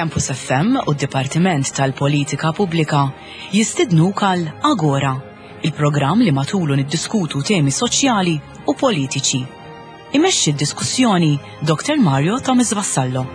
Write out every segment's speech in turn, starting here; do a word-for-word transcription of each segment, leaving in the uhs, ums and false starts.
Campus F M u d-Dipartiment tal-Politika Pubblika jistidnuk għal Agora, il-programm li matulu niddiskutu temi soċjali u politiċi. Imexxi d-diskussjoni Doktor Mario Thomas Vassallo.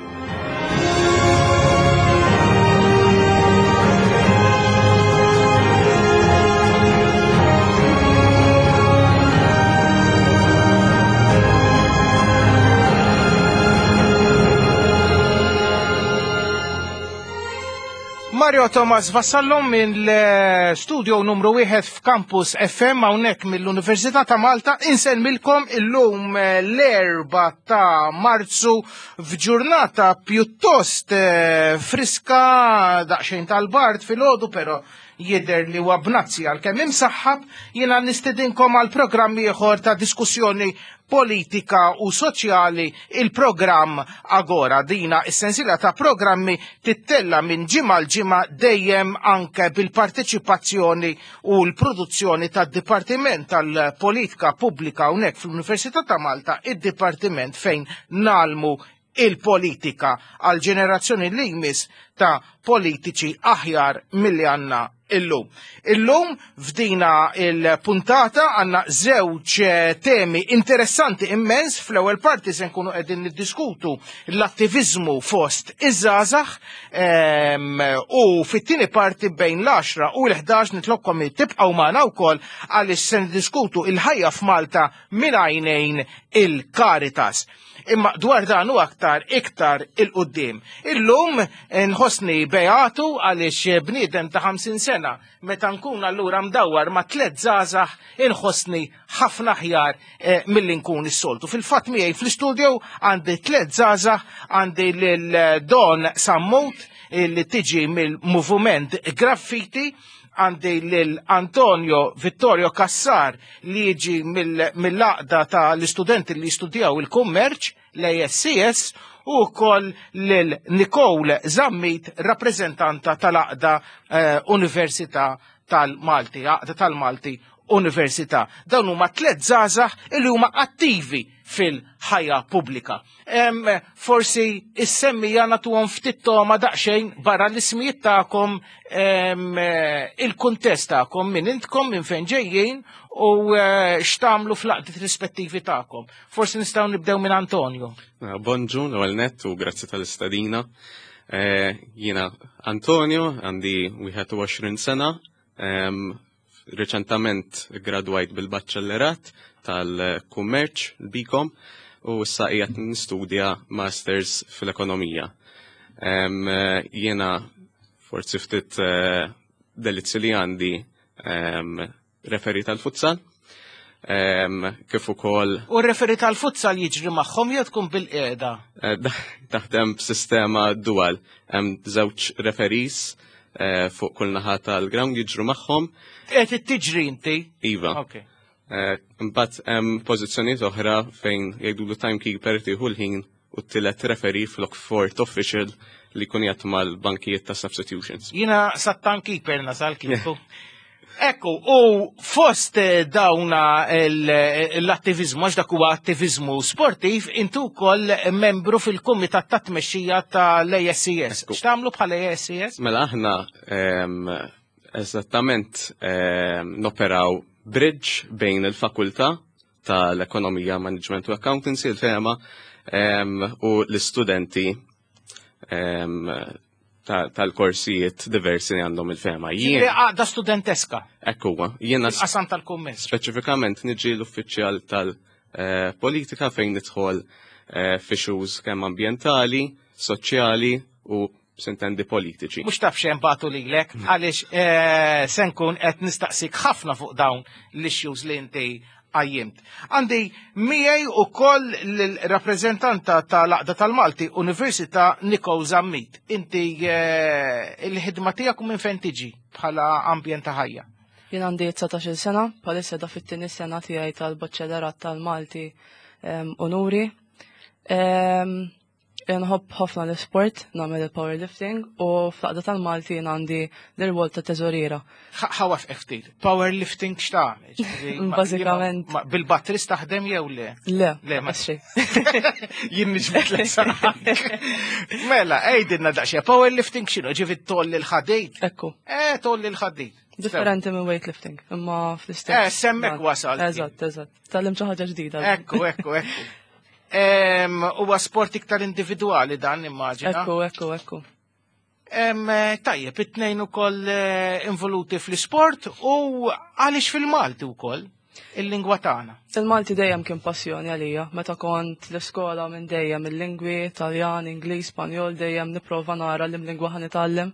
Mario Thomas Vassallo mill-studio numru wieħed f'Campus F M hawnhekk mill-Università ta' Malta insellmilkom illum l-erba' ta' Marzu f'ġurnata pjuttost eh, friska, daqsxejn tal-bard filgħodu, però jidher li huwa bnazzi għalkemm imsaħħab. Jiena nistedinkom għal programm ieħor ta' diskussjoni politika u soċjali, il-programm Agora. Dina is-sensiela ta' programmi tittella minn ġimgħa l ġimgħa, dejjem anke bil-parteċipazzjoni u l-produzzjoni tad-Dipartiment tal-Politika Pubblika hawnhekk fl-Università ta' Malta, id-dipartiment fejn nalmu il-politika għal ġenerazzjoni li jmiss ta' politiċi aħjar milli għandna illum. Illum f'dina il-puntata għandna żewġ temi interessanti immens. Fl-ewwel parti se nkunu qegħdin niddiskutu l-attivizmu fost iż-żgħażagħ, ehm, u fit-tieni parti bejn l-għaxra u l-ħdax nitlobkom li tibqgħu magħna wkoll għaliex se niddiskutu il-ħajja f'Malta minn għajnejn il-Caritas. Imma dwar dan u aktar iktar il-qoddim. Illum nħossni beatu għaliex bniedem ta' ħamsin sena meta nkun allura mdawwar ma' tliet żgħażagħ inħossni ħafna aħjar, eh, milli nkun is-soltu. Fil-fatt miegħi fl-istudio għandi tliet żgħażagħ, għandi lil Don Sammut li tiġi mill-Moviment Graffiti, għandi lil Antonio Vittorio Cassar li jiġi mill-għaqda tal-istudenti li jistudjaw il-kummerċ, l-A S C S, u wkoll lil Nicole Zammit, rappreżentanta tal-għaqda, eh, Università tal-Malti, Għaqda tal-Malti Università. Dawn huma tliet żgħażagħ li huma attivi fil-ħajja pubblika. Em, forsi is-semmija nagħtuhom ftit toma daqsxejn barra l-ismijiet tagħkom, em, il-kuntest tagħkom, minn intkom, minn fejn ġejjin u, eh, x'tagħmlu fl-għaqdiet rispettivi tagħkom. Forsi nistgħu nibdew minn Antonio. Bonġu, l-ewwel nett u grazzi tal-istedina. Eh, jiena Antonio, għandi wieħed u għoxrin sena, em, reċentament gradwajt bil-baċċellerat tal-kummerċ, l-BCom, u issa qiegħed nistudja Masters fil-Ekonomija. Em, Jiena forsi ftit eh, delizzi li għandi, em, referee tal-futsal, em, kif ukoll U r-referee tal-futsal jiġri magħhom jew tkun bil-qiegħda? Eh, taħdem b'sistema dual. Hemm żewġ referees eh, fuq kull naħa tal-ground jiġru magħhom. Qed tiġri inti? Iva. Ok. Eh, Imbagħad hemm pożizzjonijiet oħra fejn jgħidulu timekeeper, tieħu l-ħin, u t-tielet referee flok fourth official li jkun jgħat mal-bankijiet ta' substitutions. Jiena sat-timekeeper nasal kieku. Ekku, u fost dawna l-attivizmu, għax dak huwa attivizmu sportiv, intu wkoll membru fil-kumitat ta' tmexxija tal-A S C S. Ekku. X'tagħmlu bħala A S C S? Mela aħna em, eżattament em, noperaw bridge bejn il-fakultà tal-Ekonomija, Management u Accountancy, il-FEMA, em, u l-istudenti em, ta- tal-korsijiet diversi li għandhom il-FEMA. Jien Jien, għaqda studenteska, ekku, jiena qasam tal-kummerċ. speċifikament niġi l-uffiċjal tal-politika fejn nidħol eh, f'issues kemm ambjentali, soċjali u sintendi politiċi. Mux taf xem batu lilek, għaliex eh, se nkun qed nistaqsik ħafna fuq dawn l-issues li inti qajjimt. Għandi miegħi ukoll l-rappreżentanta tal-Għaqda tal-Malti Università, Nicole Zammit. Inti eh, il-ħidma tiegħek u minn fejn tiġi bħala ambjent ta' ħajja? Jien għandi dsatax-il sena, bħalissa da fit-tieni sena tiegħi tal-Baċċellerat tal-Malti em, Onuri. Em, Nħobb ħafna l-sport, nagħmel il-powerlifting u fl-għaqda tal-Malti jien għandi l-irwol ta' teżoriera. Ħa nwaqqfek ftit. Powerlifting x'tagħmel? Ġifieri, ma- Bażikament. ma- Bil-batteries taħdem jew le? Le, Le, ma- xejn. Jien niġbed l Mela, għidilna daqsxejn, powerlifting x'inhu? Ġifieri tgħolli l-ħadid? Ekku, Eh, tgħolli l-ħadid. Differenti minn weightlifting, imma fl-istess. Eh, s'hemmhekk wasalt. Eżatt, eżatt. Tgħallimt xi ħaġa ġdida. Ekku, ekku, ekku. Em, Huwa sport iktar individwali dan, immaġina. Ekku, ekku, ekku. Em, eh, Tajjeb, it-tnejn ukoll eh, involuti fl-sport u għaliex fil-Malti wkoll il-lingwa tagħna. Il-Malti dejjem kien passjoni għalija. Meta kont l-iskola minn dejjem il-lingwi, Taljan, Ingliż, Spanjol, dejjem nipprova nara li lingwa ħa nitgħallem.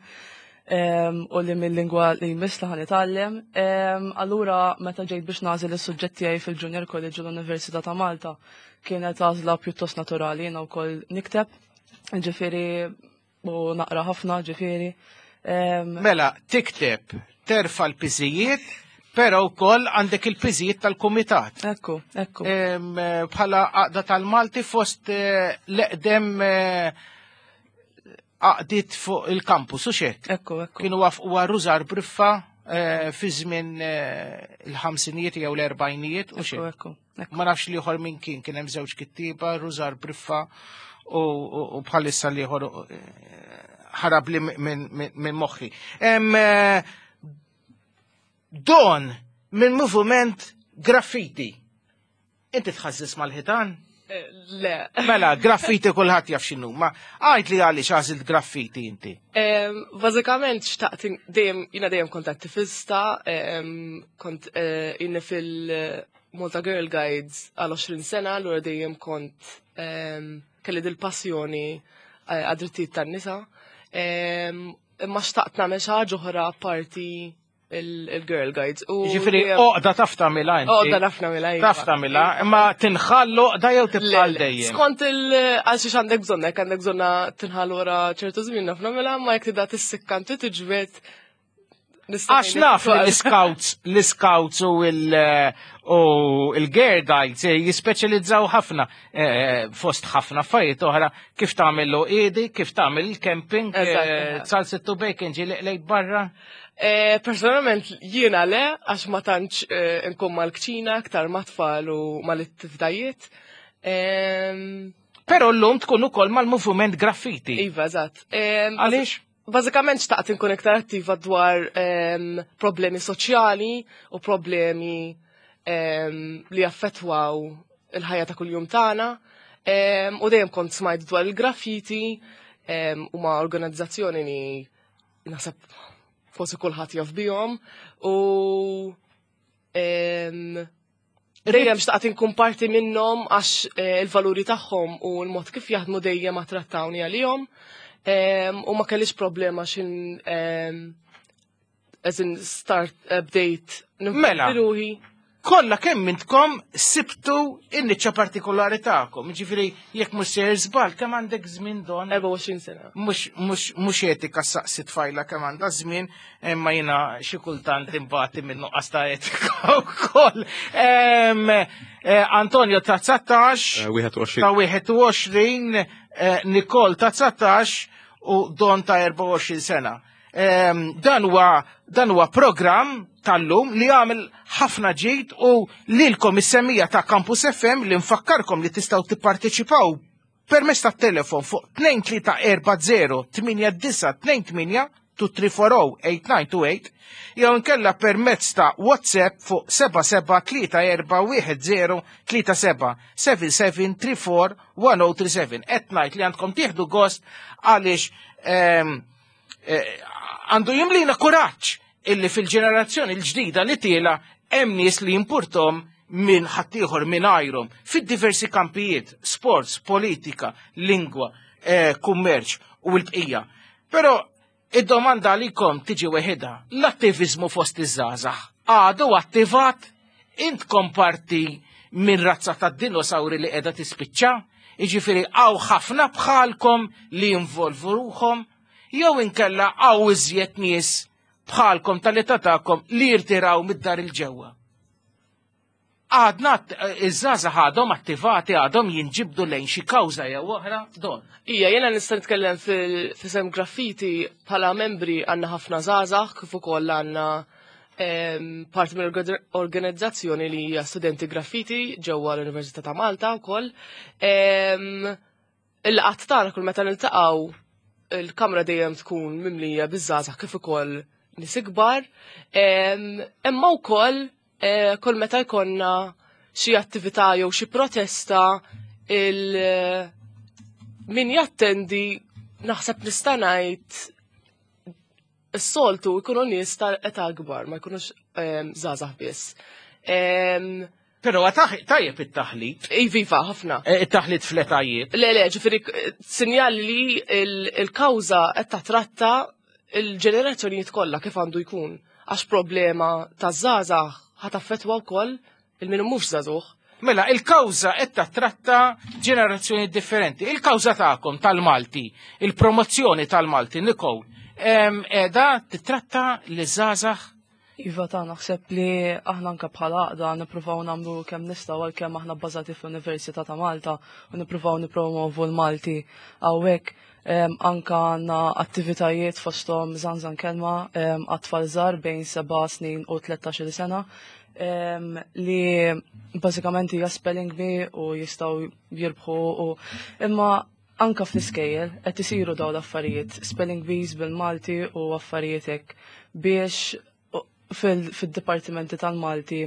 Em, u li mill-lingwa li jmiss li ħa nitgħallem. Em, Allura meta ġejt biex nagħżel is-suġġett tiegħi fil-Junior College u l-Università ta' Malta, kienet għażla pjuttost naturali, jiena wkoll nikteb, ġifieri u naqra ħafna, ġifieri. Em, Mela, tikteb, terfa l-piżijiet, però wkoll għandek il-piżijiet tal-kumitat. Ekku, ekku. Em, eh, Bħala għaqda tal-Malti fost eh, l-eqdem eh, għaqdiet fuq il-kampus, u xek? Ekku, ekku. Kienu waqfu Rużar Briffa eh, fi żmien eh, il-ħamsinijiet jew l-erbajnijiet u Ekku, xek. ekku. ekku. Ma nafx l-ieħor minn kien, kien hemm żewġ kittiba, Rużar Briffa u, u, u bħalissa l-ieħor eh, ħarab li minn min, min moħħi. Em, eh, Don minn moviment graffiti. Inti tħażżeż mal-ħitan? Le. Mela, graffiti kulħadd jaf x'inhu, ma għid li għaliex għażilt graffiti inti. Em, Bażikament xtaqt in- dejjem jiena dejjem kont attivista, em, kont eh, jiena fil-Malta Girl Guides għal għoxrin sena, allura dejjem kont em, kelli dil-passjoni eh, għad-drittijiet tan-nisa. Em, Imma xtaqt nagħmel xi ħaġa oħra parti il-Girl Guides. U Ġifieri dejjem- għoqda taf tagħmilha inti. Għoqda naf nagħmilha, iva. Taf tagħmilha, imma tinħall għoqda jew tibqa' Le, le, dejjem. Skont il- għal xiex għandek bżonn, jekk għandek bżonna tinħal wara ċertu żmien naf nagħmilha, ma jekk tibda tissikka inti tiġbed. Nista' Għax naf li l-scouts, l-scouts u il- u il-girl guides eh, jispeċjalizzaw ħafna eh, fost ħafna affarijiet oħra kif tagħmel l-għoqiedi, kif tagħmel il-camping, Eżatt, eh, eżatt. Zalzett u bacon ġieli qlejt barra. Eh, Personalment jiena le, għax ma tantx eh, nkun mal-kċina, aktar ma tfal u mal-attivitajiet. Em, Però llum tkun ukoll mal-moviment graffiti. Iva, eżatt. Em, Għaliex? Bażikament xtaqt inkun iktar attiva dwar em, problemi soċjali u problemi em, li affettwaw il-ħajja ta' kuljum tagħna. Em, U dejjem kont smajt dwar il-graffiti em, u ma' organizzazzjoni li naħseb forsi kulħadd jaf bihom u em, dejjem xtaqt inkun parti minnhom għax eh, il-valuri tagħhom u l-mod kif jaħdmu dejjem attrattawni għalihom. Em, U ma kellix problema xin em, as in start update Mela. ruħi. Kollha kemm intkom sibtu in-niċċa partikolari tagħkom. Ġifieri jekk mhux sejjer żball kemm għandek żmien, Don? erbgħa u għoxrin sena. Mux, mux, mux etika saqsi tfajla kemm għandha żmien, imma jiena xi kultant imbati minn nuqqas ta' etika wkoll. Em, eh, Antonio ta' dsatax, Eh, Wieħed u għoxrin. ta' wieħed u għoxrin, eh, Nicole ta' dsatax u Don ta' erbgħa u għoxrin sena. Em, Dan huwa dan huwa programm tal-lum li għamel ħafna ġid u lilkom is-semmiegħa ta' Campus F M li nfakkarkom li tistgħu tipparteċipaw permezz ta' telefon fuq tnejn tlieta erba' żero tmienja disgħa tnejn tmienja tnejn tlieta erba' żero tmienja disgħa tnejn tmienja jew inkella permezz ta' WhatsApp fuq seba' seba' tlieta erba' wieħed żero tlieta seba' seba' seba' tlieta erba' wieħed żero tlieta seba'. Qed ngħid li għandkom tieħdu gost għaliex ehm, eh, għandu jimlina kuraġġ illi fil-ġenerazzjoni l-ġdida li tiela hemm nies li jimpurtom minn ħaddieħor minn għajrhom fid-diversi kampijiet, sports, politika, lingwa, eh, kummerċ u l-bqija. Però id-domanda għalikom tiġi weħida, l-attivizmu fost iż-żgħażagħ għadu attivat? Intkom parti minn razza ta' dinosauri li qiegħda tispiċċa, jiġifieri hawn ħafna bħalkom li jinvolvu ruħhom, jew inkella hawn iżjed nies bħalkom tal-età tagħkom li jirtiraw mid-dar il-ġewwa? Għadna iż-żgħażagħ għadhom attivati, għadhom jinġibdu lejn xi kawża jew oħra, Don? Ija, jena nista' nitkellem fil-fisem Graffiti. Bħala membri għandna ħafna żgħażagħ, kif ukoll għandna parti mill-organizzazzjoni li hija Studenti Graffiti ġewwa l-Università ta' Malta wkoll. Il-qatt tagħna, kull meta niltaqgħu, il-kamra dejjem tkun mimlija biż-żgħażagħ kif ukoll nies ikbar. Imma wkoll eh, kull meta jkollna xi attività jew xi protesta, il min jattendi, naħseb nista' ngħid, is-soltu jkunu nies ta' età kbar, ma jkunux żgħażagħ biss. Però tajjeb it-taħlit. Iviva, ħafna. Eh, it-taħlit fl-etajiet. Le, le, ġifieri, sinjal li il-kawża qed tatratta il-ġenerazzjonijiet kollha, kif għandu jkun. Għax problema ta' żgħażagħ ħa taffettwa wkoll il-min mhux żagħżugħ. Mela, il-kawża qed tattratta ġenerazzjoni differenti. Il-kawża tagħkom tal-Malti, il-promozzjoni tal-Malti, Nicole, qiegħda titratta li żgħażagħ? Iva ta', naħseb li aħna anka bħala għaqda nippruvaw nagħmlu kemm nistgħu, għalkemm aħna bbażati fl-Università ta' Malta u nippruvaw nippromovu l-Malti hawnhekk. Anka għandna attivitajiet, fosthom Żanżan Kelma għat-tfal żgħar bejn seba' snin u tlettax-il sena, li bażikament hija spelling bee u jistgħu jirbħu, u imma anka fl-iskejjel qed isiru dawn l-affarijiet, spelling bees bil-Malti u affarijiet hekk, biex fil-dipartimenti tal-Malti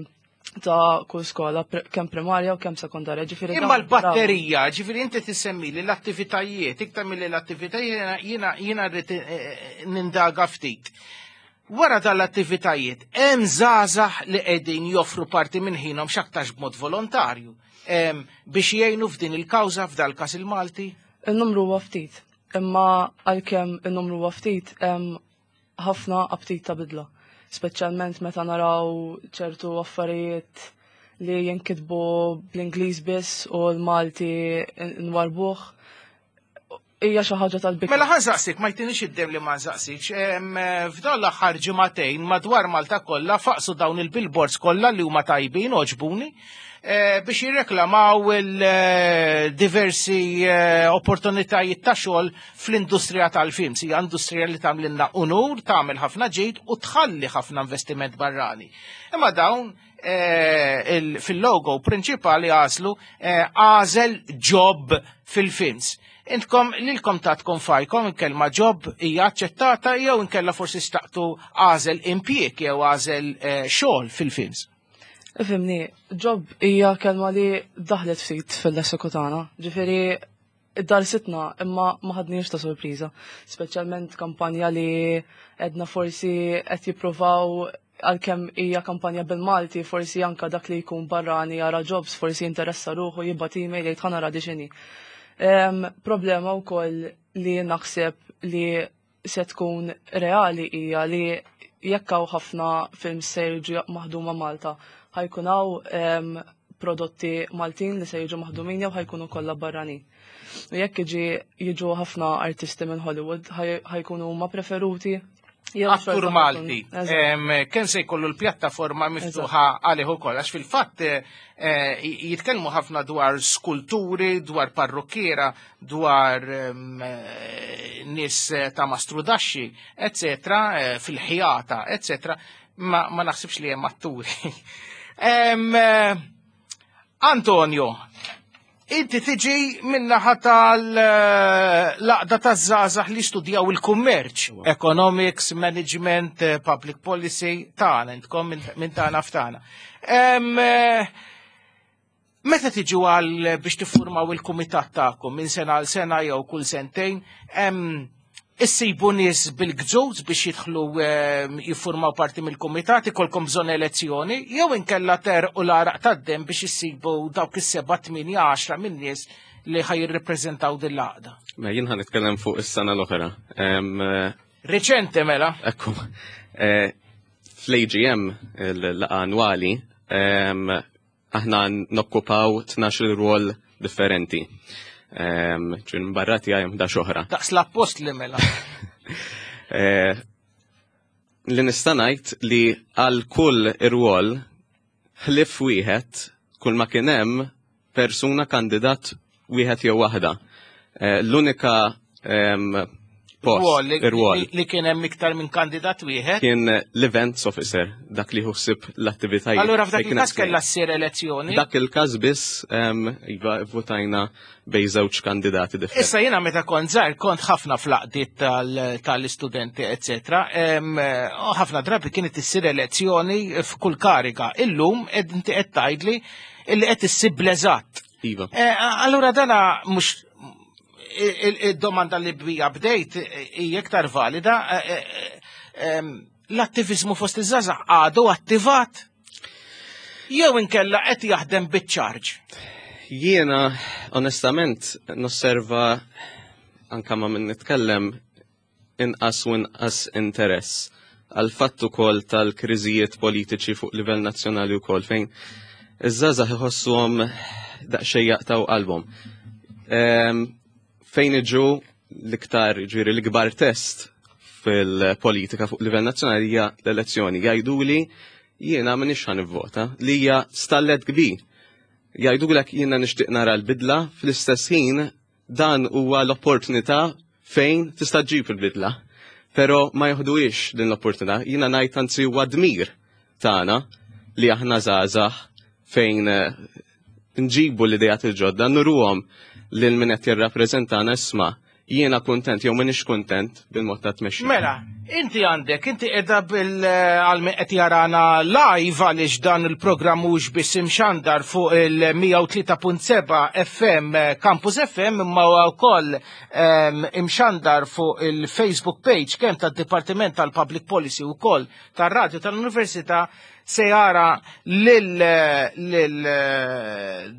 ta' kull skola, kemm primarja u kemm sekondarja. Ġifieri Imma l-batterija, ġifieri inti tissemmi li l-attivitajiet, iktar milli l-attivitajiet jiena jiena rrid eh, eh, nindaga ftit. Wara dal-attivitajiet, hemm żgħażagħ li qegħdin joffru parti minn ħinhom, x'aktarx b'mod volontarju, em, biex jgħinu f'din il-kawża, f'dal każ il-Malti? Il-numru huwa ftit, imma għalkemm il-numru huwa ftit, hemm ħafna aptit ta' bidla. Speċjalment meta naraw ċertu affarijiet li jinkitbu bl-Ingliż biss u l-Malti nwarbuh. Hija xi ħaġa tal-bikra. Mela ħa nsaqsik, ma jtinix id-dem li ma nsaqsikx. Em, F'dan l-aħħar ġimagħtejn madwar Malta kollha faqsu dawn il-billboards kollha li huma tajbin, għoġbuni, eh, biex jirreklamaw il-diversi eh, opportunitajiet ta' xogħol fl-industrija tal-films. Hija industrija li tagħmlilna unur, tagħmel ħafna ġid u tħalli ħafna investiment barrani. Imma dawn eh, il- fil-logo prinċipali għażlu eh, "Għażel job fil-films". Intkom lilkom tatkom fajkom il-kelma "job", hija aċċettata, jew inkella forsi xtaqtu "għażel impjieg" jew "għażel eh, xogħol fil-films"? Ifhimni, "job" hija kelma li daħlet ftit fil-lessiku tagħna. Ġifieri darsitna, imma ma ħadniex ta' sorpriża. Speċjalment kampanja li edna forsi qed jippruvaw, għalkemm hija kampanja bil-Malti, forsi anka dak li jkun barrani jara "jobs", forsi jinteressa ruħu, jibgħat email, jgħid, "Ħa nara di x'inhi." Em, Problema wkoll li naħseb li se tkun reali hija li jekk hawn ħafna films se jiġu maħduma Malta, ħa jkun hawn em, prodotti Maltin li se jiġu maħdumin jew ħa jkunu kollha barranin? U jekk jiġi jiġu ħafna artisti minn Hollywood, ħaj- ħa jkunu huma preferuti jew Attur xorta Malti, ħa jkun- em, kemm se jkollu l-pjattaforma miftuħa għalih ukoll, għax fil-fatt eh, jitkellmu ħafna dwar skulturi, dwar parrukkiera, dwar em, eh, nies ta' mastrudaxxi, eccetera, eh, fil-ħjata, eccetera, ma, ma naħsibx li hemm atturi. Em, eh, Antonio, inti tiġi minnaħa tal-għaqda taż-żgħażagħ li studjaw il-kummerċ, economics, management, eh, public policy, tagħna, intkom minn- minn tagħna ftana. Em, eh, Meta tiġu għal biex tiffurmaw il-kumitat tagħkom minn sena għal sena jew kull sentejn, em, issibu nies bil-gżuż biex jidħlu em, jiffurmaw parti mill-kumitat, ikolkom bżonn elezzjoni, jew inkella ter u l-għaraq tad-dem biex issibu dawk is-seba', tmienja, għaxra minn nies li ħa jirrepreżentaw din l-għaqda? Ma jien ħa nitkellem fuq is-sena l-oħra. Em, eh, Reċente mela. Ekku, eh, fl-A G M, il-laqgħa annwali, em, aħna nokkupaw tnax-il rwol differenti. Em, ġin barrati għajem da oħra. Daqs l-appostli mela. Eh, Li nista' ngħid li għal kull irwol Ħlief wieħed, kull ma kien hemm persuna kandidat wieħed jew waħda. Eh, L-unika em, post, Rwol li- ir-rwol, li, li kien hemm iktar minn kandidat wieħed. kien l-events officer, dak li ħsieb l-attivitajiet. Allura f'dak Fejn kien il-każ qed kellha ssir elezzjoni. Dak il-każ biss em, iva votajna bejn żewġ kandidati differenti. Issa jiena meta kont żgħir kont ħafna fl-għaqdiet tal- tal-istudenti, eccetera. Em, U ħafna drabi kienet issir elezzjoni f'kull kariga. Illum ed inti qed tgħidli illi qed issib bl-eżatt. Iva. Eh, Allura dana mhux il-domanda li bija bdejt hija iktar valida. eh, eh, em, L-attivizmu fost iż-żgħażagħ għadu attivat jew inkella qed jaħdem biċ-charge. Jiena, onestament, nosserva anka ma minn nitkellem inqas u inqas interess għal fatt ukoll tal-kriżijiet politiċi fuq livell nazzjonali wkoll fejn iż-żgħażagħ iħossuhom daqsxejn jaqtaw qalbhom. Em, Fejn iġu l-iktar ġifieri l-ikbar test fil-politika fuq livell nazzjonali hija l-elezzjoni. Jgħiduli jiena m'iniex ħa nivvota li hija stallet kbir. Jgħidulek jiena nixtieq nara l-bidla, fl-istess ħin dan huwa l-opportunità fejn tista' ġġib il-bidla. Però ma joħduhiex din l-opportunità. Jiena ngħid anzi huwa dmir tagħna li aħna żgħażagħ fejn eh, nġibu l-idejat il-ġodda, nuruhom lil min qed jirrappreżentana isma' jiena kuntent jew m'iniex kuntent bil-mod ta' tmexxija. Mela, inti għandek, inti edha bil għal min qed jarana live għaliex dan il-programm mhux biss imxandar fuq il-mija u tlieta punt seba' F M Campus F M imma huwa wkoll em, imxandar fuq il-Facebook page kemm tad-Dipartiment tal-Public Policy wkoll tar-Radju tal-Università se jara lil lil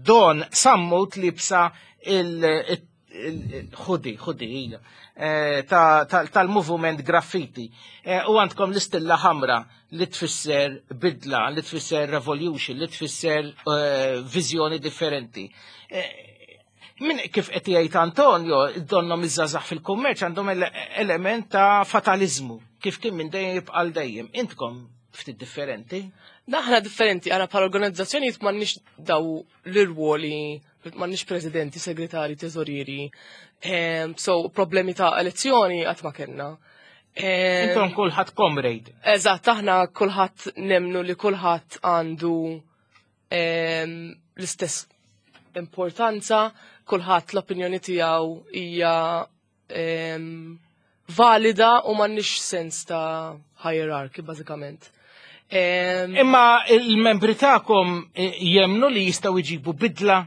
Dawn Sammut libsa il- il-hoodie, hoodie, hija, eh, ta- ta- tal-movement graffiti. Eh, U għandkom l-istilla ħamra li tfisser bidla, li tfisser revolution, li tfisser eh, viżjoni differenti. Eh, Min kif qed jgħid Antonio, donnom iż-żgħażagħ fil-kummerċ għandhom ele- element ta' fatalizmu, kif kien minn dejjem jibqa' dejjem. Intkom ftit differenti. Aħna differenti, għana bħala organizzazzjonijiet m'għandniex daw l-irwoli, m'għandniex presidenti, segretari, teżorieri. Em, so, problemi ta' elezzjoni qatt ma kellna. Em, Intom kulħadd comrade. Eżatt, aħna kulħadd nemnu li kulħadd għandu em, l-istess importanza, kulħadd l-opinjoni tiegħu hija em, valida u m'għandniex sens ta' hierarchy bażikament. Em, Imma il-membri tagħkom eh, jemnu li jistgħu jġibu bidla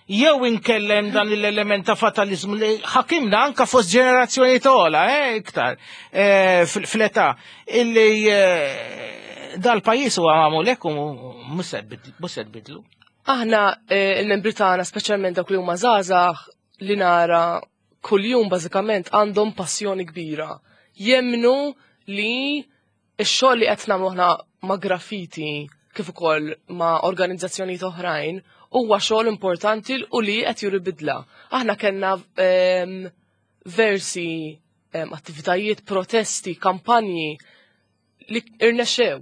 jew inkellem dan l-element ta' fatalizmu li ħakimna anka fost ġenerazzjoni tola, eh, iktar, eh, fil- fl-età, illi eh, dal-pajjiż huwa magħmul hekk u mhux se tbidlu. Aħna eh, il-membri tagħna, speċjalment dawk li huma żgħażagħ li nara kuljum bażikament għandhom passjoni kbira. Jemnu li x-xogħol li qed nagħmlu aħna ma' graffiti kif ukoll ma' organizzazzjonijiet oħrajn huwa xogħol importanti u li qed juri bidla. Aħna kellna ehm, versi ehm, attivitajiet, protesti, kampanji li irnexxew.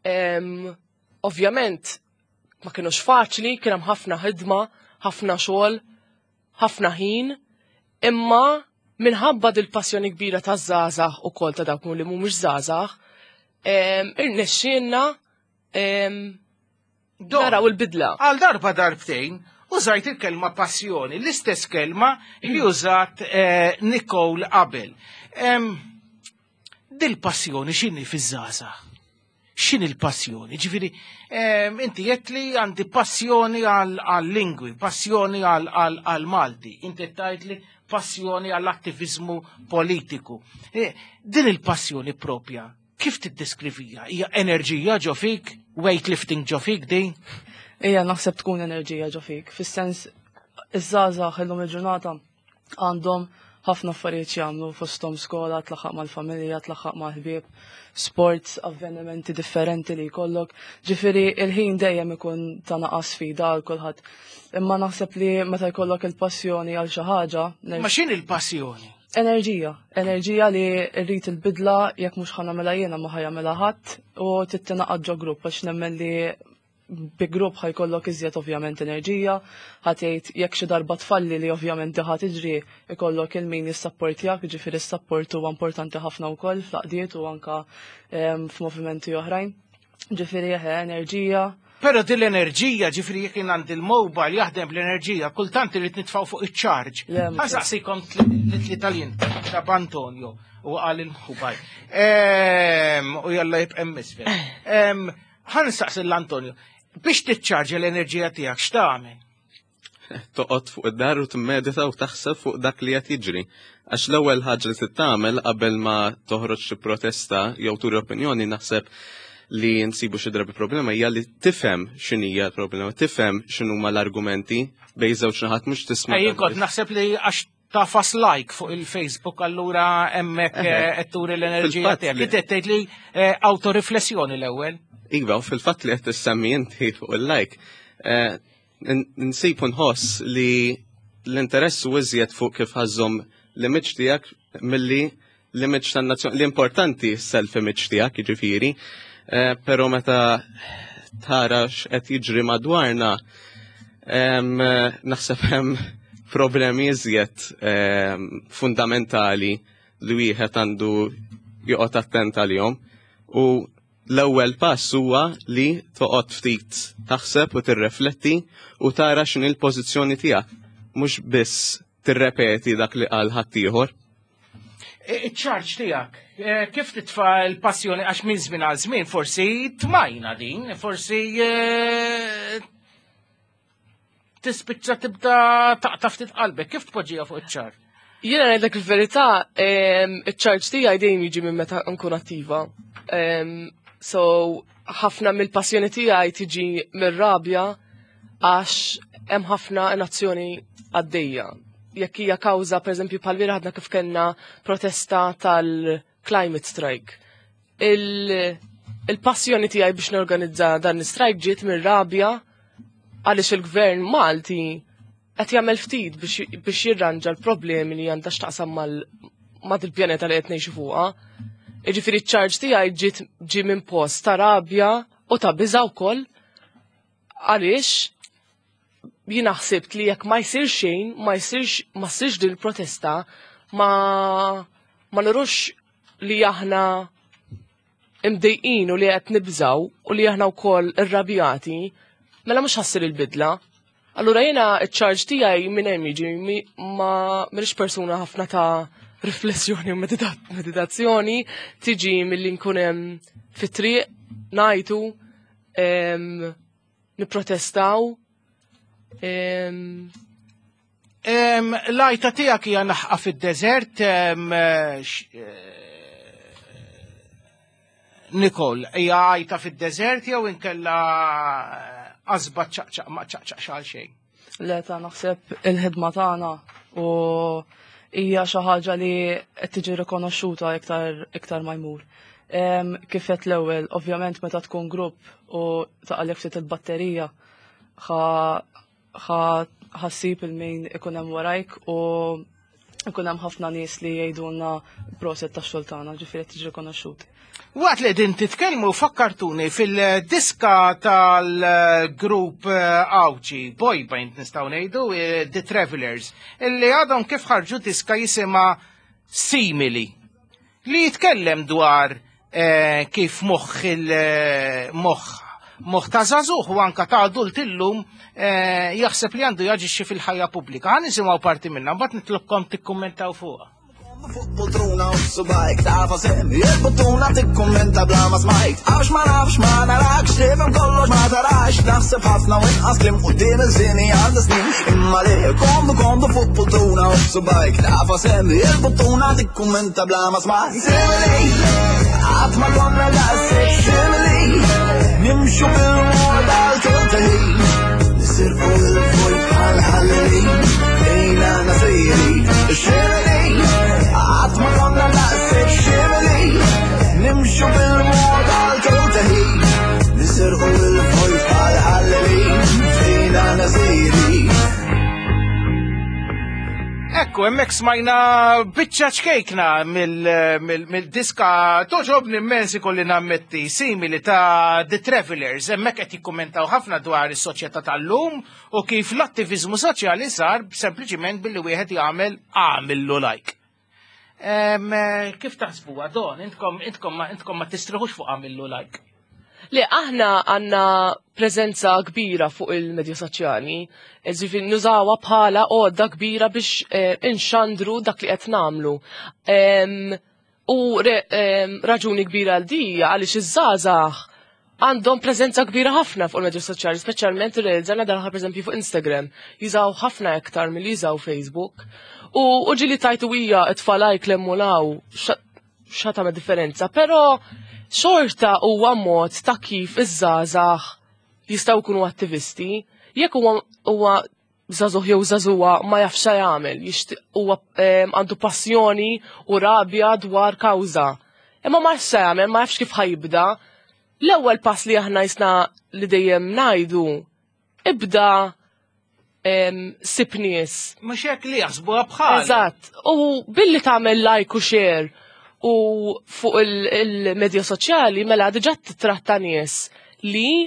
Ehm, Ovvjament, ma kienux faċli, kien hemm ħafna ħidma, ħafna xogħol, ħafna ħin, imma minħabba dil-passjoni kbira ta' żgħażagħ ukoll ta' dawk li mhumiex żgħażagħ, em, irnexxielna em, Dawn, naraw il-bidla. Għal darba darbtejn, użajt il-kelma passjoni, l-istess kelma li użat eh, Nicole qabel. Em, Dil-passjoni x'inhi fiż-żgħażagħ? X'inhi l-passjoni? Ġifieri, em, inti qed li għandi passjoni għal-lingwi, passjoni għal-Malti, inti tgħid li passjoni għall-attivizmu politiku. Eh, Din il-passjoni propja, kif tiddeskrivija? Hija enerġija ġo fik? Weightlifting ġo fik din? Ija, naħseb tkun enerġija ġo fik. Fis-sens, iż-żgħażagħ illum il-ġurnata għandhom ħafna affarijiet jagħmlu fosthom skola, tlaħħaq mal-familja, tlaħħaq mal-ħbieb, sports, avvenimenti differenti li jkollok. Ġifieri il-ħin dejjem ikun ta' naqas sfida għal kulħadd. Imma naħseb li meta jkollok il-passjoni għal xi ħaġa, Ma x'inhi il-passjoni? Enerġija, enerġija li rrid il-bidla jekk mhux ħa nagħmilha jiena ma ħa jagħmilha ħadd u tittingħaqad ġo grupp għax nemmen li Bi grupp ħa jkollok iżjed ovvjament enerġija, ħa tgħid jekk xi darba tfalli, li ovvjament ħa tiġri, ikollok il-min jissapportjak, ġifieri s-support huwa importanti ħafna wkoll fl-għaqdiet u anka f'movimenti oħrajn. Ġifieri eħe, enerġija. Pero din l-enerġija, ġifieri jekk jien għandi l-mobile jaħdem bl-enerġija, kultant irid nitfgħu fuq iċ-charge. Le, mhux Ħa nsaqsikom li tal ta' Antonio u għal il-mobile. Ehm, U jalla jibqa' misfel. Ħa nsaqsi l-Antonio, biex tiċċarġa l-enerġija tiegħek x'tagħmel? Toqgħod fuq id-dar u timmedita u taħseb fuq dak li qed jiġri. Għax l-ewwel ħaġa li trid tagħmel qabel ma toħroġ xi protesta jew turi opinjoni, naħseb li nsibu xi drabi problema, hija li tifhem x'inhija l-problema, tifhem x'inhuma l-argumenti bejn żewġ naħat, mhux tisma' Ej, kont naħseb li għax tagħfas like fuq il-Facebook, allura hemmhekk Eħe. qed turi l-enerġija Fil-fatt tiegħek. li- Inti qed tgħid li eh, autoriflessjoni l-ewwel. Iva, u fil-fatt li qed tissemmi inti fuq il-like, eh, n- nsib u nħoss li l-interess u iżjed fuq kif ħa żżomm l-image tiegħek milli l-image tan-nazzjon. L-importanti self-image tiegħek, jiġifieri, eh, pero meta tara x'qed jiġri madwarna, em, naħseb hemm problemi iżjed em, fundamentali li wieħed għandu joqgħod attent għalihom. U l-ewwel pass huwa li toqgħod ftit taħseb u tirrefletti u tara x'inhi l-pożizzjoni tiegħek, mhux biss tirrepeti dak li qal ħaddieħor. Iċ-charge tiegħek, eh, kif titfa l-passjoni, għax minn żmien għal żmien forsi tmajna din, forsi eh, tispiċċa tibda taqta' ftit qalbek, kif tpoġġiha fuq iċ-charge? Jiena ngħidlek il-verità, iċ-charge tiegħi dejjem jiġi minn meta nkun attiva. Em, So, ħafna mill-passjoni tiegħi tiġi mir-rabja għax hemm ħafna inazzjoni għaddejja. Jekk hija kawża, pereżempju, bħal ħadna kif kellna protesta tal-climate strike. Il- Il-passjoni tiegħi biex norganizza dan l-strike ġiet mir-rabja għaliex il-gvern Malti qed jagħmel ftit biex biex jirranġa l-problemi li għandha x'taqsam mal ma' il-pjaneta li qed ngħixu fuqha. Jiġifieri ċ-charge tiegħi ġiet ġi minn post ta' rabja u ta' biża' wkoll għaliex jiena ħsibt li jekk ma jsir xejn, ma jsirx ma ssirx din il-protesta, ma ma nurux li aħna imdejqin u li qed nibżaw u li aħna wkoll irrabjati, mela mhux ħa ssir il-bidla. Allura jiena iċ-charge tiegħi minn hemm jiġi, mi- ma m'iniex persuna ħafna ta' riflessjoni u medita- meditazzjoni, tiġi milli nkun hemm fit-triq ngħidu, em, nipprotestaw. em, Em, L-għajta tiegħek hija naħqa fid-deżert, em, eh, x- eh, Nicole, hija għajta fid-deżert jew inkella qasba ċaqċaq ma ċaqċaq xal xejn? Le, ta' naħseb il-ħidma tagħna u hija xi ħaġa li qed tiġi rikonoxxuta iktar iktar ma jmur. Em, Kif qed l-ewwel, ovvjament meta tkun grupp u taqalek ftit il-batterija, ħa ħa ħa ssib il-min ikun hemm warajk u ikun hemm ħafna nies li jgħidulna proset tax-xogħol tagħna, ġifieri qed tiġi rikonoxxut. Waqt li din titkellmu fakkartuni fil-diska tal-grupp Għawdxi, boy band nistgħu ngħidu, eh, The Travelers, illi għadhom kif ħarġu diska jisimha Simili, li jitkellem dwar eh, kif moħħ il-moħħ moħħ ta' żagħżugħ u anka ta' adult illum eh, jaħseb li għandu jaġixxi fil-ħajja pubblika. Ħa nisimgħu parti minnha, mbagħad nitlobkom tikkummentaw fuqha. Fuq poltruna u subgħajk tagħfas hemm il-buttuna tikkummenta bla ma smajt, għax ma nafx ma narakx, tifhem kollox ma tarax, naħseb ħafna u inqas kliem quddiem il-żini għandha snin, imma li komdu komdu fuq poltruna u subgħajk tagħfas hemm il-buttuna tikkummenta bla ma smajt. Simili qatt ma konna daqshekk simili, nimxu bil-mod għal kull nisirqu il-vojt bħal ħallelin ejna nasiri ximili, qatt ma konna daqshekk simili, nimxu bil-mod għal kull nisirqu il-vojt bħal ħallelin fejna nasiri. Ekku, Ekku, hemmhekk smajna biċċa ċkejkna mill-diska toġobni immens ikolli nammetti simili ta' The Travelers. Hemmhekk qed jikkummentaw ħafna dwar is-soċjetà tal-lum u kif l-attiviżmu soċjali sar sempliċiment billi wieħed jagħmel għamillu like. Kif taħsbuha Don, intkom intkom intkom ma tistriħux fuq għamillu like. Le, aħna għanna prezenza kbira fuq il-medja soċjali, ġifieri nużawha bħala għodda kbira biex eh, inxandru dak li qed nagħmlu. U raġuni kbira għal dija għaliex iż-żgħażagħ għandhom prezenza kbira ħafna fuq il-medja soċjali, speċjalment irrealizzajna dan pereżempju fuq Instagram, jużaw ħafna iktar milli jużaw Facebook. U ġieli tajtu hija t-tfal jklemmulaw xa tagħmel differenza, però xorta huwa mod ta' kif iż-żgħażagħ jistgħu jkunu attivisti, jekk huwa huwa żagħżugħ jew żagħżugħa ma jafx jagħmel, huwa għandu passjoni u rabja dwar kawża. Imma ma jafx jagħmel, ma jafx kif ħajibda. L-ewwel pass li aħna jisna li dejjem ngħidu, ibda sib nies. Mhux hekk li jaħsbuha bħal. Eżatt. U billi tagħmel like u share u fuq il-medja soċjali mela diġà titratta nies li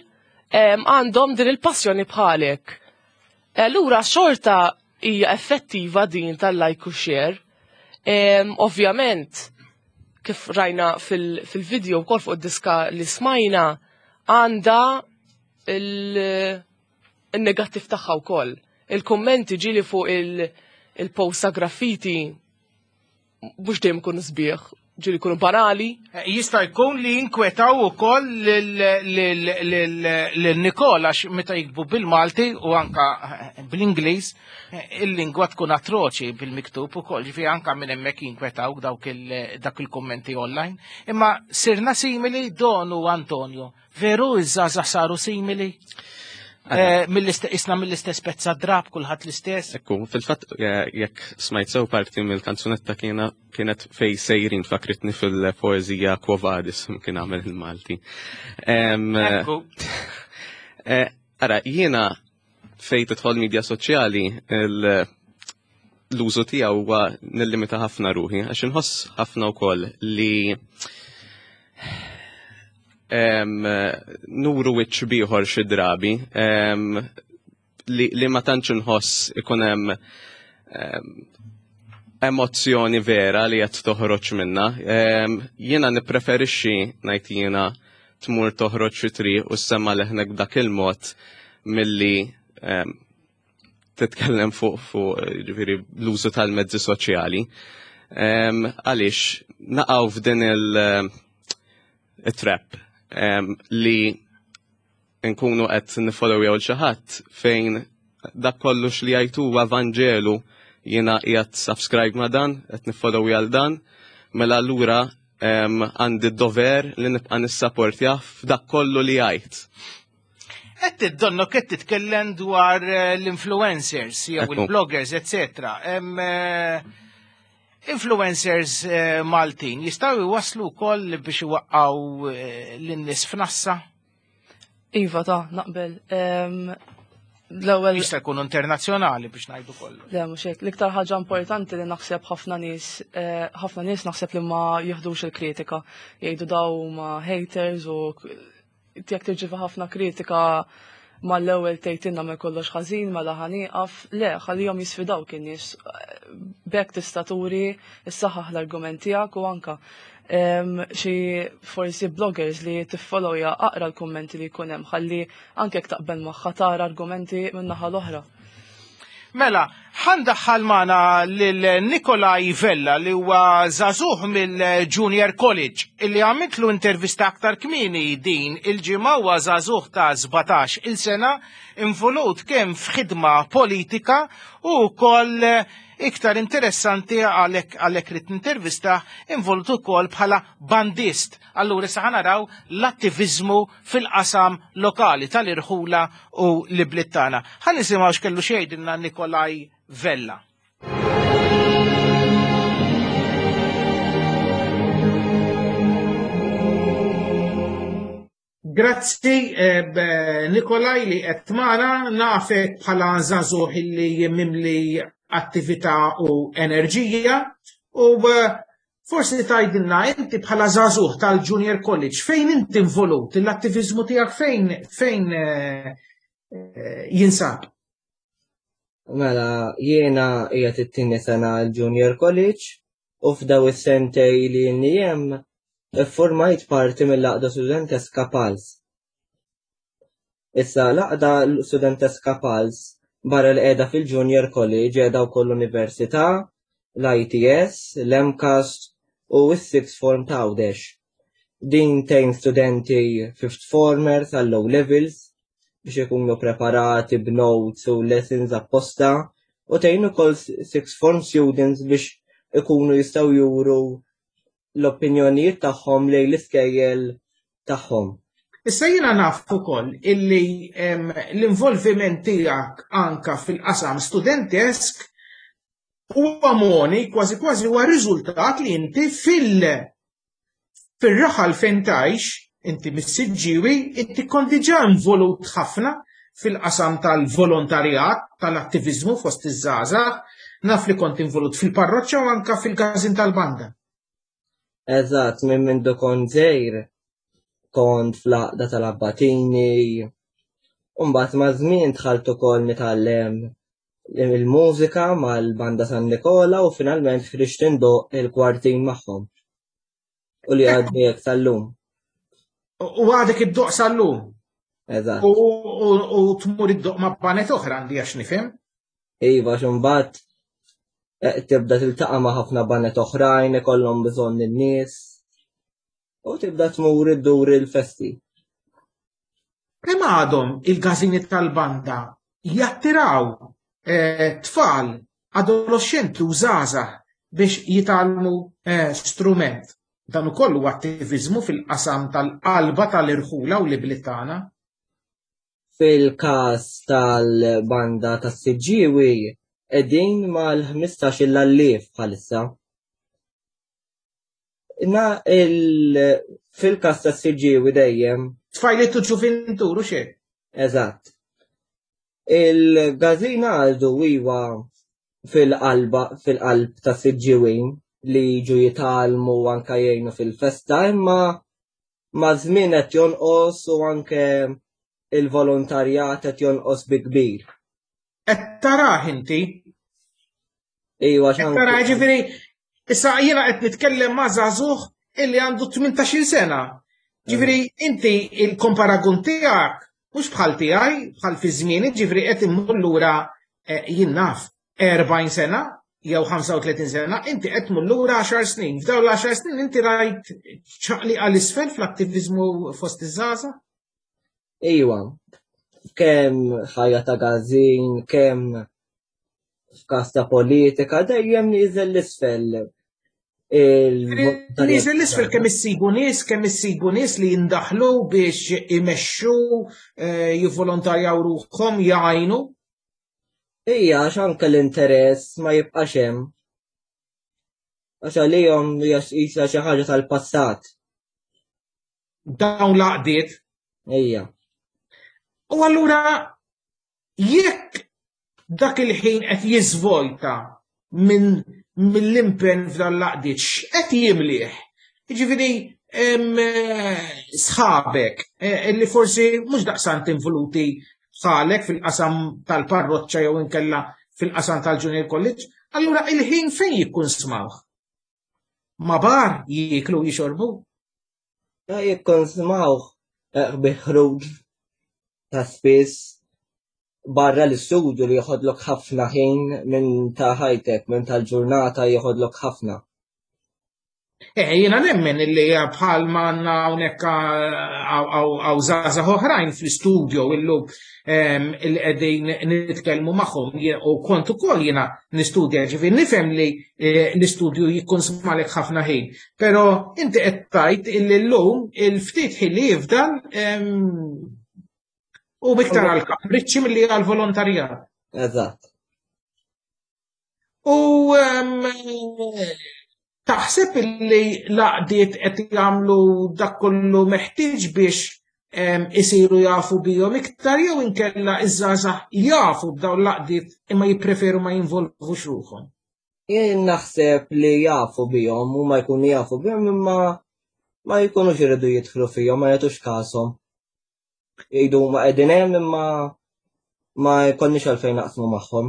għandhom din il-passjoni bħalek. Allura xorta hija effettiva din tal-like u share. Ovvjament, kif rajna fil-video wkoll fuq id-diska li smajna, għandha il-negattiv tagħha wkoll. Il-kummenti ġieli fuq il-post ta' graffiti mhux dejjem ikunu sbieħ, ġieli jkunu banali. Jista' jkun li jinkwetaw ukoll lil Nikola għax meta jiktbu bil-Malti u anka bl-Ingliż il-lingwa tkun atroċi bil-miktub ukoll, ġifieri anka minn hemmhekk jinkwetaw dawk dak il-kummenti online. Imma sirna simili Don u Antonio. Veru iż-żgħażagħ saru simili? Isna mill-istess pezza drab, kulħadd l-istess. Ekku, fil-fatt jekk smajt sew parti mill-kanzunetta kienet fej sejrin fakritni fil-poeżija Quo Vadis kien għamel il-Malti. Ekku. Ara, jiena fej tidħol media soċjali l-użu tiegħu huwa nillimita ħafna ruħi, għax inħoss ħafna wkoll li nuru wiċċ bieħor xi drabi li, li ma tantx inħoss ikun hemm emozzjoni vera li qed toħroġ minna. Jiena nippreferixxi ngħid jiena tmur toħroġ xi triq u ssemma leħnek b'dak il-mod milli titkellem fuq fuq ġifieri l-użu tal-mezzi soċjali. Għaliex naqgħu f'din il-trap li nkunu qed nifollowjaw xi ħadd fejn dak kollox li jgħid huwa Vanġelu, jiena qiegħed subscribe ma' dan, qed nifollowja għal dan, mela allura għandi d-dover li nibqa' nissapportjah f'dak kollu li jgħid. Qed tiddonno qed titkellem dwar l-influencers jew il-bloggers, eccetera. Influencers Maltin jistgħu jwasslu wkoll biex iwaqqgħu lin-nies f'nassa? Iva, ta' naqbel. L-ewwel jista' jkun internazzjonali biex ngħidu kollu. Le, mhux hekk. L-iktar ħaġa importanti li naħseb ħafna nies, ħafna nies naħseb li ma jieħdux il-kritika. Jgħidu daw ma haters u jekk tirċievi ħafna kritika mal-ewwel tgħidilna ma kollox ħażin, mela ħanieqaf. Le, ħallihom jisfidawk in-nies. B'hekk tista' turi issaħħaħ l-argument tiegħek u anka xi forsi bloggers li tiffollowja aqra l-kummenti li jkun hemm ħalli anke jekk taqbel magħha tara argumenti min-naħa l-oħra. Mela, ħandaħħal magħna lil Nikolaj Vella li huwa żagħżugħ mill-Junior College illi għamiltlu intervista aktar kmieni din il-ġimgħa. Huwa żagħżugħ ta' sbatax il sena involut kemm f'ħidma politika u wkoll iktar interessanti għalhekk għalhekk rid intervista involut ukoll bħala bandist. Allura issa naraw l-attiviżmu fil-qasam lokali tal-irħula u l-bliet tagħna. Ħa nisimgħu x'kellu xejdilna Nikolaj Vella. Grazzi, eh, Nikolaj li qed magħna, nafek bħala żagħżugħ illi mimli attività u enerġija u eh, forsi tgħidilna inti bħala żagħżugħ tal-Junior College fejn inti involut, l-attiviżmu tiegħek fejn fejn eh, eh, jinsab? Mela, jiena qiegħed it-tieni sena l-Junior College u f'daw is-sentej li ilni hemm iffurmajt parti mill-Għaqda Studenteska Pals. Issa l-Għaqda Studenteska Pals barra li qiegħda fil-Junior College qiegħda wkoll l-Università, l-I T S, l-M CAST u s-Sixth Form ta' Għawdex. Din tgħin studenti fifth formers għall-O levels biex ikunu preparati b'notes u lessons apposta u tgħin ukoll sixth form students biex ikunu jistgħu juru l-opinjonijiet tagħhom lejn l-iskejjel tagħhom. Issa jiena naf ukoll illi l-involviment tiegħek anka fil-qasam studentesk huwa moni kważi kważi huwa riżultat li inti fil fir-raħal fejn tgħix, inti mis-Siġġiwi, inti kont diġà involut ħafna fil-qasam tal-volontarjat, tal-attiviżmu fost iż-żgħażagħ, naf li kont involut fil-parroċċa u anka fil-każin tal-banda. Eżatt, minn mindu kont żgħir kont fl-Għaqda tal-Abbatini, u mbagħad maż-żmien dħalt ukoll nitgħallem il-mużika mal-Banda San Nikola u finalment ħriġt indoqq il-kwartin magħhom. U li għadni hekk sal-lum. U għadek iddoqq sal-lum. Eżatt. U tmur iddoqq ma' baned oħra, għandi għax nifhem. Iva, xumbat eh, tibda tiltaqa' ma' ħafna baned oħrajn, ikollhom bżonn in-nies. U tibda tmur iddur il-festi. Kemm għadhom il-każini tal-banda jattiraw eh, tfal, adolescenti u żgħażagħ biex jitgħallmu eh, strument? Dan ukoll huwa attiviżmu fil-qasam tal-qalba tal-irħula u l-ibliet tagħna. Fil-każ tal-banda tas-Siġġiewi qegħdin mal-ħmistax-il elf bħalissa. Na il fil-każ tas-Siġġiewi dejjem. Tfajliet u ġuvintur u xejn. Eżatt. Il-każin għadu iwa fil-qalba fil-qalb ta' Siġġiwin li jiġu jitgħallmu, anka jgħinu fil-festa, imma ma' żmien qed jonqos u anke il-volontarjat qed jonqos bi kbir. Qed tarah inti? Iva. Qed tarah, ġifieri issa jiena qed nitkellem ma' żagħżugħ illi għandu tmintax-il sena. Ġifieri inti il-komparagun tiegħek mhux bħal tiegħi, bħal fi żmieni, ġifieri qed immur lura eh, jien naf erbgħin sena jew ħamsa u tletin sena, inti qed tmur lura għaxar snin. F'dawn l-għaxar snin inti rajt ċaqli għal isfel fl-attiviżmu fost iż-żgħażagħ? Iwa, kemm ħajja ta' każin, kemm f'każ ta' politika, dejjem nieżel l-isfel. Nieżel l-isfel kemm issibu nies, kemm issibu nies li jindaħlu biex imexxu, eh, jivvolontarjaw ruħhom, jgħinu. Ija, għax anke l-interess ma jibqax hemm. Għax għalihom hija qisha xi ħaġa tal-passat. Dawn l-għaqdiet. Ija. U allura jekk dak il-ħin qed jiżvojta minn mill-impenn f'dan l-għaqdiet, x'qed jimlih? Jiġifieri sħabek eh, illi forsi mhux daqsant involuti bħalek fil-qasam tal-parroċċa jew inkella fil-qasam tal-Junior College, allura il-ħin fejn jikkunsmawh? Ma bar jieklu, jixorbu? Ja, jikkonsmawh eh, bi ħruġ ta' spiss barra l-istudju li joħodlok ħafna ħin minn ta' ħajtek, minn tal-ġurnata joħodlok ħafna. Eh, jiena nemmen illi bħal ma għandna hawnhekk hawn żgħażagħ oħrajn fl-studio illum illi qegħdin nitkellmu magħhom u kont ukoll jiena nistudja, ġifieri nifhem li eh, l-istudju jikkonsmalek ħafna ħin. Però inti qed tgħid illi llum il-ftit ħin li jifdal u iktar għal kapriċċi milli għal volontarjat. Eżatt. U taħseb illi l-għaqdiet qed jagħmlu dak kollu meħtieġ biex isiru jafu bihom iktar jew inkella iż-żgħażagħ jafu b'dawn l-għaqdiet imma jippreferu ma jinvolvux ruħhom? Jien naħseb li jafu bihom u ma jkunu jafu bihom imma ma jkunux iridu jidħlu fihom, ma jagħtux kashom. Jgħidu ma qegħdin hemm imma ma jkollniex għalfejn naqsmu magħhom.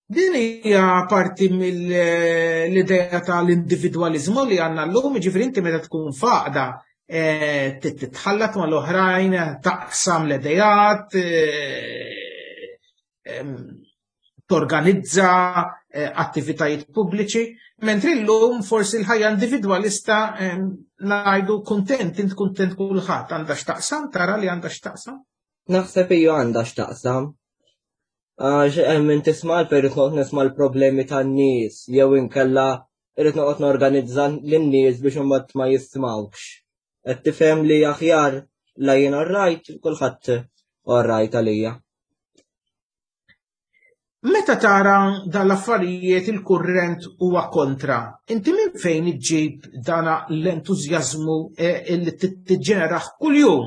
Din hija parti mill-idea tal-individwaliżmu li għandna llum, jiġifieri inti meta tkun f'għaqda titħallat mal-oħrajn, taqsam l-idejat, torganizza attivitajiet pubbliċi, mentri llum forsi l-ħajja individwalista ngħidu kuntent, int kuntent kulħadd, għandha x'taqsam, tara li għandha x'taqsam? Naħseb hija għandha x'taqsam. Għax hemm min tisma' għalfejn irrid noqgħod nisma' l-problemi tan-nies jew inkella irrid noqgħod norganizza lin-nies biex imbagħad ma jismawkx. Qed tifhem li aħjar la jien orrajt, kulħadd orrajt għalija. Meta tara dan l-affarijiet il-kurrent huwa kontra, inti minn fejn iġġib dana l-entużjażmu li tiġġeneraħ kuljum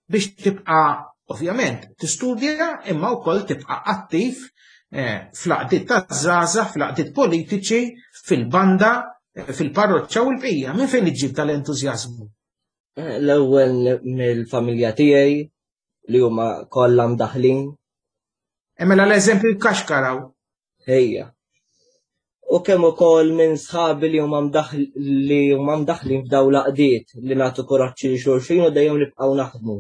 biex tibqa' ovvjament tistudja imma wkoll tibqa' attiv fl-għaqdiet taż-żgħażagħ, fl-għaqdiet politiċi, fil-banda, fil-parroċċa u l-bqija. Minn fejn iġġib tal-entużjażmu? L-ewwel mill-familja tiegħi li huma kollha mdaħlin. Mela l-eżempju jkaxkaraw. Ejja. U kemm ukoll minn sħabi li huma li huma mdaħlin f'dawn l-għaqdiet li nagħtu kuraġġ lil xulxin u dejjem nibqgħu naħdmu.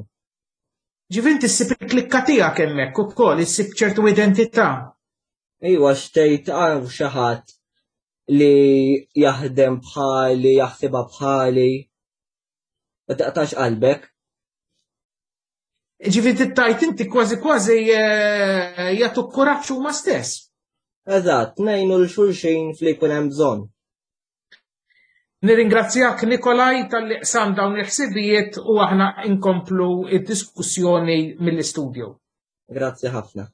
Ġifieri inti ssib il-klikka tiegħek hemmhekk ukoll, issib ċertu identità. Ejwa, xtejt hawn xi ħadd li jaħdem bħali, jaħsibha bħali. Ma taqtax qalbek. Ġifieri tajt inti kważi kważi jagħtu kuraġġ huma stess. Eżatt, ngħinu l xulxin fli jkun hemm bżonn. Nirringrazzjak Nikolaj talli qsam dawn il-ħsibijiet u aħna inkomplu id-diskussjoni mill-istudju. Grazzi ħafna.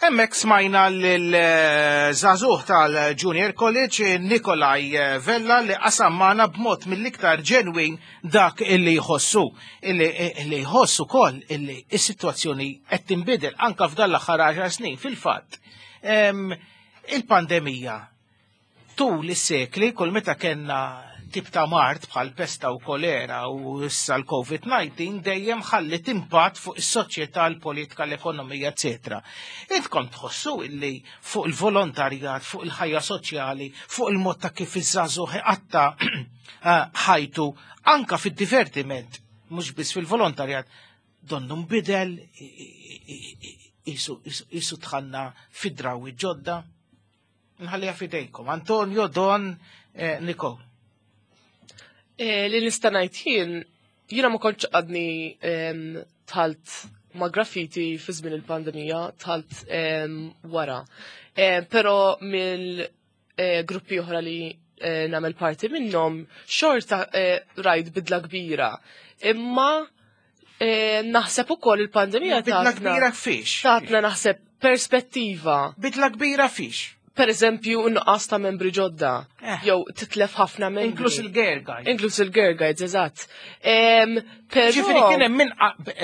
Hemmhekk smajna lil-żagħżugħ tal-Junior College Nikolaj Vella li qasam magħna b'mod mill-iktar ġenwin dak illi jħossu, illi jħossu ukoll illi s-sitwazzjoni qed tinbidel anke f'dan l-aħħar għaxar snin. Fil-fatt, il-pandemija tul is-sekli kull meta kellna tip ta' mard bħal pesta u kolera u issa l-COVID nineteen dejjem ħallit impatt fuq is-soċjetà, l-politika, l-ekonomija, eċetera. Intkom tħossu illi fuq il-volontarjat, fuq il-ħajja soċjali, fuq il-mod ta' kif iż-żagħżugħ iqatta' ħajtu anka fid-divertiment, mhux biss fil-volontarjat, donnu nbidel, isu tħanna fid-drawi ġodda. Nħalliha f'idejkom. Antonio, Don, Nicole. Li nista' ngħid jien, jiena ma kontx għadni tħalt ma' graffiti fi żmien il-pandemija, tħalt wara. Però mill gruppi oħra li nagħmel parti minnhom, xorta rajt bidla kbira. Imma naħseb ukoll il-pandemija Bidla kbira fiex? Tatna naħseb perspettiva. Bidla kbira fiex? Per eżempju, nuqqas ta' membri ġodda, jew titlef ħafna membri. Inkluż il-Girl Guides. Inkluż il-Girl Guides, eżatt. Ġifieri kien hemm min,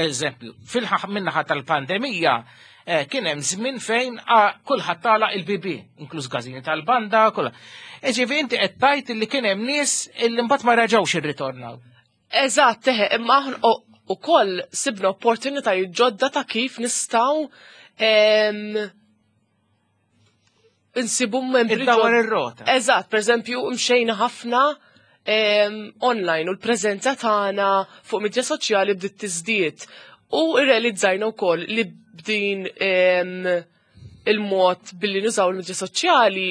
eżempju, fil-minnaħa tal-pandemija, kien hemm żmien fejn kulħadd tagħlaq il-B B, inkluż każini tal-banda, kollha. Ġifieri inti qed tgħid li kien hemm nies illi mbagħad ma raġgħux irritornaw. Eżatt, teħe, imma aħna ukoll sibna opportunitajiet ġodda ta' kif nistgħu insibu membri Id-dawar ir-rota. Eżatt, per eżempju, mxejna ħafna online u l-preżenza tagħna fuq midja soċjali bdiet tiżdied. U rrealizzajna wkoll li b'din il-mod billi nużaw il-midja soċjali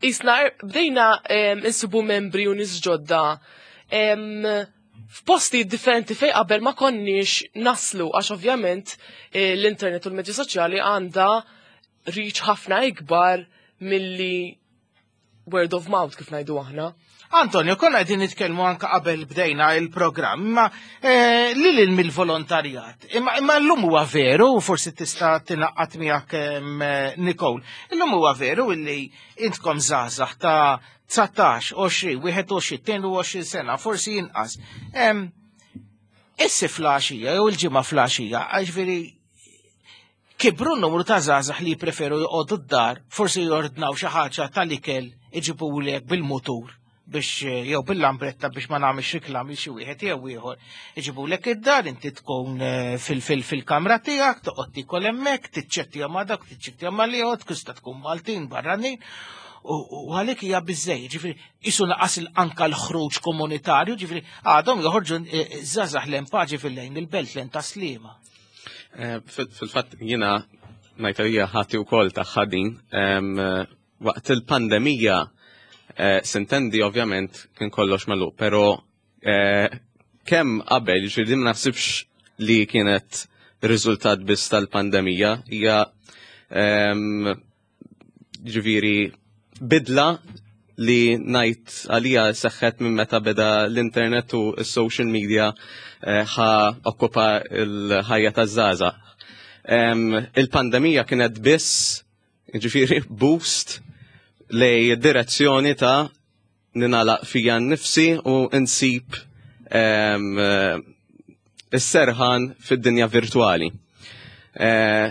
jisna bdejna insibu membri u nies ġodda f'posti differenti fej qabel ma konniex naslu, għax ovvjament l-internet u l-medja soċjali għandha reach ħafna ikbar milli Word of mouth, kif ngħidu aħna. Antonio, konna qegħdin nitkellmu anka qabel bdejna il-programm, imma eh, lil hinn mill-volontarjat. Imma imma llum huwa veru, forsi tista' tingħaqad miegħek em, Nicole. Illum huwa veru illi intkom żgħażagħ ta' dsatax, għoxrin, wieħed u għoxrin, tnejn u għoxrin sena, forsi inqas. Em, Issi filgħaxija, jew il-ġimgħa filgħaxija, ġifieri kibru n-numru ta' żgħażagħ li jpreferu joqogħdu d-dar, forsi jordnaw xi ħaġa tal-ikel, iġibulek bil-mutur biex, jew bil-lambretta, biex ma nagħmilx reklam xi wieħed jew ieħor. Iġibulek id-dar, inti tkun eh, fil- fil-kamra tiegħek, toqgħod tikol hemmhekk, tiċċettja ma' dak, tiċċettja ma' ieħor, tista' tkun Maltin, barranin. U u għalik hija biżejjed, ġifieri isu naqas anka l-ħruġ komunitarju, ġifieri għadhom joħorġu eh, żgħażagħ lejn Paceville, lejn il-Belt, lejn Tas-Sliema. Eh, fil- Fil-fatt jiena ngħid hija ħati wkoll ta' ħadin. Em, eh, Waqt il-pandemija eh, sintendi ovvjament kien kollox magħluq, però eh, kemm qabel, ġifieri ma naħsibx li kienet riżultat biss tal-pandemija, hija em, ġifieri bidla li ngħid għalija seħħet minn meta beda l-internet u s-social media eh, ħa okkupa l-ħajja taż-żgħażagħ. Em, Il-pandemija kienet biss, ġifieri, boost lejn direzzjoni ta' ningħalaq fija nnifsi u nsib em, eh, is-serħan fid-dinja virtuali. Eh,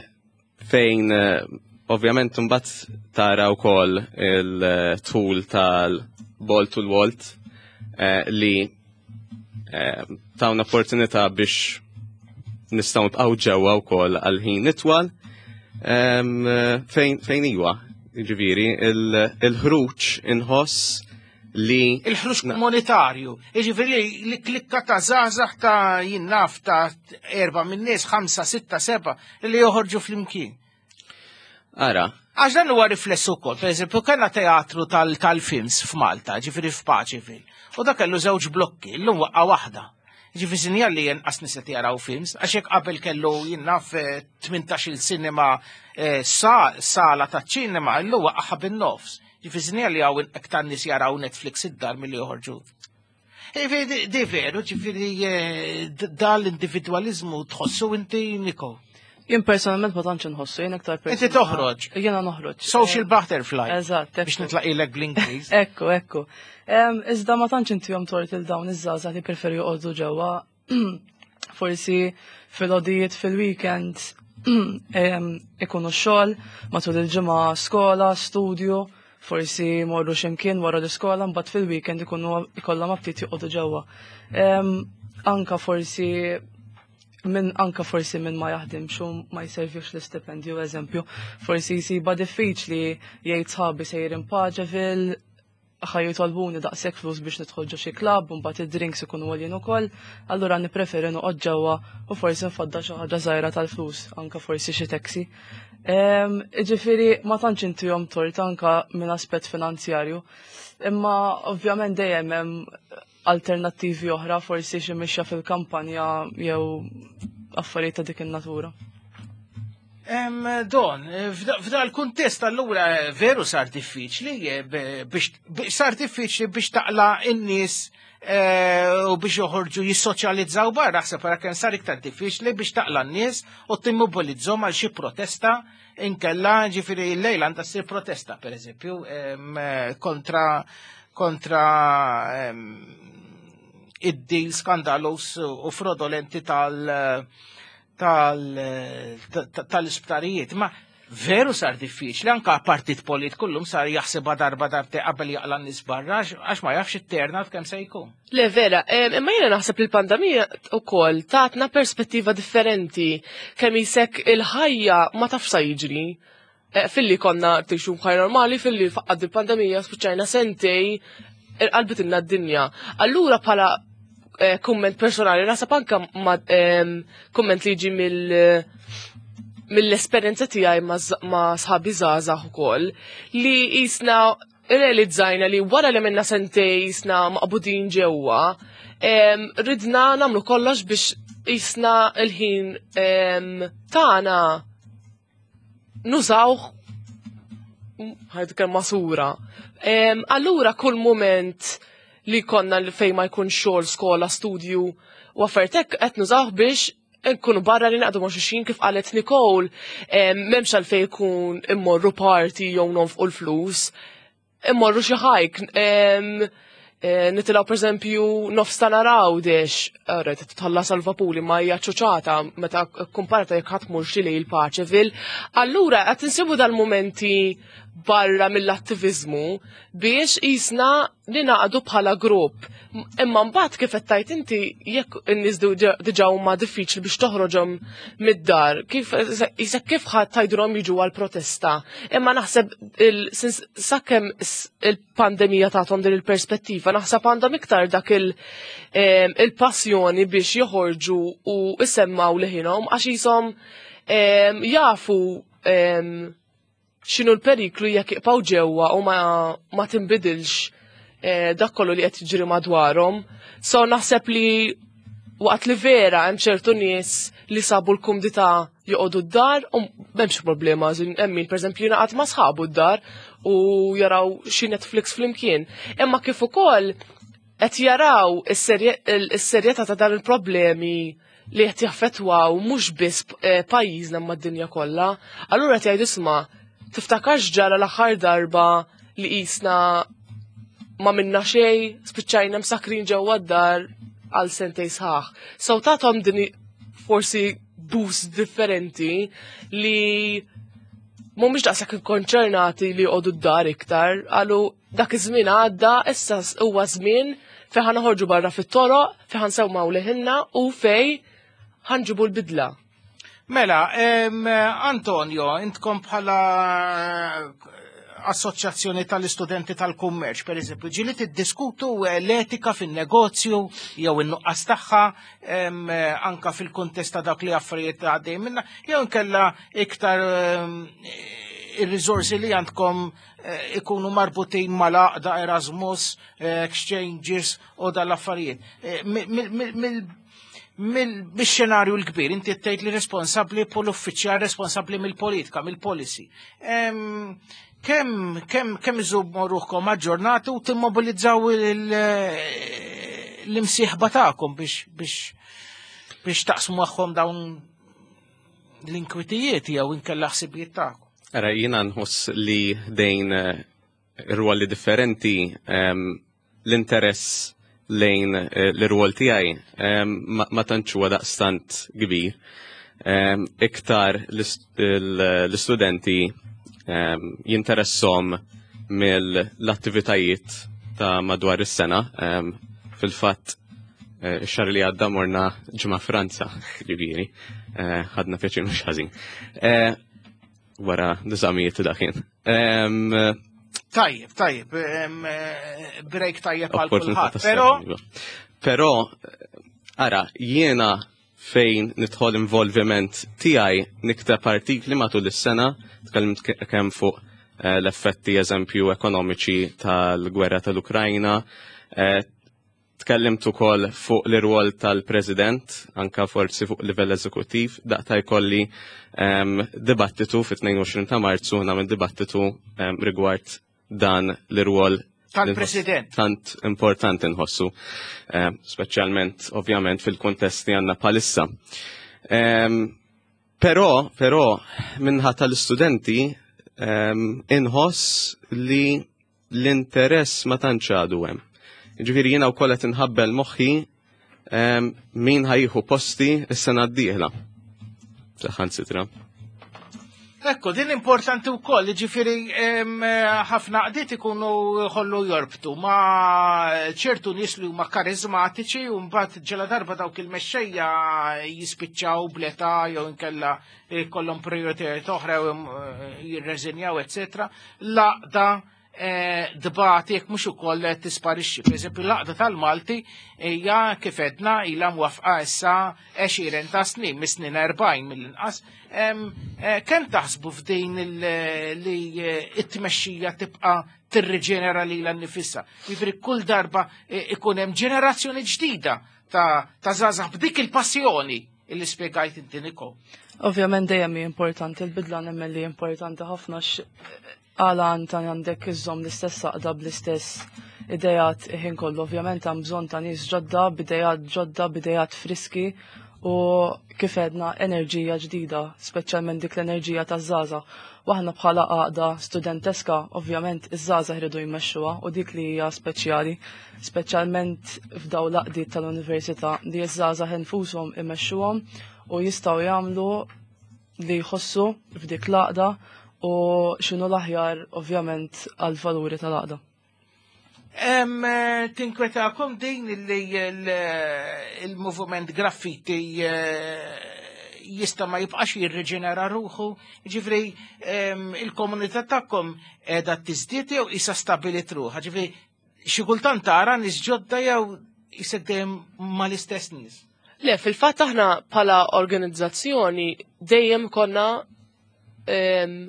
fejn eh, ovvjament mbagħad tara wkoll il-tool tal-Bolt u l-Wolt eh, li eh, tawna opportunità biex nistgħu nibqgħu ġewwa wkoll għal ħin itwal em, eh, fejn fejn iwa, ġifieri il-ħruġ inħoss li Il-ħruġ komunitarju. Jiġifieri li klikka ta' żgħażagħ ta' jien naf ta' erba' minn nies, ħamsa, sitta, seba' li joħorġu flimkien. Ara, Għax dan huwa riflessu wkoll, per eżempju, kellna teatru tal- tal-films f'Malta, ġifieri f'Paceville, u dak kellu żewġ blokki, llum waqqa waħda. Ġifieri sinjal li jenqas nies qed jaraw films, għax jekk qabel kellu jien naf eh, tmintax-il cinema eh, sa- sala ta' ċinema, illum waqqa bin-nofs. Ġifieri sinjal li hawn iktar nies jaraw Netflix id-dar milli joħorġu. Ġifieri di- di veru, ġifieri eh, d- dal-individualizmu tħossu inti, Niko? Jien personalment ma tantx inħossu, jien iktar Inti toħroġ. Jiena noħroġ. Social butterfly. Eżatt, Biex ekku. nitlaqilek bl-Ingliż. Ekku, ekku. Em, Iżda ma tantx intihom tort il dawn iż-żgħażagħ li preferu joqogħdu ġewwa. Forsi fil-għodijiet fil-weekend em, ikunu xogħol, matul il-ġimgħa skola, studju, forsi morru x'imkien wara l-iskola, mbagħad fil-weekend ikunu ikollhom aptit joqogħdu ġewwa. Em, Anka forsi minn anka forsi minn ma jaħdimx u ma jservix l-istipendju, eżempju, forsi jsiba diffiċli jgħid, "Sħabi sejrin Paceville, ħa jitolbuni daqshekk flus biex nidħol ġo xi klabb, u mbagħad id-drinks ikunu għoljin ukoll, allura nippreferi noqgħod ġewwa u forsi nfadda xi ħaġa żgħira tal-flus, anka forsi xi taxi." Em, Ġifieri ma tantx intihom tort anka minn aspett finanzjarju. Imma ovvjament dejjem hemm alternattivi oħra, forsi xi mixja fil-kampanja jew affarijiet ta' dik in-natura. Em, Don, f'da f'da l-kuntest allura veru sar diffiċli eh, be- biex biex- sar diffiċli biex taqla in-nies eh, u biex joħorġu jissoċjalizzaw barra, ħseb ara kemm sar iktar diffiċli biex taqla n-nies u timmobilizzhom għal xi protesta inkella, ġifieri l-lejla għandha ssir protesta, per eżempju, em, eh, kontra kontra em, id-deal skandalus u frodolenti tal- tal- ta- tal-isptarijiet. Ma veru sar diffiċli, anka partit politiku llum sar jaħsebha darba darbtejn qabel jaqla n-nies barra, għax ma jafx it-turnout kemm se jkun. Le vera, em, imma jiena naħseb li l-pandemija ukoll tatna perspettiva differenti kemm jisek il-ħajja ma tafx sa jiġri. Eh, Filli konna tgħixu ħajja normali, filli faqqad il-pandemija spiċċajna sentejn qalbet d-dinja. Allura bħala eh, kumment personali, naħseb anka ma em, kumment li jiġi mill mill-esperjenza tiegħi ma' z- ma' sħabi żgħażagħ ukoll li jisna realizzajna li wara li minna sentejn jisna maqbudin ġewwa, em, ridna nagħmlu kollox biex jisna il-ħin em, tagħna nużawh Ħajt kelma sura. Em, Allura kull moment li konna li fej ma jkun xogħol, skola, studju u affarijiet hekk qed nużawh biex nkunu barra li naqdu ma' xulxin, kif qalet Nicole, em, m'hemmx għalfejn jkun immorru party jew nonfqu l-flus, immorru xi hike, em, eh, nitilgħu per eżempju nofs ta' nhar Għawdex, rajt tħallas għal-vapuri ma hija ċuċata meta komparata jekk ħadd mur xi lejl Paċeville. Allura qed insibu dal-momenti barra mill-attivizmu biex jisna ninaqdu bħala grupp. Imma mbagħad, kif qed tgħid inti, jekk in-nies diġà huma diffiċli biex toħroġhom mid-dar, kif jisek kif ħadd tgħidulhom jiġu għal protesta? Imma naħseb sakemm il-pandemija tagħhom din il-perspettiva, naħseb għandhom iktar dak il-passjoni biex joħorġu u isemmaw leħinhom, għax jisom jafu x'inhu l-periklu jekk jibqgħu ġewwa u ma, ma tinbidilx eh, dak kollu li qed jiġri madwarhom. So naħseb li waqt li vera hemm ċertu nies li sabu l-kumdità joqogħdu d-dar u m'hemmx problema, hemm min pereżempju jingħaqad ma' sħabu d-dar u jaraw xi Netflix flimkien. Imma kif ukoll qed jaraw is-serjetà ta' dan il-problemi li qed jaffettwaw mhux biss eh, pajjiżna ma' d-dinja kollha. Allura qed jgħidu, "Isma', tiftakarx ġara l-aħħar darba li qisna ma minna xej, spiċċajna msakrin ġewwa d-dar għal sentej sħaħ?" So tathom din forsi boost differenti li mhumiex daqshekk ikkonċernati li jqogħdu d-dar iktar, għalu dak iż-żmien għadda, issa huwa żmien fejn ħa noħorġu barra fit-toroq, fejn ħa nsemmgħu leħinna u fejn ħa nġibu l-bidla. Mela, Antonio, intkom bħala assoċjazzjoni tal-istudenti tal-kummerċ, per eżempju, ġieli tiddiskutu l-etika fin-negozju jew in-nuqqas tagħha anka fil-kuntest ta' dak li affarijiet għaddej minna, jew inkella iktar ir-riżorsi li għandkom eh, ikunu marbutin mal-għaqda, Erasmus, eh, exchanges u dal-affarijiet? Eh, mill-xenarju l-kbir, inti tgħid li responsabbli pol uffiċjal responsabbli mill-politika, mill-policy. Kemm kemm kemm iżommu ruħkom aġġornati u timmobilizzaw l-imsieħba tagħkom biex biex biex taqsmu magħhom dawn l-inkwitijiet jew inkella ħsibijiet tagħkom? Ara, jiena nħoss li dejn eh, ruoli differenti, l-interess lejn eh, l-rwol tiegħi ma tantx huwa daqstant kbir. Iktar l-istudenti jinteressom mill-attivitajiet ta' madwar is-sena. Fil-fatt, eh, ix-xahar li għadda morna ġimgħa Franza, ġifieri, ħadna pjaċir mhux ħażin. Wara l-eżamijiet dakin. Tajjeb, tajjeb, break tajjeb għal kulħadd. Però Però ara, jiena fejn nidħol involviment tiegħi, nikteb artikli matul is-sena, tkellimt kemm fuq eh, l-effetti, eżempju, ekonomiċi tal-gwerra tal-Ukrajna, eh, tkellimt ukoll fuq l-irwol tal-President, anka forsi fuq livell eżekuttiv, daqta jkolli um, dibattitu fit-tnejn u għoxrin ta' Marzu, nagħmel dibattitu um, rigward dan l-irwol tal-President. Tant importanti nħossu, um, speċjalment ovvjament fil-kontest li għandna bħalissa. Um, però, però, min-naħa tal-istudenti um, inħoss li l-interess ma tantx għadu hemm. Ġifieri jiena wkoll qed inħabbel moħħi min ħa jieħu posti s-sena d-dieħla. Saħansitra. Ekku, din importanti wkoll, ġifieri ħafna għaqdiet ikunu ħollu jorbtu ma' ċertu nies li huma karizmatiċi u mbagħad ġela darba dawk il-mexxejja jispiċċaw bl-età jew inkella kollhom prioritajiet oħra u jirreżinjaw, eccetera. L-għaqda tbati jekk mhux ukoll tisparixxi. Per eżempju, l-għaqda tal-Malti hija, kif edna, ilha mwafqa issa għexieren ta' snin, mis-snin erbgħin mill-inqas. Kemm taħsbu f'din li it-tmexxija tibqa' tirriġenera lilha nnifisha? Jiġifieri kull darba ikun hemm ġenerazzjoni ġdida ta' żgħażagħ b'dik il-passjoni illi spjegajt inti, Niko. Ovvjament dejjem hi importanti l-bidla, nemmen li importanti ħafna. Għala anta għandek iżżomm l-istess għaqda bl-istess idejat ħin kollu. Ovvjament hemm bżonn ta' nies ġodda, b'idejat ġodda, b'idejat friski u kif għedna enerġija ġdida, speċjalment dik l-enerġija taż-żgħażagħ. U aħna bħala għaqda studenteska, ovvjament iż-żgħażagħ jridu jmexxuha u dik li hija speċjali, speċjalment f'daw l-għaqdiet tal-università li ż-żgħażagħ infushom imexxuhom u jistgħu jagħmlu li jħossu f'dik l-għaqda u x'inhu l-aħjar ovvjament għal-valuri tal-għaqda. Em, eh, Tinkwetakom din li il-movement graffiti eh, jista ma jibqax jirriġenera ruħu, ġifri em, il-komunità tagħkom qiegħda tiżdied jew isa stabilit ruħha, ġifri xi kultant tara nies ġodda jew isek dejjem mal-istess nies. Le, fil-fatt aħna bħala organizzazzjoni dejjem konna em,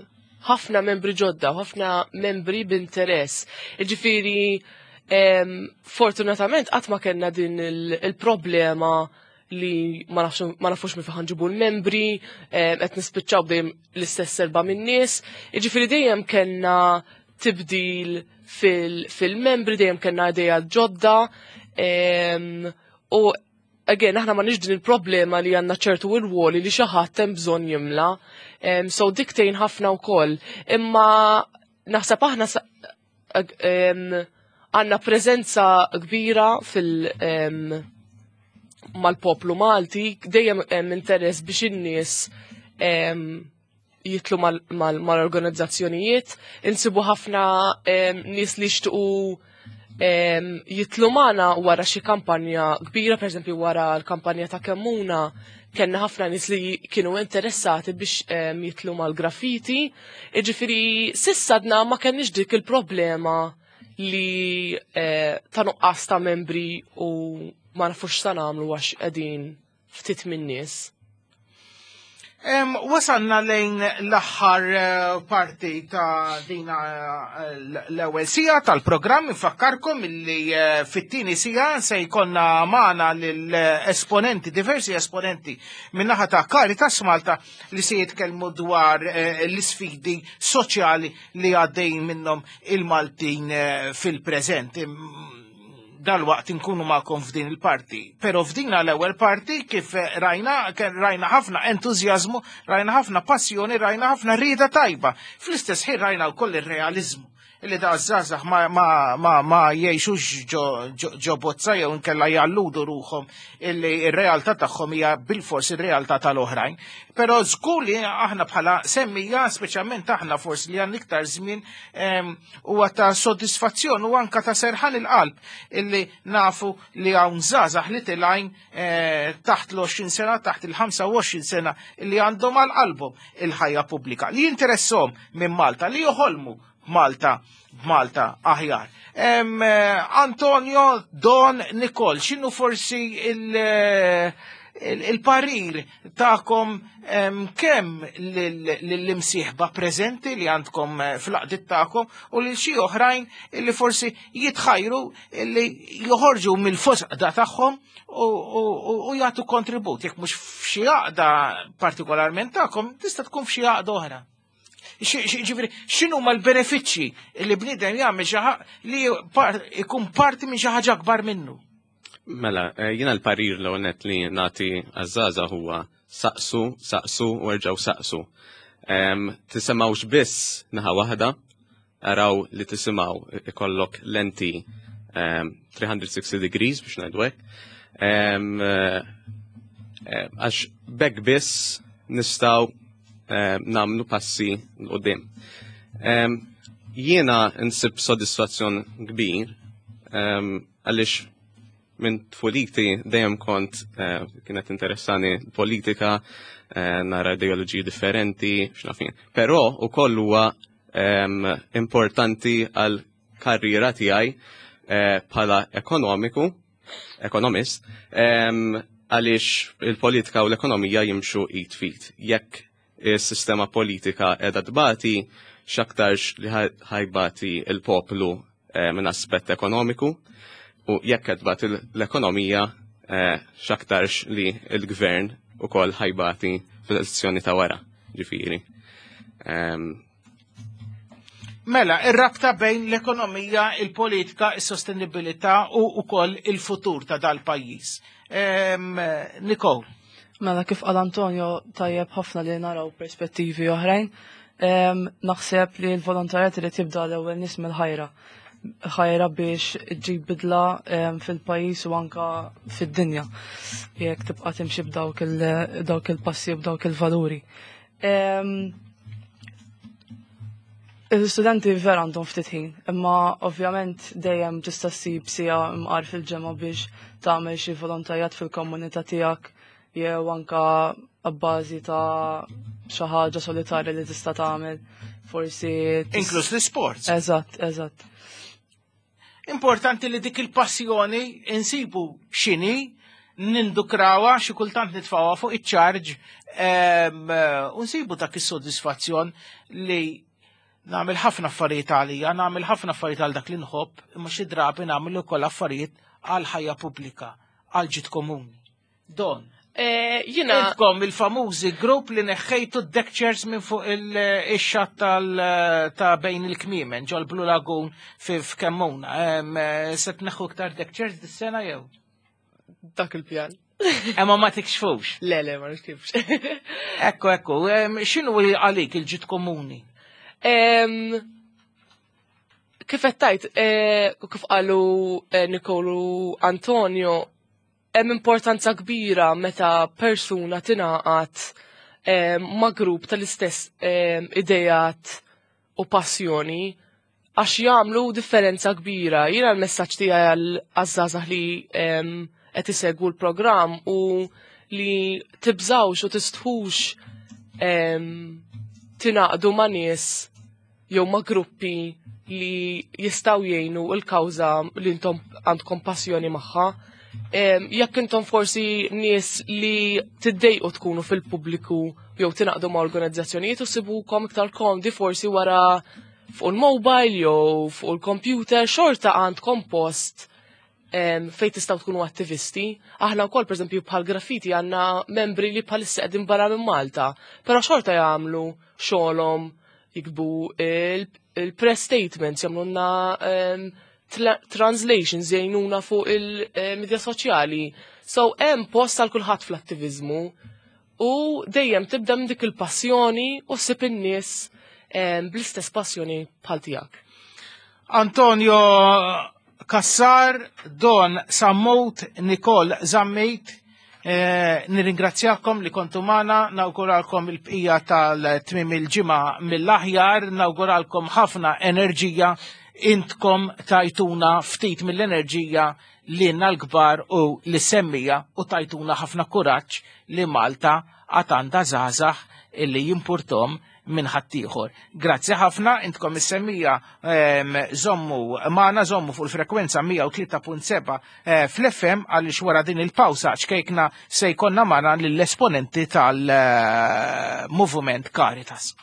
ħafna membri ġodda, u ħafna membri b'interess. Ġifiri, em, fortunatament qatt ma kellna din il- il-problema li ma nafx- ma nafux minn fejn ġibu l-membri, em, qed nispiċċaw dejjem l-istess erba' min-nies. Ġifiri dejjem kellna tibdil fil- fil-membri, dejjem kellna idea ġodda, em, u again, aħna ma din il-problema li għandna ċertu irwoli li xi ħadd hemm bżonn jimla. Um, so dik tgħin ħafna wkoll. Imma naħseb aħna sa- ag- em, għandna preżenza kbira fil- em, mal-poplu Malti, dejjem hemm interess biex in-nies em, jitlu mal-organizzazzjonijiet, insibu ħafna em, nies li jixtiequ em, jitlu magħna wara xi kampanja kbira, per eżempju wara l-kampanja ta' Kemmuna, kellna ħafna nies li kienu interessati biex em, jitlu mal-graffiti. Iġifieri s'issa għadna ma kenniex dik il-problema li eh, ta' nuqqas ta' membri u ma nafux sa nagħmlu għax qegħdin ftit min-nies. Em, wasalna lejn l-aħħar eh, parti ta' dina eh, l-ewwel siegħa tal-programm. Infakkarkom illi eh, fit-tieni siegħa se jkollna magħna lill-esponenti, diversi esponenti min-naħa ta' Caritas Malta li se jitkellmu dwar eh, l-isfidi soċjali li għaddejn minnhom il-Maltin eh, fil-preżent. Dal-waqt inkunu magħkom f'din il-parti. Pero f'din l-ewwel parti kif rajna, kien rajna ħafna entużjażmu, rajna ħafna passjoni, rajna ħafna rieda tajba. Fl-istess ħin rajna wkoll ir-realizmu illi da żgħażagħ ma, ma, ma, ma jgħixux ġo, ġo, ġo bozza jew inkella jalludu ruħhom illi ir-realtà tagħhom hija bilfors ir-realtà tal-oħrajn. Però żgur li aħna bħala semmija, speċjalment aħna forsi li għandna iktar żmien em, huwa ta' soddisfazzjon u anka ta' serħan il-qalb illi nafu li hawn żgħażagħ li tilgħin eh, taħt l-għoxrin sena, taħt il-ħamsa u għoxrin sena illi għandhom għal qalbhom il-ħajja pubblika, li jinteressom minn Malta, li joħolmu Malta b'Malta aħjar. Em, eh, Antonio, Don, Nicole, x'inhu forsi il- eh, il- il-parir tagħkom em, kemm lill-imsieħba preżenti li għandkom eh, fl-għaqdiet tagħkom u lil xi oħrajn illi forsi jitħajru illi joħorġu mill-fosqda tagħhom u, u, u, u jagħtu kontribut? Jekk mhux f'xi għaqda partikolarment tagħkom, tista' tkun f'xi għaqda oħra. Ġifieri, x'inhu ma l-benefiċċji li bniedem jagħmel xi ħa- li par- ikun parti minn xi ħaġa akbar minnu? Mela, eh, jiena l-parir l net li nagħti għaż-żgħażagħ huwa saqsu, saqsu u erġaw saqsu. Em, Tisimgħux biss naħa waħda, araw li tisimgħu ikollok lenti em, three hundred sixty degrees biex ngħidu hekk. Em, eh, eh, Għax b'hekk biss nistgħu em, nagħmlu passi 'l quddiem. Em, Jiena nsib sodisfazzjon kbir em, għaliex minn tfuliti dejjem kont eh, kienet interessani politika, eh, nara ideoloġiji differenti, x'naf jien. Però ukoll huwa em, importanti għal karriera tiegħi eh, bħala ekonomiku, ekonomist, em, għaliex il-politika u l-ekonomija jimxu id f'id. Jekk is-sistema politika qiegħda tbati, x'aktarx li ħa jbati il-poplu eh, minn aspett ekonomiku, u jekk qed tbati l-ekonomija, eh, x'aktarx li l-gvern ukoll ħa jbati fil-elezzjoni ta' wara, ġifieri. Em, Mela, ir-rabta bejn l-ekonomija, il-politika, is-sostenibilità u wkoll il-futur ta' dal-pajjiż. Nicole. Mela, kif qal Antonio, tajjeb ħafna li naraw perspettivi oħrajn. Naħseb li l-volontarjat irid jibda l-ewwel nies mill-ħajra. Ħajra biex ġib bidla fil-pajjiż u anka fid-dinja. Jekk tibqa' timxi b'dawk il-passi u b'dawk il-valuri. Il-studenti vera għandhom ftit ħin, imma ovvjament dejjem tista' ssib siegħa mqar fil-ġimgħa biex tagħmel xi volontarjat fil-komunità tiegħek jew anka abbażi ta' xi ħaġa solitarja li tista' tagħmel, forsi Inkluż l-isports. Eżatt, eżatt. Importanti li dik il-passjoni insibu x'inhi, nindukrawha, xi kultant nitfgħuha fuq iċ-charge, u nsibu dak is-sodisfazzjon li nagħmel ħafna affarijiet għalija, nagħmel ħafna affarijiet għal dak li nħobb, imma xi drabi nagħmel ukoll affarijiet għal ħajja pubblika, għal ġid komuni. Don. Eh, jina Intkom il-famużi grupp li neħħejtu d-deck chairs minn fuq il-xatt ta' bejn il-kmiemen ġol Blue Lagoon fi f'Kemmuna. Se tneħħu iktar deck chairs dis-sena jew? Dak il-pjan. Imma ma tikxfux. Le, le, ma nikxfux. Ekku, ekku, x'inhu għalik il-ġid komuni? Kif qed tajt, eh, kif qalu eh, Nicole u Antonio, hemm importanza kbira meta persuna tingħaqad ma' grupp tal-istess idejat u passjoni għax jagħmlu differenza kbira. Jiena l-messaġġ tiegħi għaż-żgħażagħ li qed isegwu l-programm u li tibżawx u tistħux tingħaqdu ma' nies jew ma' gruppi li jistgħu jgħinu l-kawża li intom għandkom passjoni magħha. Jekk intom forsi nies li tiddejqu tkunu fil-pubbliku jew tingħaqdu ma' organizzazzjonijiet u sibukom iktar komdi forsi wara fuq il-mobile jew fuq il-computer, xorta għandkom post fejn tistgħu tkunu attivisti. Aħna wkoll pereżempju bħal graffiti għandna membri li bħalissa qegħdin barra minn Malta, però xorta jagħmlu xogħolhom, jiktbu il-press statements, jagħmlulna translations, jgħinuna fuq il-medja soċjali. So hemm post għal kulħadd fl-attiviżmu u dejjem tibda minn dik il-passjoni u ssib in-nies bl-istess passjoni bħal tiegħek. Antonio Cassar, Don Sammut, Nicole Zammit, eh, nirringrazzjakom li kontu magħna, nawguralkom il-bqija tal-tmiem il-ġimgħa mill-aħjar, nawguralkom ħafna enerġija, intkom tajtuna ftit mill-enerġija lilna l-kbar u l-semmija u tajtuna ħafna kuraġġ li Malta għad għandha żgħażagħ illi jimpurtom minn ħaddieħor. Grazzi ħafna, intkom is-semmija żommu magħna, żommu fuq il-frekwenza mija u tlieta punt seba', eh, fl-F M għaliex wara din il-pawsa ċkejkna se jkollna magħna lill-esponenti tal-Movement Caritas.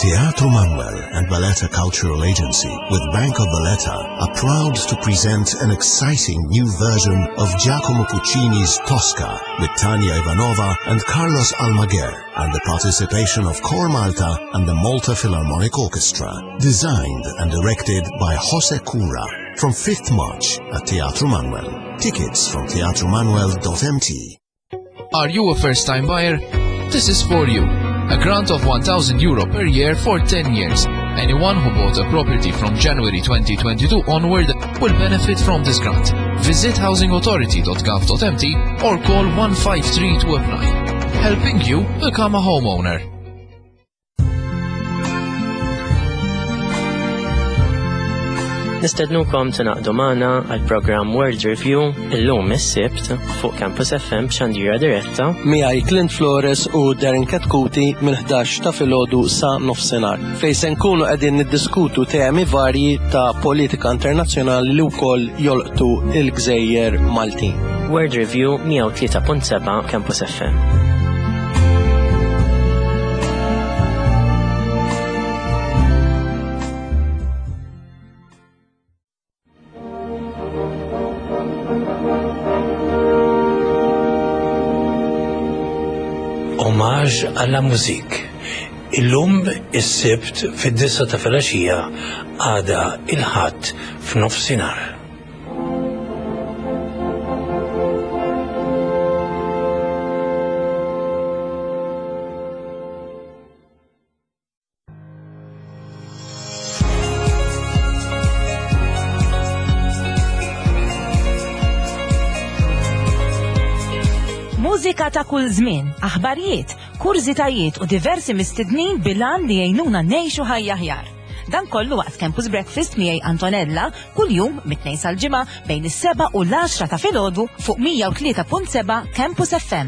Teatru Manoel and Valletta Cultural Agency with Bank of Valletta are proud to present an exciting new version of Giacomo Puccini's Tosca with Tanya Ivanova and Carlos Almaguer and the participation of Cor Malta and the Malta Philharmonic Orchestra. Designed and directed by Jose Cura from fifth March at Teatru Manoel. Tickets from teatro manoel dot m t. Are you a first-time buyer? This is for you. A grant of one thousand euro per year for ten years. Anyone who bought a property from January twenty twenty-two onward will benefit from this grant. Visit housing authority dot gov dot m t or call one five three to apply. Helping you become a homeowner. Nistednukom tingħaqdu magħna għal programm World Review illum is-Sibt fuq Campus F M b'xandira diretta. Miegħi Clint Flores u Darren Katkuti mill-ħdax ta' filgħodu sa nofsinhar, fejn se nkunu qegħdin niddiskutu temi varji ta' politika internazzjonali li wkoll jolqtu il-gżejjer Maltin. World Review mija u tlieta punt seba' Campus F M. Hommage à la musique. Illum is-Sibt fid-disgħa ta' filgħaxija, għada il-Ħadd f'nofsinhar. Mużika ta' kull żmien, aħbarijiet, kurżitajiet u diversi mistednin bil-għan li jgħinuna ngħixu ħajja aħjar. Dan kollu waqt Campus Breakfast miegħi Antonella kuljum mit-Tnejn sal-Ġimgħa bejn is-seba' u l-għaxra ta' filgħodu fuq mija u tlieta punt seba' Campus F M.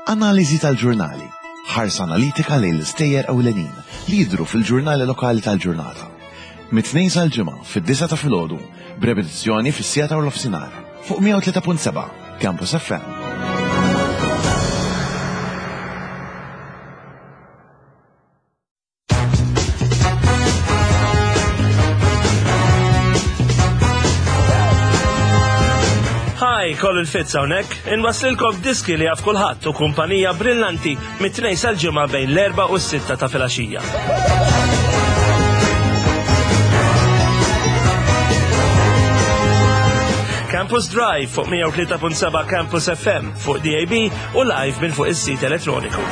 Analiżi tal-ġurnali. Ħarsa analitika lejn l-istejjer ewlenin li jidru fil-ġurnali lokali tal-ġurnata. Mit-Tnejn sal-Ġimgħa fid-disgħa ta' filgħodu, b'repetizzjoni fis-siegħa ta' nofsinhar fuq mija u tlieta punt seba' Campus F M. Hi, Colin Fitz hawnhekk, inwaslilkom diski li jaf kulħadd u kumpanija brillanti mit-Tnejn sal-Ġimgħa bejn l-erba' u s-sitta ta' filgħaxija. Campus Drive fuq mija u tlieta punt seba' Campus F M fuq D A B u live minn fuq is-sit elettroniku.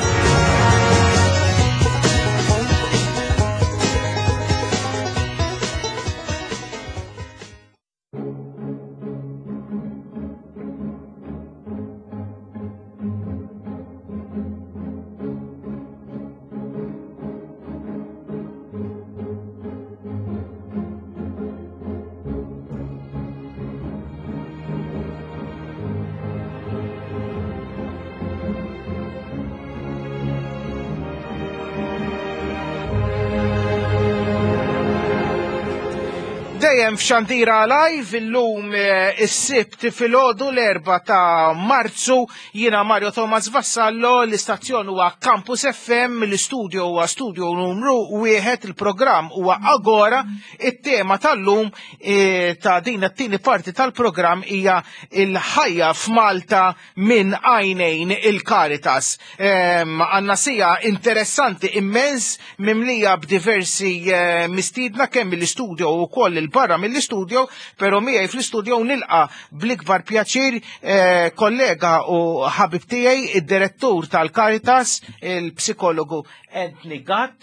Dejjem f'Xandira Live illum eh, is-Sibt filgħodu l-erba' ta' Marzu, jiena Mario Thomas Vassallo, l-istazzjon huwa Campus F M, l-istudio huwa studio numru wieħed, il-programm huwa Agora, it-tema tal-lum eh, ta' din it-tieni parti tal-programm hija il-ħajja f'Malta minn għajnejn il-Caritas. Għandna siegħa interessanti immens mimlija b'diversi eh, mistiedna kemm mill-istudio u koll il-barra mill-istudio, pero miegħi fl-istudio nilqa bl-ikbar pjaċir eh, kollega u ħabib tiegħi, id-direttur tal-Caritas, il-psikologu Anthony Gatt.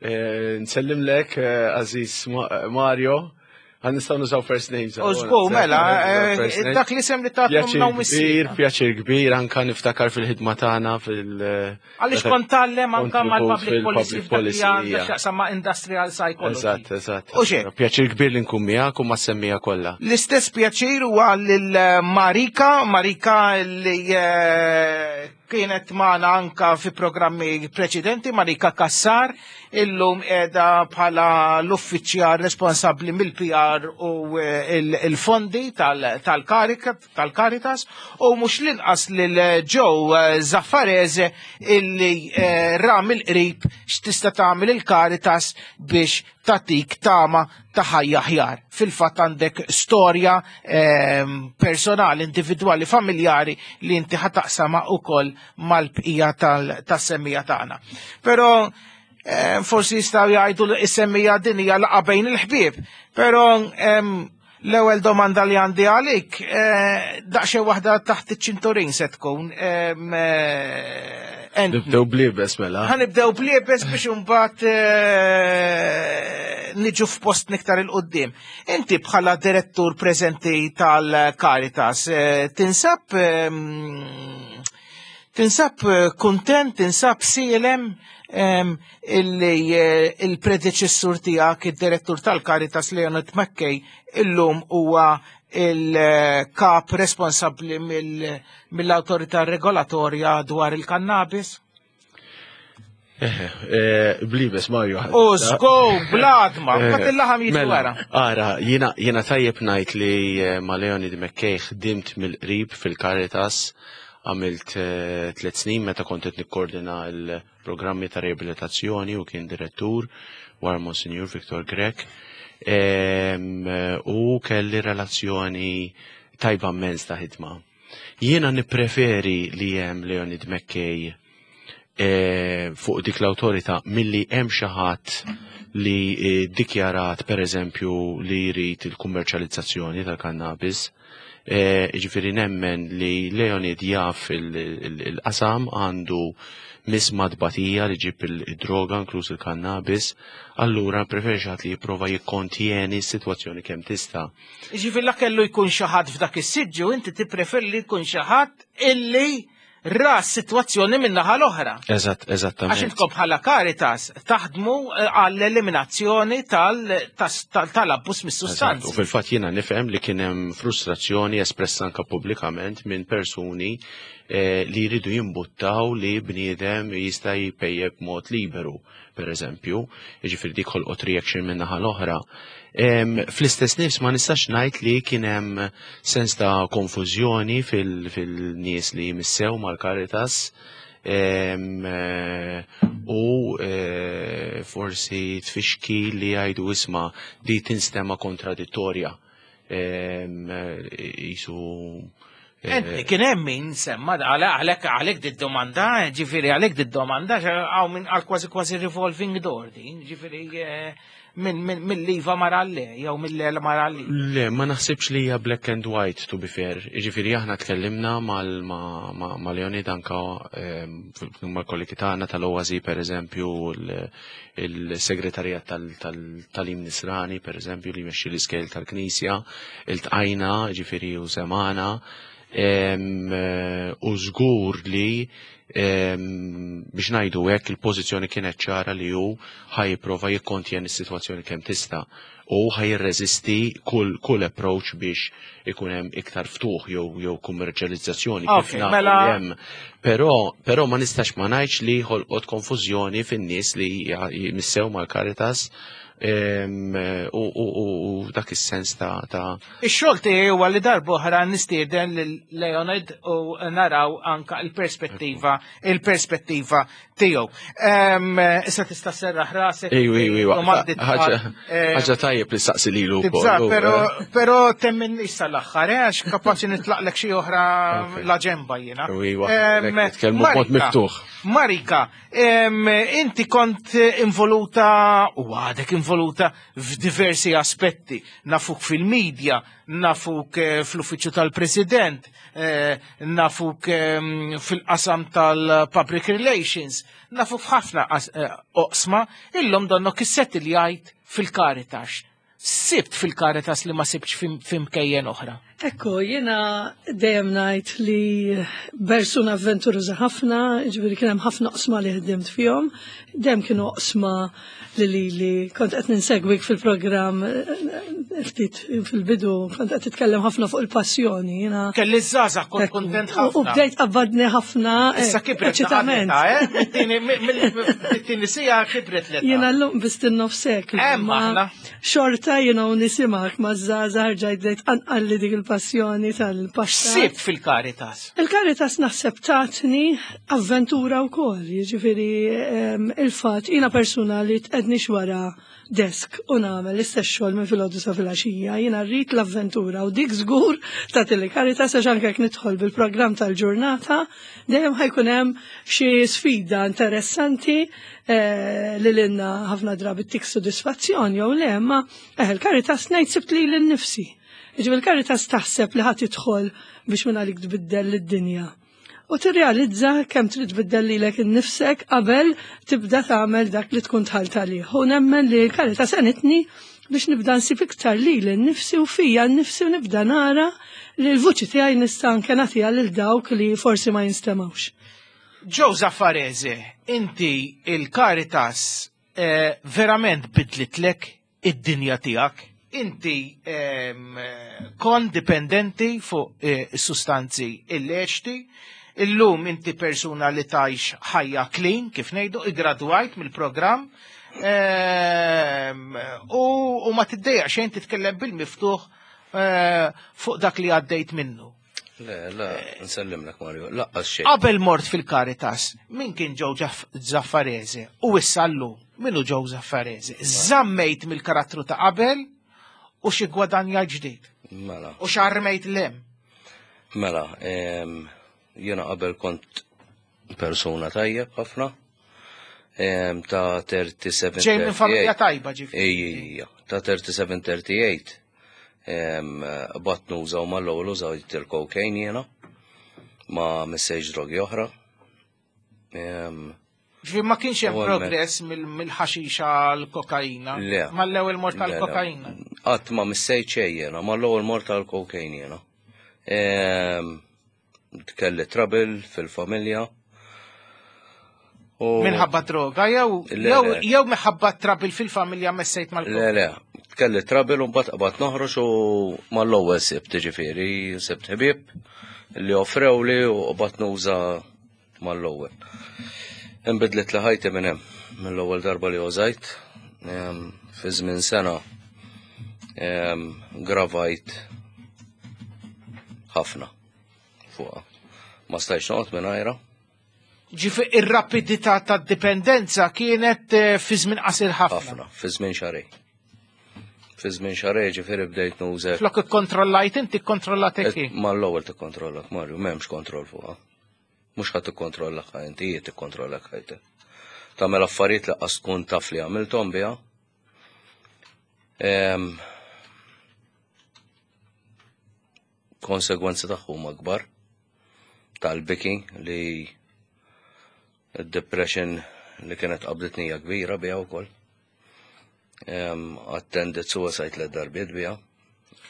Eh, Nsellimlek, eh, għażiż Mario, għan nistgħu nużaw first names. U żgur, mela, eh, dak li sem li ta' Pjaċir kbir, pjaċir kbir, anka niftakar fil-ħidma tagħna fil- Għaliex kont tgħallem anka mal-public policy Public policy, f'dak li għandha hija. x'jaqsam ma' industrial psychology. Eżatt, eżatt. U xek? Pjaċir kbir li nkun miegħek u mas-semmiegħa kollha. L-istess pjaċir huwa lil Marika, Marika li eh, kienet magħna anka fi programmi preċedenti, Marika Kassar, illum qiegħda bħala l-uffiċjal responsabbli mill-P R u eh, il- il-fondi tal-Caritas u mhux l-inqas lil Joe Zaffarese illi eh, ra mill-qrib x'tista' tagħmel il-Caritas biex tatik tama ta' ħajja aħjar. Fil-fatt għandek storja ehm, personali, individwali, familjari li inti ħa taqsamha ukoll mal-bqija tas-semmiegħa tagħna. Però eh, forsi jistgħu jgħidu li is-semmiegħa din hija laqgħa bejn il-ħbieb, però ehm, l-ewwel domanda li għandi għalik, eh, daqsxejn waħda taħt iċ-ċinturin se tkun. Ehm, eh, Nibdew bl-iebes mela. Ħa nibdew bl-iebes biex imbagħad eh, niġu f'post iktar 'il quddiem. Inti bħala direttur preżenti tal-Caritas, eh, tinsab ehm, tinsab eh, kontent, tinsab sielem ehm, illi eh, il-predeċessur tiegħek, id-direttur tal-Caritas Leonid McKay, illum huwa il-kap responsabbli mill-autorità regolatorja dwar il-kannabis? Eh, Blibes, Mario. U żgur, bladma, bat il-laħam jiġi Mela, wara. Ara, jiena jiena tajjeb ngħid li eh, ma' Leonid McKay ħdimt mill-qrib fil-Caritas, għamilt eh, tliet snin meta kont qed nikkoordina l-programmi ta' riabilitazzjoni u kien direttur wara Monsignor Victor Grech. Em, eh, U kelli relazzjoni tajba immens ta' ħidma. Jiena nippreferi li hemm Leonid McKay eh, fuq dik l-awtorità milli hemm xi ħadd li eh, dikjarat per eżempju li jrid il-kummerċjalizzazzjoni tal-kannabis. Eh, Ġifieri nemmen li Leonid jaf il- il- il-qasam għandu misma tbatija li ġib il-droga inkluż il-kannabis, allura preferi xi ħadd li jipprova jikkontjeni s-sitwazzjoni kemm tista'. Ġifieri la kellu jkun xi ħadd f'dak is-siġġu, inti tippreferi li jkun xi ħadd illi ra s-sitwazzjoni min-naħa l-oħra. Eżatt, Għax eżattament. intkom bħala Caritas taħdmu eh, għall-eliminazzjoni tal-abbuż Eżatt, mis-sustanzi. U fil-fatt jiena nifhem li kien hemm frustrazzjoni espressa anka pubblikament minn persuni eh, li jridu jimbuttaw li bniedem jista' jpejjep b'mod liberu, per eżempju, jiġifieri dik ħolqot reaction minn naħa l-oħra. Em, Fl-istess nifs ma nistax ngħid li kien hemm sens ta' konfużjoni fil- fil-nies li missew mal-Caritas em, eh, u eh, forsi tfixki li jgħidu isma' di tinstema kontradittorja. Em, eh, Jisu eh, Enti kien hemm min semma għalhekk għalhekk di domanda, ġifieri għalhekk di domanda għaw minn għal kważi kważi revolving door din, ġifieri eh, minn min, mill-iva mar għal-le, jew mill-le mar għal-le. Le, ma naħsibx li hija black and white to be fair. Jiġifieri aħna tkellimna mal ma, ma, ma Leonid anka em, mal-kollegi tagħna tal-Oasi per eżempju, il- il-segretarjat tal-Tagħlim Nisrani per eżempju li jmexxi l-iskejjel tal-Knisja, iltqajna, ġifieri u semana, em, eh, u żgur li em, biex ngħidu hekk il-pożizzjoni kienet ċara li hu ħa jipprova jikkontjeni s-sitwazzjoni kemm tista' u ħa jirreżisti kull kull approach biex ikun hemm iktar ftuħ jew jew kummerċjalizzazzjoni kif Ok, nafu mela- li hemm. Però però ma nistax ma ngħidx li ħolqot konfużjoni fin-nies li jmissew mal-Caritas em, u, u, u, u dak is-sens ta' ta' Ix-xogħol tiegħi huwa li darb'oħra nistieden lil Leonid u naraw anka il-perspettiva il-perspettiva tiegħu. Em, Issa tista' serraħ rasek. Ejju, ejju, ejju. domandi Ħaġa tfal, eh, ħaġa tajjeb li saqsi lilu wkoll. Tibża, u, pero, eh, pero temmen issa l-aħħar, eh, għax kapaċi nitlaqlek xi oħra la ġemba jiena. Iwa, Em, nitkellmu b'mod Marika, miftuħ. Marika, em, inti kont involuta u għadek involuta f'diversi aspetti. Nafuk fil-medja, nafuk eh, fl-uffiċċju tal-President, eh, nafuk em, fil-qasam tal-Public Relations, nafuk f'ħafna as- eh, oqsma, illum donnok issettiljajt fil-Caritas. Sibt fil-Caritas li ma sibtx fim- fimkejjen oħra. Ekku, jiena dejjem ngħid li persuna avventuruża ħafna, ġifieri kien hemm ħafna oqsma li ħdimt fihom, dejjem kienu oqsma li li li kont qed ninsegwik fil-programm eh, ftit fil-bidu, kont qed titkellem ħafna fuq il-passjoni. Jiena Kelli żgħażagħ kont kontent U u ħafna. bdejt qabbadni ħafna eh, Issa kibret eċitament. eh? Mit-tieni siegħa kibret l Jiena llum biss nofsek. Hemm aħna. Xorta jiena u nisimak ma' żgħażagħ rġajt bdejt anqalli dik il-passjoni tal-passat. Sibt fil-Caritas. Il-Caritas naħseb tatni avventura u koll, jiġifieri em, il-fat, jiena persuna li tqegħednix wara desk u nagħmel l-istess xogħol minn filgħodu sa filgħaxija, jiena rrid l-avventura u dik żgur ta' il-Caritas għax anke jekk nidħol bil-programm tal-ġurnata, dejjem ħa jkun hemm xi sfida interessanti eh, li lilna ħafna drabi tik sodisfazzjon jew le, ma eh, il-Caritas ngħid sibt li l-nifsi. Ġifieri il-Caritas taħseb li ħadd tidħol biex minn għalik tbiddel lid-dinja. U tirrealizza kemm trid tbiddel lilek innifsek qabel tibda tagħmel dak li tkun dħalt għalih. U nemmen li l-Caritas għenitni biex nibda nsib iktar lili nnifsi u fija nnifsi u nibda nara li l-vuċi tiegħi nista' anke nagħtiha lil dawk li forsi ma jinstemgħux. Joe Zaffarese, inti il-Caritas eh, verament bidlitlek id-dinja tiegħek. Inti ehm, kont dipendenti fuq eh, sustanzi illeċti, illum inti persuna li tgħix ħajja clean, kif ngħidu, igradwajt mill-programm, ehm, u, u ma tiddejjaq xejn titkellem bil-miftuħ eh, fuq dak li għaddejt minnu. Le, le, nsellimlek Mario, lanqas xejn. Qabel mort fil-Caritas, min kien Joe Zaffarese u issa llum, min hu Joe Zaffarese? Żammejt mill-karattru ta' qabel u xi gwadanja ġdid. Mela. U x'armejt lem. Mela, em, jiena qabel kont persuna tajjeb ħafna, em, ta' tlieta u tletin. Ġej minn familja tajba ġifieri. Ejja, ta' tlieta u tletin tlieta u tletin. Bdejt nuża u mal-ewwel użajt il-cocaine jiena, ma missejx drogi oħra. Em, Ġifieri ma kienx hemm U hemmhekk. progress mill- mill-ħaxixa l-kokaina. Le. Mal-ewwel mort Le, le. tal-kokaina. Qatt ma missejt xejn jiena, mal-ewwel mort tal-cocaine jiena. Em, Kelli trouble fil-familja. U Minħabba droga jew Le, jew le. jew minħabba trouble fil-familja messejt Le, mal-kokaina. le, kelli trouble u mbagħad qabad noħroġ u mal-ewwel sibt ġifieri, sibt ħbieb li offrew li u qabad nuża mal-ewwel. Inbidlet li ħajti minn hemm, mill-ewwel darba li użajt, em, fi żmien sena em, gravajt ħafna fuqha. Ma stajtx noqgħod mingħajra. Ġifieri ir-rapidità tad-dipendenza kienet eh, fi żmien qasir ħafna. Ħafna, fi żmien xahrejn. Fi żmien xahrejn ġifieri bdejt nuża. Flok ikkontrollajt inti ikkontrollatek hi. Mal-ewwel tikkontrollak, Mario, m'hemmx kontroll fuqha. Mhux ħadd tikkontrollak inti, hi tikkontrollak ħajtek. Tagħmel affarijiet li qas tkun taf li għamilthom biha. Em, Konsegwenzi tagħhom huma kbar tal-biki li id-depression li kienet qabditni hija kbira biha wkoll. Em, Attended suicide tliet darbiet biha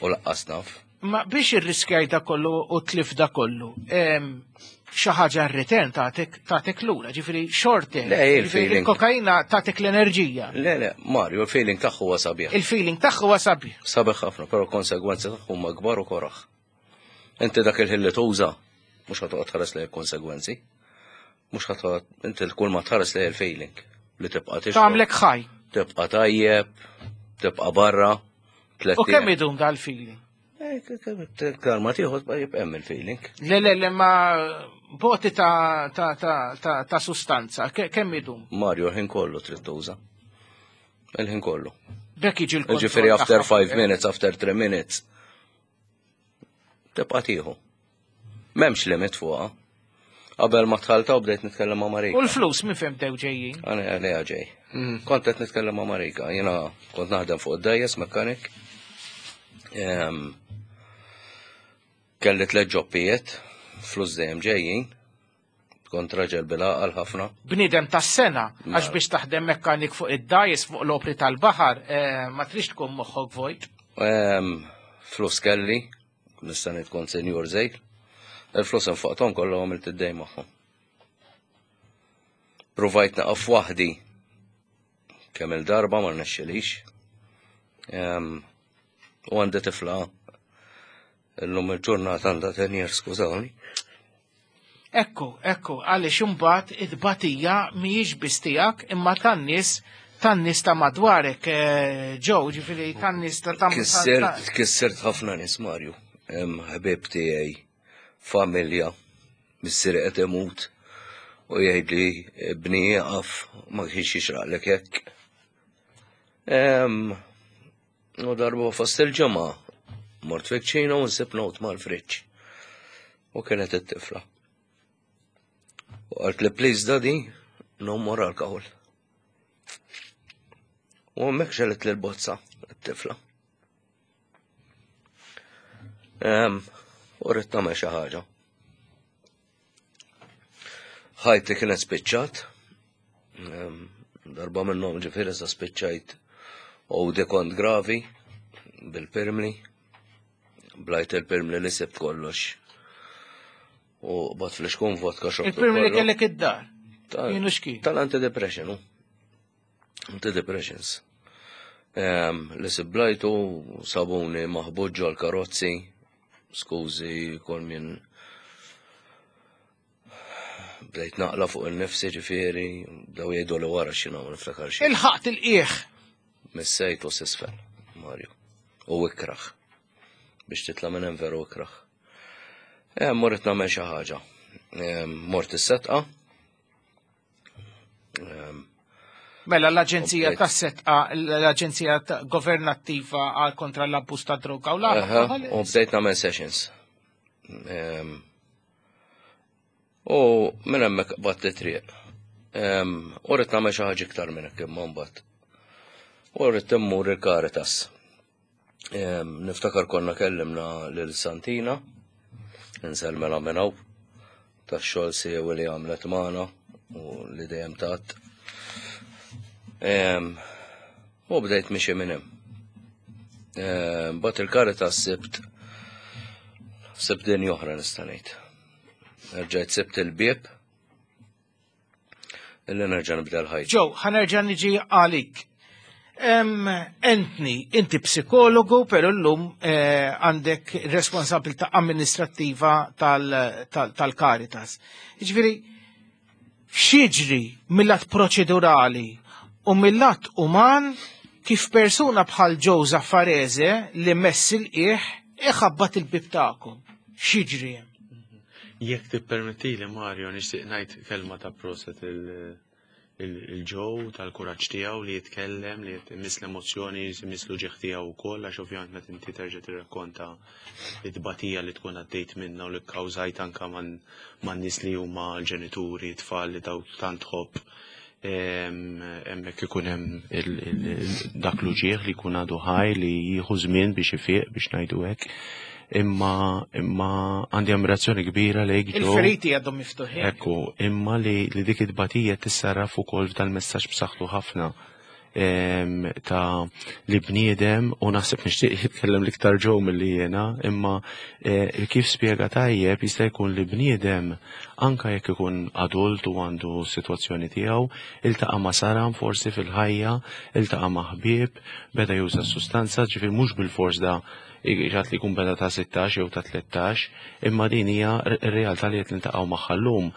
u lanqas naf. Ma biex irriskjaj da kollu u tlif da kollu, em, xi ħaġa r-return tagħtik tagħtik lura, ġifieri xorte. Le, il-feeling. Il-kokaina tagħtik l-enerġija. Le, le, Mario, il-feeling tagħhu huwa sabiħ. Il-feeling tagħha huwa sabiħ. Sabiħ ħafna, però konsegwenzi tagħhu huma kbar u koraħ. Inti dak il-ħin li tuża, mhux ħa toqgħod tħares lejn il-konsegwenzi. Mhux ħa toqgħod inti kull ma tħares lejn il-feeling li tibqa' tixrob. Tagħmlek ħaj. Tibqa' tajjeb, tibqa' barra, tliet U kemm ijiem. idum dal-feeling? Iktar ma tieħu jibqa' hemm il-feeling. Le, le, le, ma boti ta' ta' ta' ta' ta' sustanza, ke- kemm idum? Mario, il-ħin kollu trid tuża. Il-ħin kollu. Bekk jiġi l-kontroll. Ġifieri after tagħha. five minutes, after three minutes. Tibqa' tieħu. M'hemmx limit fuqha. Qabel ma dħalta u bdejt nitkellem ma' Marika. U l-flus minn fejn bdew ġejjin? Għana għalija ġej. Kont qed nitkellem ma' Marika. Jiena kont naħdem fuq id-dgħajjes mechanic. Em, Kelli tliet jobbijiet, flus dejjem ġejjin. Kont raġel bil-għaqal ħafna. Bniedem tas-sena, għax Mela. biex taħdem mekkanik fuq id-dgħajjes fuq l-opri tal-baħar, eh, ma trix tkun moħħok vojt. Em, Flus kelli, nista' ngħid kont senjur żejr. Il-flus infaqthom kollha għamilt id-dejn magħhom. Provajt naqaf waħdi kemm il-darba ma rnexxilix. Em, U għandi tifla illum il-ġurnata għandha ten years, skużawni. Ekku, ekku, għaliex imbagħad id-batija mhijiex biss tiegħek imma tan-nies tan-nies ta' madwarek, eh, ġew, ġifieri tan-nies ta' ta' Kissirt, kissirt ħafna nies Mario. Em, Ħbieb tiegħi, familja, missieri qed imut u jgħidli bni jaqaf ma kienx jixraqlek hekk. Em, U darba fost il-ġimgħa mort fi-kċina u nsib note mal-friġġ. U kienet it-tifla. U qalt li please daddy, no more alcohol. U hemmhekk xegħlet li l-bozza, it-tifla. Em, U rrid nagħmel xi ħaġa. Ħajti kienet spiċċat. Em, Darba minnhom ġifieri sa spiċċajt u di kont gravi bil-pirmli. Blajt il-pirmli li sibt kollox. U bat fl-xkun vodka xorbt. Il-pirmli li kollu. kellek id-dar. Tal- Kienu x'kien? Tal-antidepression, u. Antidepressions. Em, Li siblajtu sabuni maħbut ġol karozzi, skużi, kol minn bdejt naqla fuq il-nifsi ġifieri, bdew jgħidu li wara x'inhu ma niftakar xejn. Il-ħaqt il-qieħ. Missejt u s'isfel, Mario. U ikraħ. Biex titla' minn hemm veru ikraħ. Eh, Mort nagħmel xi ħaġa. Eh, Mort is-setqa. Em, Mela l-Aġenzija Komplet. tas-Setqa, l-Aġenzija ta- Governattiva għal kontra l-abbuż ta' droga u Aha, l-alkohol. U bdejt nagħmel sessions. Em, U minn hemmhekk qbadt triq. Em, U rrid nagħmel xi ħaġa iktar minn hekk imma mbagħad. U rrid immur il-Caritas. Em, Niftakar konna kellimna lil Santina, insellmela minn hawn, tax-xogħol siewi li għamlet magħna u li dejjem tat. Em, U bdejt mixi minn hemm. Em, Bat il-Caritas sibt sibt din oħra nista' ngħid. Erġajt sibt il-bieb illi nerġa' nibda l-ħajja. Joe, ħa nerġa' niġi għalik. Em, Anthony, inti psikologu, pero llum eh, għandek responsabilità amministrattiva tal- tal- tal-Caritas. Ġifieri, x'jiġri mill-lat proċedurali u mill-lat uman kif persuna bħal Joe Zaffarese li mess il-qiegħ iħabbat il-bib tagħkom. X'jiġri hemm? Jekk tippermettili Mario, nixtieq ngħid kelma ta' proset il- il- il-Joe tal-kuraġġ tiegħu li jitkellem, li jmiss l-emozzjoni, jmiss l-uġigħ tiegħu wkoll, għax ovvjament meta inti terġa' tirrakkonta it-tbatija li tkun għaddejt minna u li kkawżajt anka man man nies li huma l-ġenituri, tfal li daw tant tħobb. Em, Hemmhekk ikun hemm il- il- il- dak l-uġigħ li jkun għadu ħaj li jieħu żmien biex ifiq biex ngħidu hekk. Imma imma għandi ammirazzjoni kbira lejk Joe. Il-feriti għadhom miftuħin. Ekku, imma li, li dik it-tbatija tissarraf ukoll f'dal-messaġġ b'saħħtu ħafna em, ta' li bniedem u naħseb nixtieq jitkellem l-iktar Joe milli jiena, imma eh, kif spjega tajjeb jista' jkun li bniedem anka jekk ikun adult u għandu sitwazzjoni tiegħu, iltaqa' ma' saram forsi fil-ħajja, iltaqa' ma' ħbieb, beda juża s-sustanza, ġifier mhux bil-fors da ġat li jkun beda ta' sittax jew ta' tlettax, imma din hija r-realtà li qed niltaqgħu magħha llum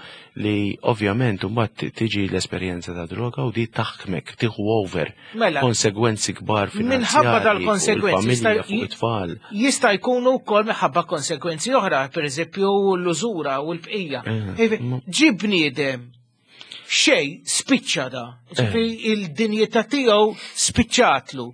li ovvjament imbagħad tiġi l-esperjenza ta' droga u di taħkmek, tieħu over. Mela. Konsegwenzi kbar Minħabba finanzjarji dal-konsegwenzi fuq il-familja, jista' fuq it-tfal. Jista' jkunu wkoll minħabba konsegwenzi oħra, pereżempju l-użura u l-bqija. Eh, Ivi, Ġi bniedem xej spiċċa da. Ġifieri il-dinjità tiegħu spiċċatlu.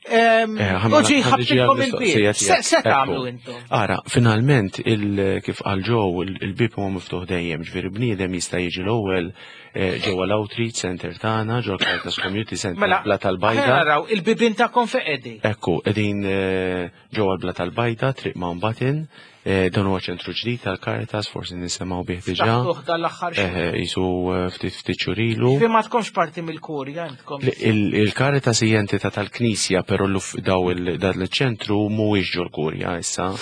Em, Eh, ħa- U ġi ħa niġi ħabtilkom għall-mistoqsija il-bieb. Se tiegħek. se Ekku. tagħmlu intom? Ara, finalment, il, kif qal Joe, il- il-bib huwa miftuħ dejjem, ġifieri bniedem jista' jiġi l-ewwel eh, ġewwa l-Outreach Center tagħna, ġewwa Caritas Community Center Mela, Bla ħa tal-Bajda. naraw il-bibien tagħkom fejn qegħdin. Ekku, qegħdin eh, ġewwa l-Bla tal-Bajda, Triq Mountbatten, eh, dan huwa ċentru ġdid tal-Caritas, forsi nisimgħu bih diġà. Ftaħtuh dal-aħħar xhur. Eh, Jisu eh, ftit ftit xurilu. Fi ma tkomx parti mill-kurja intkom. Il- Il-Caritas hija entità tal-Knisja, però l- daw il- dan il-ċentru mhuwiex ġol-Kurja issa.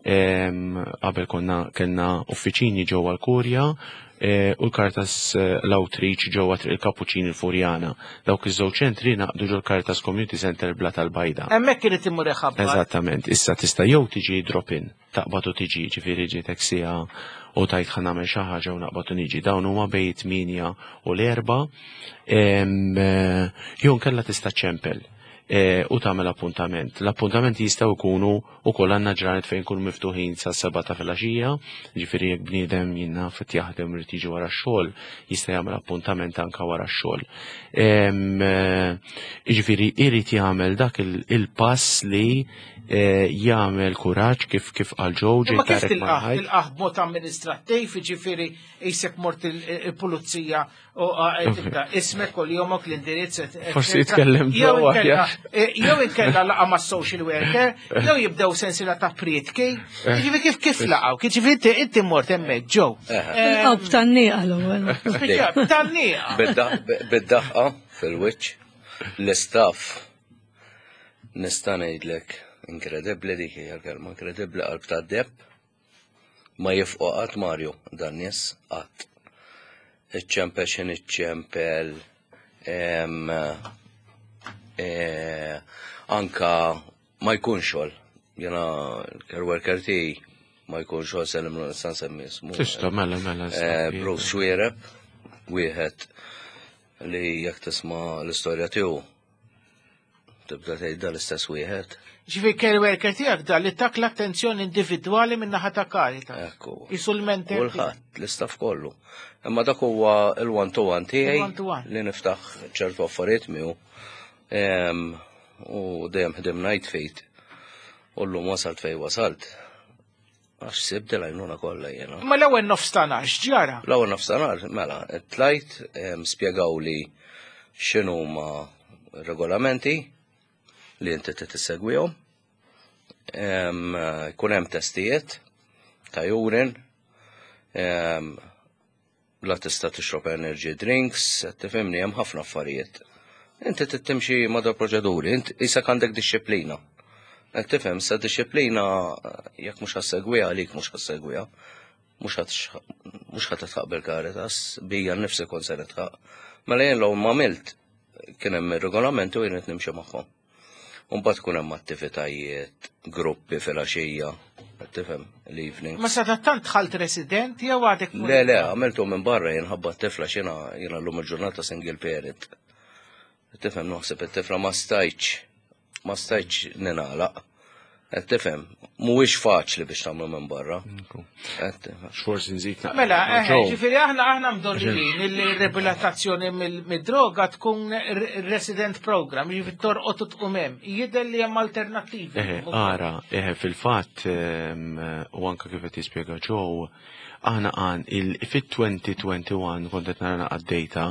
Em, Qabel konna kellna uffiċini ġewwa l-Kurja eh, u l-Caritas eh, l-Outreach ġewwa Triq il-Kapuċini l-Furjana. Dawk iż-żewġ ċentri naqdu ġol Caritas Community Center Bla tal-Bajda. Hemmhekk irid imur iħabbat. Eżattament, issa tista' jew tiġi drop-in, taqbad u tiġi, ġifieri ġietek siegħa u tajt ħa nagħmel xi ħaġa u naqbad u niġi. Dawn huma bejn tmienja u l-erba', em, eh, jew nkella tista' ċempel eh, u tagħmel appuntament. L-appuntamenti jistgħu jkunu wkoll għandna ġranet fejn jkunu miftuħin sa seba' ta' filgħaxija, ġifieri jekk bniedem jiena fit jaħdem irid jiġi wara x-xogħol, jista' jagħmel appuntament anke wara x-xogħol. Em, eh, Ġifieri irid jagħmel dak il- il-pass li eh, jagħmel kuraġġ kif kif qal Joe ġej Imma kif Tarek tilqah? mal-ħajt. Tilqah b'mod amministrattiv, jiġifieri qisek mort il- il-pulizija u eh, tibda ismek u jomok l-indirizz. et- et- Forsi jitkellem Jew ġewwa inkella- aħjar. eh, Jew inkella laqa ma' social worker, jew jibdew sensila ta' prietki. Jiġifieri kif kif laqgħu? Jiġifieri inti inti mort hemmhekk Joe. Tilqgħu b'tgħanniqa l-ewwel. B'tgħanniqa. Bid-daħqa fil-wiċċ, l-istaff nista' ngħidlek inkredibbli dik hija l-kelma, inkredibbli qalb ta' deheb ma jifqu qatt Mario dan nies qatt. Iċċempel x'in iċċempel em, eh, anka ma jkun xogħol. Jiena l-care worker tiegħi ma jkun xogħol sellimlu nista' nsemmi ismu. Tista' mela mela. Eh, Bruce Xuereb, wieħed li jekk tisma' l-istorja tiegħu tibda tgħid dan l-istess wieħed. Ġifieri care worker tiegħek da li tak l-attenzjoni individwali minn naħa ta' Caritas. Ekku. Qisu l-mentor. Kulħadd, l-istaff kollu. Imma dak huwa il-one to one tiegħi Il-one-to-one. li niftaħ ċertu affarijiet miegħu. Em, U dejjem ħdimna id f'id. U llum wasalt fejn wasalt. Għax sibt l-għajnuna kollha jiena. Ma l-ewwel nofs ta' nhar x'ġara? L-ewwel nofsinhar, mela, tlajt, em, spjegaw li x'inhuma regolamenti li inti trid tissegwihom. Em, Jkun hemm testijiet ta' urine, em, la tista' tixrob energy drinks, qed tifhimni hemm ħafna affarijiet. Inti trid timxi ma' dawn proċeduri, inti qisek għandek dixxiplina. Qed tifhem, sa dixxiplina jekk mhux ħa ssegwiha għalik mhux ħa ssegwiha. Mhux ħa mhux ħa titħaq bil-Caritas, bija nnifsi kont se nitħaq. Mela jien l ma għamilt kien hemm ir-regolamenti u jien qed nimxi magħhom. U mbagħad tkun hemm attivitajiet, gruppi fil-għaxija, qed tifhem, l-evening. Ma sadattant dħalt resident jew għadek Le, le, għamiltu minn barra jien ħabba t-tifla xina jiena llum il-ġurnata single parent. Tifhem naħseb it-tifla ma stajtx, ma stajtx ningħalaq. Qed tifhem, mhuwiex faċli biex tagħmlu minn barra. Qed tifhem. X'forsi nżid naqra Mela, ma' eh, Joe. ġifieri aħna aħna mdorrijin illi riabilitazzjoni mid-droga tkun r- resident program, ġifieri torqod u tqum hemm. Jidher li hemm alternattivi. Eħe, ara, eħe, fil-fatt, em, u anka kif qed jispjega Joe, aħna għan il fit-elfejn u wieħed u għoxrin kont qed nara għad-data,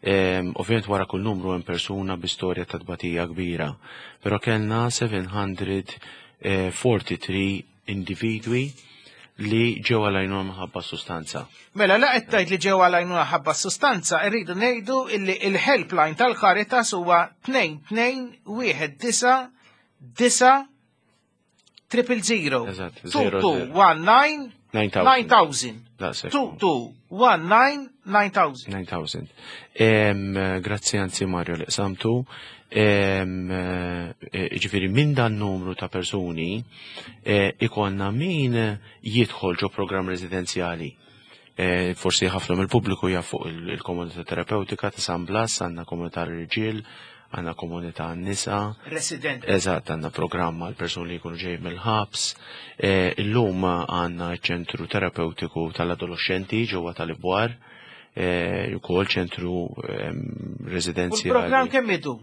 em, ovvjament wara kull numru hemm persuna bi storja ta' tbatija kbira, però kellna seba' mija u tlieta u erbgħin individwi li ġew għal-għajnuna minħabba sustanza. Mela, la qed tgħid li ġew għal-għajnuna ħabba sustanza, irridu ngħidu illi il-helpline tal-Caritas huwa tnejn tnejn wieħed disa' disa' triple zero. Eżatt, Two zero, two zero. one nine nine thousand. nine thousand. Daqshekk. Two two one nine nine thousand. nine thousand. Em, Grazzi anzi Mario li qsamtu. Em, eh, Ġifieri minn dan numru ta' persuni eh, ikollna min jidħol ġo program residenzjali. Eh, Forsi ħafna mill-pubbliku jaf fuq il- il-komunità terapeutika ta' San Blas, għandna komunità l-irġiel, għandna komunità n-nisa. Resident. Eżatt, għandna programma għal persuni li jkunu ġej mill-ħabs. Eh, Illum għandna ċentru terapeutiku tal-adolescenti ġewwa tal-Ibwar, eh, ukoll ċentru em, U l-programm residenzjali. kemm idu?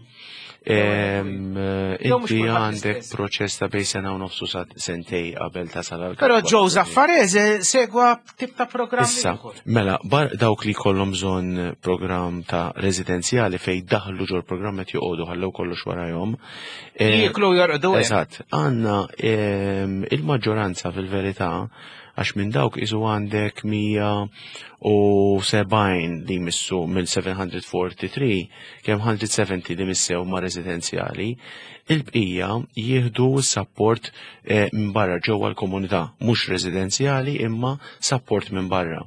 Em, eh, Jew mhux Inti kulħadd għandek l-istess. proċess ta' bejn sena u nofsu sa sentej qabel tasal għal Però Joe Zaffarese segwa tip ta' programm Issa, ieħor. mela, bar dawk li kollhom bżonn programm ta' residenzjali fej daħlu ġol programm qed joqogħdu ħallew kollox warajhom. Eh, Jieklu jorqdu hemm. Eżatt, għandna em, il-maġġoranza fil-verità għax minn dawk isu għandek mija u sebgħin li missu mill-seba' mija u tlieta u erbgħin, kemm mija u sebgħin li missew ma' residenzjali, il-bqija jieħdu support eh, minn barra ġewwa l-komunità, mhux residenzjali imma support minn barra.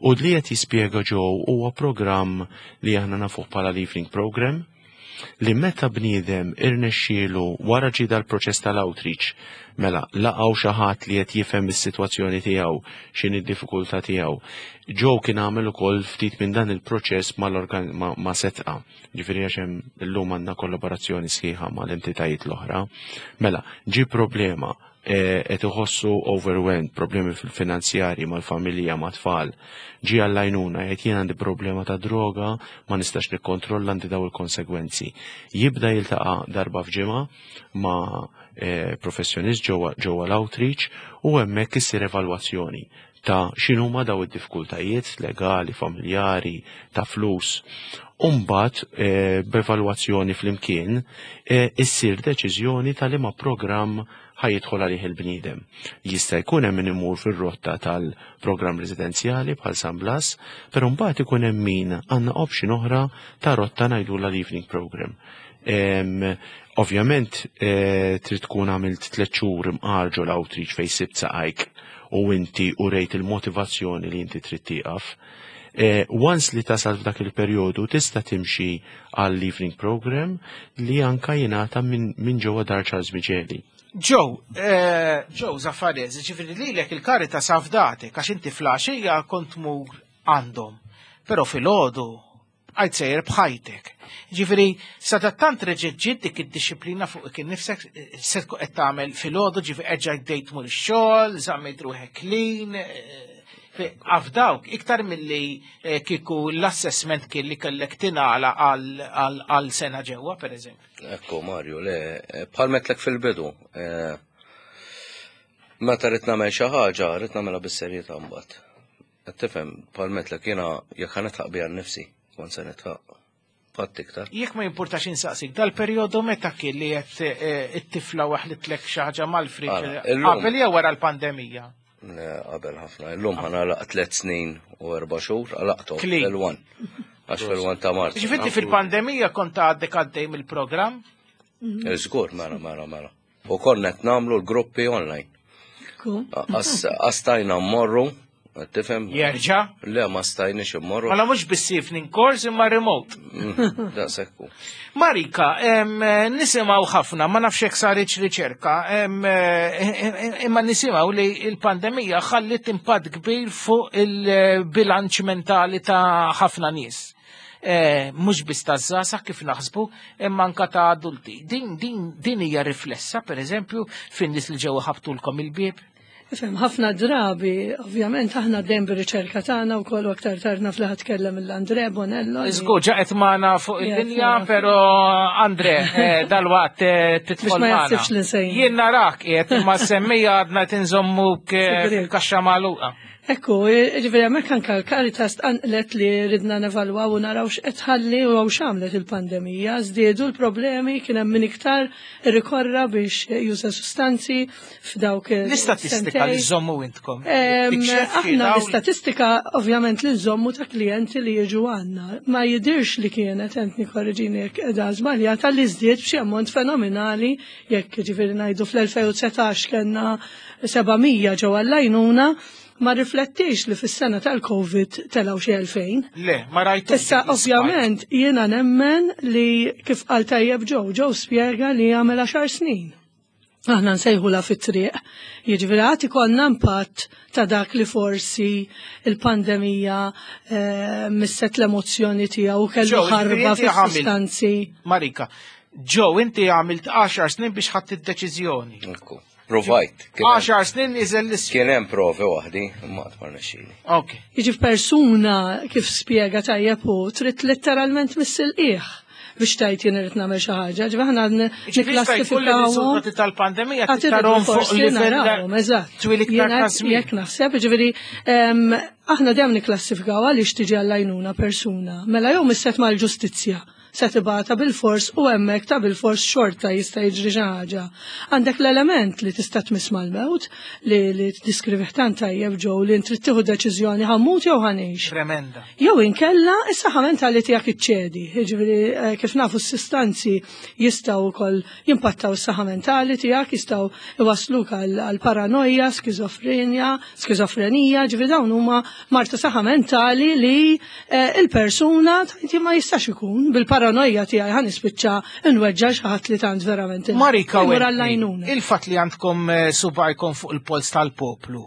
U li qed jispjega ġew huwa programm li aħna nafuh bħala l-evening program, li meta bniedem irnexxielu wara ġi dal-proċess tal-outreach, mela laqgħu xi ħadd li qed jifhem is-sitwazzjoni tiegħu, x'inhi d-diffikultà tiegħu. Joe kien għamel ukoll ftit minn dan il-proċess mal-organ ma, ma Sedqa. Ġifieri għax hemm illum għandna kollaborazzjoni sħiħa mal-entitajiet l-oħra. Mela, ġi problema eh, qed iħossu overwhelmed, problemi fil-finanzjari mal-familja, ma' tfal. Ġi għall-għajnuna, jgħid jien għandi problema ta' droga, ma nistax nikkontrolla għandi daw il-konsegwenzi. Jibda jiltaqa' darba f'ġimgħa ma' eh, professjonist ġewwa ġewwa l-outreach u hemmhekk issir evalwazzjoni ta' x'inhuma daw id-diffikultajiet legali, familjari, ta' flus. Umbat, eh, b'evalwazzjoni flimkien, eh, issir deċiżjoni ta' liema programm ħa jidħol għalih il-bniedem. Jista' jkun hemm min imur fir-rotta tal-programm residenzjali bħal San Blas, però mbagħad ikun hemm min għandna option oħra ta' rotta ngħidulha l-evening program. Em, Ovvjament, eh, trid tkun għamilt tliet xhur imqar ġo l-outreach fejn sibt saqajk u inti u rejt il-motivazzjoni li inti trid tieqaf. Eh, once li tasal f'dak il-perjodu tista' timxi għall evening program li anka jingħata minn min ġewwa Dar Charles Miceli. Joe, eh, Joe Zaffarese, ġifieri lilek il-Caritas afdatek, għax inti filgħaxija kont tmur għandhom. Però filgħodu, għajt sejjer bħajtek. Ġifieri, sadattant reġgħet ġiet dik id-disciplina fuq kien nifsek, eh, se tkun qed tagħmel filgħodu, ġifieri erġajt bdejt tmur ix-xogħol, żammejt ruħek clean, eh, afdawk, iktar milli eh, kieku l-assessment kien li kellek tingħala għal għal sena ġewwa, per eżempju. Ekku, Mario, le, bħal għedtlek fil-bidu. eh, Meta rrid nagħmel xi ħaġa, rrid nagħmilha bis-serjetà mbagħad. Qed tifhem, bħal għedtlek jiena jekk ħa nidħaq biha nnifsi, kont se nidħaq. Qatt iktar. Jekk ma jimpurtax insaqsik, dal-perjodu meta kien li qed eh, it-tifla waħlitlek xi ħaġa mal-friġ Ara, illum- qabel jew wara l-pandemija? Le, qabel ħafna. Illum ħa nagħlaq tliet snin u erba' xhur, għalaqthom Clean. fil-one. Għax fil-one ta' Marzu. Ġifieri fil-pandemija kont għaddek għaddej mill-programm? Żgur, mela, mela, mela. U konna qed nagħmlu l-gruppi online. Għax stajna mmorru, tifhem? Jerġa'? Le, ma stajniex immorru. Mela mhux biss evening course imma remote. Mm, Daqshekk hu. Marika, em, nisimgħu ħafna, ma nafx hekk saritx riċerka, em, eh, imma nisimgħu li il-pandemija ħallit impatt kbir fuq il-bilanċ mentali ta' ħafna nies. Eh, Mhux biss ta' żgħażagħ kif naħsbu, imma anka ta' adulti. Din, din, din hija riflessa, per eżempju, fin-nies li ġew ħabtulkom il-bieb. Ifhem, ħafna drabi, ovvjament, aħna dejjem bir-riċerka tagħna wkoll u aktar tard naf li ħa tkellem l-Andre Bonello. li- Żgur, ġa qed magħna fuq il-linja, Yes, pero Andre, eh, dalwaqt eh, tidħol Biex ma magħna. jaħsibx li nsejna. Jien narak qiegħed imma semmija għadna tinżommuk eh, Sigriet. fil-kaxxa magħluqa. Ekku, ġifieri hemmhekk anke l-Caritas tqanqlet li ridna nevalwaw u naraw x'qed tħalli u x'għamlet il-pandemija. Żdiedu l-problemi, kien hemm min iktar irrikorra biex juża sustanzi f'dawk il- L-istatistika li sentejn. żommu intkom. Em, Tikxef Aħna dawn- l-istatistika ovvjament li nżommu ta' klijenti li jiġu għandna. Ma jidirx li kienet, entni korreġini jekk qiegħda żbaljata, li żdied b'xi ammont fenomenali, jekk ġifieri ngħidu fl-elfejn u dsatax kellna seba' mija ġew għall-għajnuna, ma riflettix li fis-sena tal-Covid telgħu xi elfejn. Le, ma rajtu. Issa, ovvjament, jiena nemmen li kif qal tajjeb Joe, Joe spjega li għamel għaxar snin. Aħna nsejħula fit-triq. Jiġifieri għad ikollna impatt ta' dak li forsi il-pandemija eh, misset l-emozzjoni tiegħu u kellu Joe, ġifieri ħarba inti għamil- fis-sustanzi. Marika, Joe, inti għamilt għaxar snin biex ħadd id-deċiżjoni. Ekku. Provajt. Kien hemm- għaxar snin iżel l Kien hemm provi waħdi, imma qatt ma rnexxieli. Ok. Jiġi persuna kif spjega tajjeb hu trid letteralment miss il-qiegħ biex tajt jien irid nagħmel xi ħaġa. Ġifieri aħna Ġifieri jista' jkun li riżultati tal-pandemija Għad irridu tarahom fuq forsi livell narawhom, eżatt. twil iktar Jiena ta' żmien. Jekk naħseb, ġifieri, em, aħna dejjem niklassifikaw għaliex tiġi għall-għajnuna persuna. Mela jew misset mal-ġustizzja se tibata bil-fors u hemmhekk ta' bil-fors xorta jista' jiġri xi ħaġa. Għandek l-element li tista' tmiss mal-mewt li li tiddiskrivih tant tajjeb Joe li trid tieħu deċiżjoni ħa mmut jew ħa ngħix. Tremenda. Jew inkella is-saħħa mentali tiegħek iċċedi. Jiġifieri eh, kif nafu s-sustanzi jistgħu wkoll jimpattaw is-saħħa mentali tiegħek, jistgħu iwasluk għal għal paranoja, skizofrenja, skizofrenija, ġifieri dawn huma mard ta' saħħa mentali li eh, il-persuna tgħid ma jistax ikun bil-paranoja tiegħi ħa nispiċċa nweġġa' xi ħadd li tant verament Marika, imur Wendy, għall-għajnuna. il-fat li għandkom eh, subajkom fuq il-pols tal-poplu,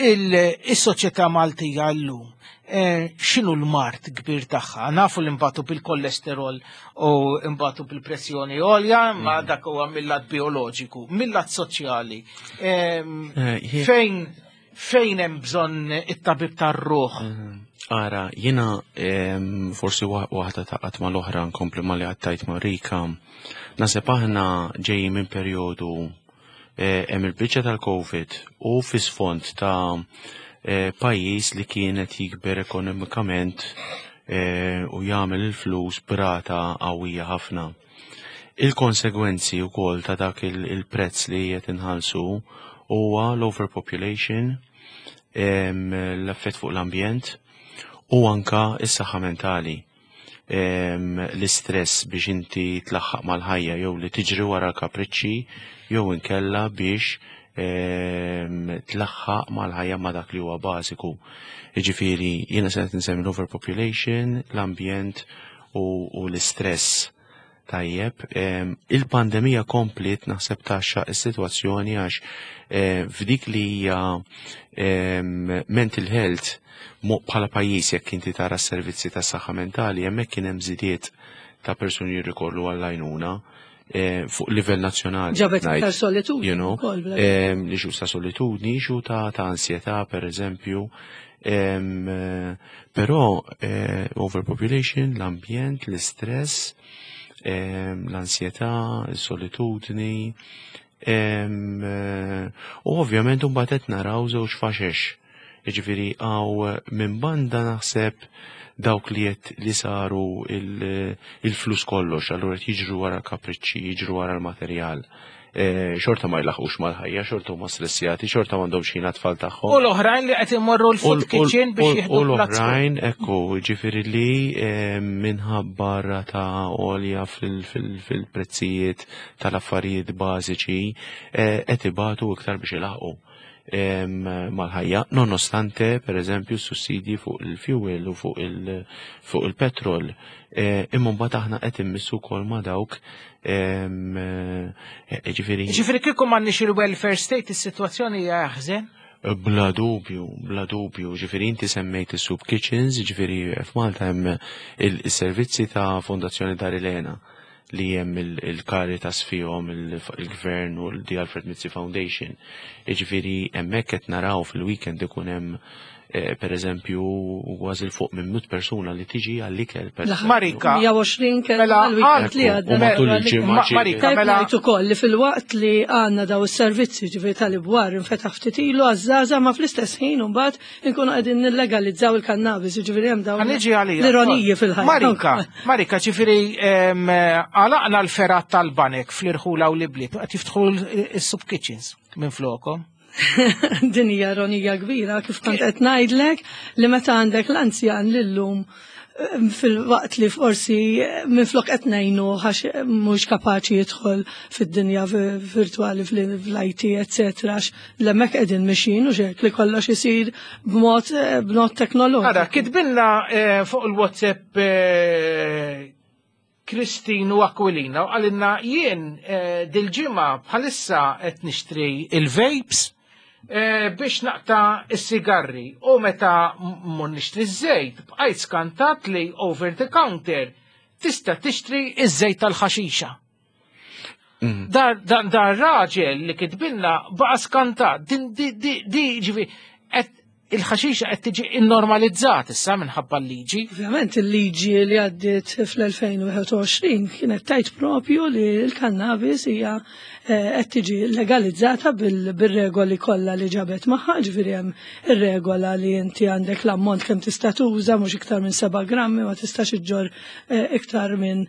il-soċjetà Maltija llum, eh, x'inhu l-mard kbir tagħha? Nafu li mbatu bil-kolesterol u mbatu bil-pressjoni għolja, ma dak huwa mill-lat bioloġiku, mill-lat soċjali. Em, Eh, jie- Fejn fejn hemm bżonn it-tabib tar-ruħ? Ara, jiena em, forsi wa- waħda ta' qatt mal-oħra nkompli ma li għattajt Marika. Naħseb aħna ġejjin minn perjodu Eh, hemm il-biċċa tal-Covid u fi sfond ta' eh, pajjiż li kienet jikber ekonomikament eh, u jagħmel il-flus b'rata qawwija ħafna. Il-konsegwenzi wkoll ta' dak il- il-prezz li qed inħallsu huwa l-overpopulation, em, l-effett fuq l-ambjent u anka is-saħħa mentali. Em, L-istress biex inti tlaħħaq mal-ħajja jew li tiġri wara l-kapriċċi jew inkella biex em, tlaħħaq mal-ħajja ma' dak li huwa bażiku. Jiġifieri jiena se qed insemmi l-overpopulation, l-ambjent u, u l-istress. Tajjeb, em, il-pandemija kompliet naħseb taxxa is-sitwazzjoni għax eh, f'dik li hija em, mental health mo bħala pajjiż jekk inti tara s-servizzi tas saħħa mentali hemmhekk kien hemm żidiet ta' persuni jirrikorru għall-għajnuna eh, fuq livell nazzjonali. Ġabet ngħid, iktar solitudni you know, ukoll, bla- em, li xu ta' solitudni, xu ta' ta' ansjetà per eżempju. Em, eh, Però eh, overpopulation, l-ambjent, l-istress, em, l-ansjetà, il-solitudni, em, eh, u ovvjament mbagħad qed naraw żewġ faxex. Jiġifieri hawn minn banda naħseb dawk li qed li saru il- il-flus kollox, allura qed jiġru wara l-kapriċċi, jiġru wara l-materjal. Eh, Xorta ma jlaħqux mal-ħajja, xorta huma stressjati, xorta m'għandhomx ħin għat-tfal tagħhom. U l-oħrajn li qed imorru l-food kitchen biex U jieħdu platt. l-oħrajn, ekku, ġifieri li eh, minħabba rata għolja fil-prezzijiet tal-affarijiet bażiċi eh, qed ibatu iktar biex ilaħqu em, mal-ħajja, nonostante, per eżempju, sussidji fuq il-fuel u fuq il- fuq il-petrol. Eh, Imma mbagħad aħna qed immissu wkoll ma' dawk em, eh, ġifieri Ġifieri kieku m'għandniex il-welfare state, is-sitwazzjoni hija aħżen. Bla dubju, bla dubju, ġifieri inti semmejt is-soup kitchens, ġifieri f'Malta hemm il-servizzi ta' Fondazzjoni Dar Elena li hemm il-Caritas fihom il-Gvern u l-The Alfred Mizzi Foundation. Ġifieri hemmhekk qed naraw fil-weekend ikun hemm eh, per eżempju kważi 'l fuq minn mitt persuna li tiġi għall-ikel. per eżempju. Marika. mija u għoxrin kien Mela, għal-weekend li Ekku, għadda. u matul il-ġimgħa ġieli. Marika, Tajb mela- ngħid ukoll li fil-waqt li għandna daw is-servizzi ġifieri tal-ibwar infetaħ ftit ilu għaż-żgħażagħ ma fl-istess ħin imbagħad inkunu qegħdin nillegalizzaw il-kannabis, ġifieri hemm dawn Ħa niġi għalija. l-ironiji fil-ħajja. Marika, Marika, ġifieri em, għalaqna l-fergħat tal-banek fl-irħula u l-ibliet, qed jiftħu l-soup kitchens minn flokom. Din hija ironija kbira kif kont qed ngħidlek li meta għandek l-anzjan lillum eh, fil-waqt li forsi eh, minflok qed ngħinu għax mhux kapaċi jidħol fid-dinja vi- virtuali fl-I T, eccetera, għax l-hemmhekk qegħdin mixin u xek li kollox isir b'mod eh, b'mod teknoloġiku. Ara, kitbilna eh, fuq il-WhatsApp eh, Kristinu Aquilina u qalilna jien eh, dil-ġimgħa bħalissa qed nixtri il-vapes eh, biex naqta' is-sigarri u meta mmur nixtri ż-żejt bqajt skantat li over the counter tista' tixtri iż-żejt tal-ħaxixa. Da, da, da raġel li kitbilna baqa skantat, din di di di ġifi, qed il-ħaxixa qed tiġi innormalizzat issa minħabba l-liġi. Ovvjament il-liġi li għaddiet fl-elfejn u wieħed u għoxrin kienet tgħid propju li l-kannabis hija eh, qed tiġi legalizzata bil- bir-regoli kollha li ġabet magħha, ġifieri hemm ir-regola li inti għandek l-ammont kemm tista' tuża mhux iktar minn seba' grammi, ma tistax iġġor eh, iktar minn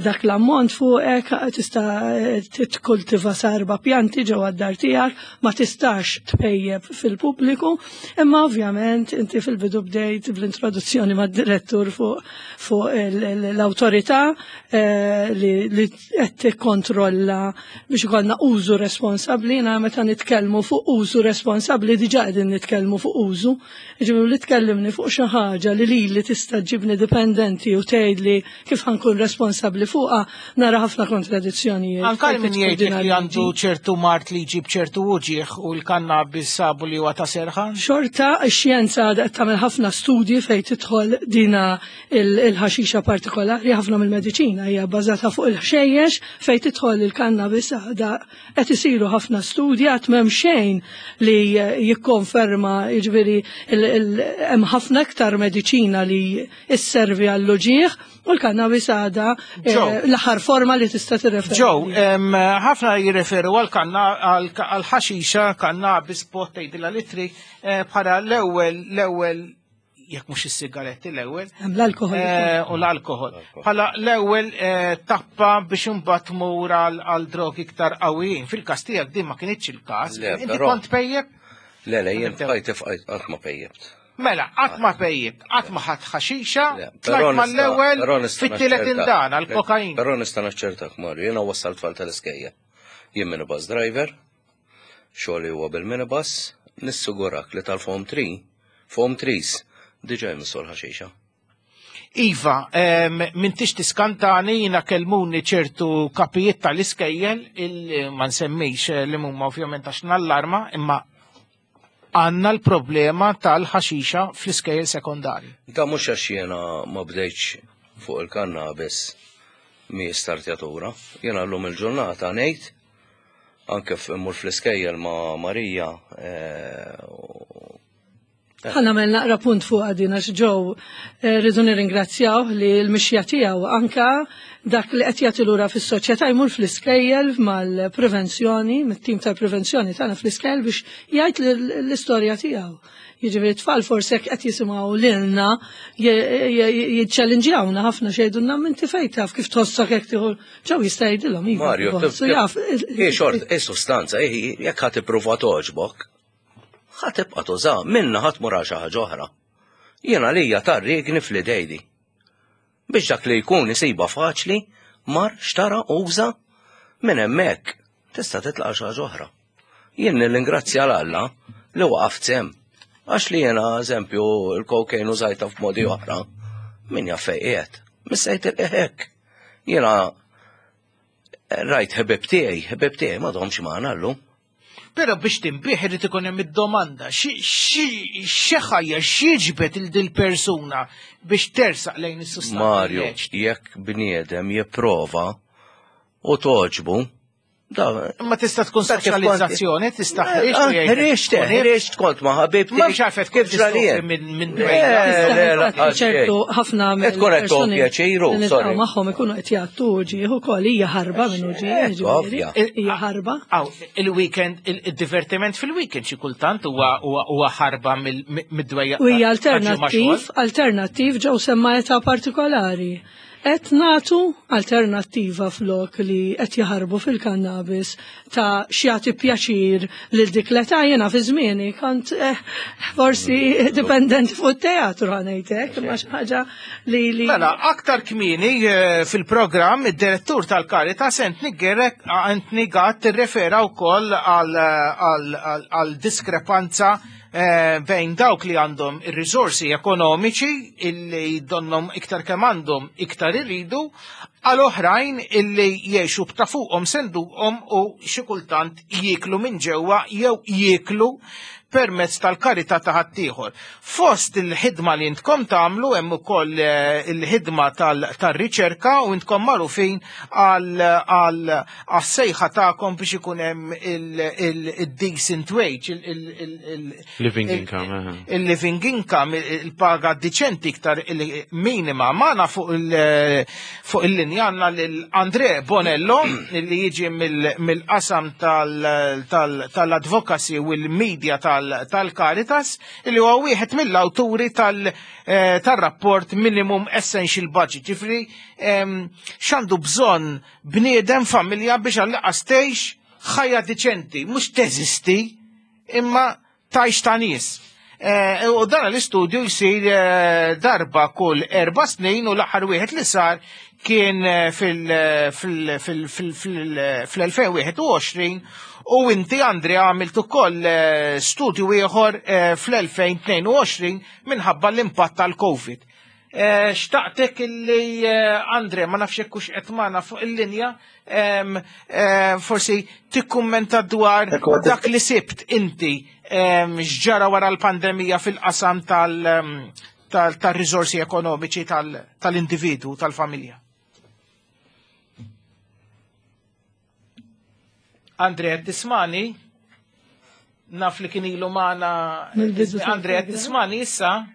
dak l-ammont fuqek, tista' eh, titkultiva sa erba' pjanti ġewwa d-dar tiegħek, ma tistax tpejjeb fil-pubbliku, imma ovvjament inti fil-bidu bdejt bl-introduzzjoni mad-direttur fuq fuq il- il- l-awtorità eh, li li qed tikkontrolla biex ikollna użu responsabbli. Jiena meta nitkellmu fuq użu responsabbli diġà qegħdin nitkellmu fuq użu. Ġifieri li tkellimni fuq xi ħaġa li lili tista' ġibni dipendenti u tgħidli kif ħa nkun responsabbli fuqha, nara ħafna kontradizzjonijiet. Anka fejn min tidħol jgħidlek din li il-liġi. għandu ċertu mard li jġib ċertu uġieħ u l-kannabis sabu li huwa ta' serħan. Xorta, x-xjenza għadha qed tagħmel ħafna studji fejn tidħol dina il- il-ħaxixa partikolari, ħafna mill-mediċina hija bbażata fuq il-ħxejjex, fejn tidħol il-kannabis għadha qed isiru ħafna studji, għad m'hemm xejn li jikkonferma, jiġifieri il- il- hemm ħafna iktar mediċina li isservi għall-uġieħ U l-kannabis għada eh, l-aħħar forma li tista' tirreferi. Joe, ħafna jirreferu għal-kanna għal-ħaxixa, kannabis, pot, tgħidilha litri, eh, bħala l-ewwel l-ewwel jekk mhux is-sigaretti l-ewwel. L-alkohol. Eh, u l-alkohol. Bħala l-ewwel tappa biex imbagħad tmur għal drogi iktar qawwijin. Fil-każ tiegħek din ma kinitx il-każ. Inti kont pejjeb? Le, le, jien bqajt fqajt qatt ma pejjebt. Mela, qatt ma pejjebt, qatt ma ħadd ħaxixa, tlajt mal-ewwel fit-tielet indana l-kokain. Però nista' naċċertak Mario, jiena wassal tfal tal-iskejja. Jien minibus driver, xogħli huwa bil-minibus, nissigurak li tal-form three, form threes, diġà jmissu l-ħaxixa. Iva, m'intix tiskantani, jiena kellmuni ċertu kapijiet tal-iskejjel, ma nsemmix li huma ovvjament għax nallarma, imma għanna l-problema tal-ħaxixa fl-iskejjel sekondari. Da mhux għax jiena ma bdejtx fuq il-kannabis mi startjatura. Jiena llum il-ġurnata ngħid anke mmur fl-iskejjel ma' Marija. Ħa nagħmel naqra punt fuq għadin għax Joe rridu nirringrazzjaw li l-mixja tiegħu anka dak li qed jagħti lura fis-soċjetà jmur fl-iskejjel mal-prevenzjoni, mit-tim tal-prevenzjoni tagħna fl-iskejjel biex jgħid l-istorja tiegħu. Jiġifieri tfal forsi hekk qed jisimgħu lilna jiċċellinġjawna ħafna xejdulna minn fejn taf kif tħossok hekk tieħu. Joe jista' jgħidilhom iva. Mario, hi xort, hi sustanza, jekk ħadd ipprova toġbok, ħa tibqa' tuża, minna ħadd mur għal xi ħaġa oħra. Jiena lija tarriegni fl-idejdi. Biex dak li jkun isibha faċli, mar xtara uża minn hemmhekk tista' titlaq xi ħaġa oħra. Jien nirringrazzja l Alla li waqaft sem. Għax li jiena eżempju il-kokain użajta f'modi oħra, min jaf fejn qiegħed, missejt il-hekk. Jiena rajt ħbib tiegħi, ħbib tiegħi m'għadhomx magħna llum. Però biex tinbih irid ikun hemm id-domanda, xi ħajja x'jiġbed il dil persuna biex tersaq lejn is-sustanza. Mario, jekk bniedem jipprova u toġbu, Ma tista' tkun soċjalizzazzjoni, tista' ħriġt, ħriġt kont ma' ħabibti. Ma xafet kif ġrali minn ċertu ħafna tkun qed tieħu pjaċiru, sorry. Magħhom ikunu qed jgħattu uġieħ ukoll hija ħarba minn uġieħ, hija ħarba. Aw, il-weekend, il-divertiment fil-weekend xi kultant huwa ħarba mid-dwejja. U hija alternattiv, alternattiv ġew semma età partikolari. Qed nagħtu alternattiva flok li qed jaħarbu fil-kannabis ta' x'jagħti pjaċir lil dik l-età. Jiena fi żmieni kont forsi dipendenti fuq it-teatru ħanejtek, imma xi ħaġa li li. Mela, aktar kmieni fil-programm id-direttur tal-Caritas Anthony Gerek Anthony Gatt irrefera wkoll għal diskrepanza bejn dawk li għandhom ir-riżorsi ekonomiċi illi donnom iktar kemm għandhom iktar irridu, għal oħrajn illi jgħixu b'ta' fuqhom senduqhom u xi kultant jieklu minn ġewwa jew jieklu permezz tal-karità ta' ħaddieħor. Fost il-ħidma li intkom tagħmlu hemm ukoll il-ħidma tar-riċerka u intkom magħrufin għas-sejħa tagħkom biex ikun hemm il-decent wage, il-living income, il-living income, il-paga diċenti iktar minima. Magħna fuq il-linja għandna lil Andre Bonello li jiġi mill-qasam tal-advocacy u l-media tal-Caritas, illi huwa wieħed mill-awturi tal-rapport Minimum Essential Budget. Ġifri, x'għandu bżonn bniedem familja biex għall-inqas tgħix ħajja diċenti, mhux teżisti, imma tgħix ta' nies. U dan l-istudju jsir darba kull erba' snin u l-aħħar wieħed li sar kien fil-elfejn wieħed u għoxrin u inti Andrea għamilt ukoll studju ieħor fl-elfejn tnejn u għoxrin minħabba l-impatt tal-Covid. Xtaqtek illi Andre, ma nafx hekk hux qed magħna fuq il-linja, forsi tikkummenta dwar dak li sibt inti x'ġara wara l-pandemija fil-qasam tal-riżorsi ekonomiċi tal-individwu, tal-familja. Andre, tismani? Naf li kien ilu magħna. Andre, tismani issa?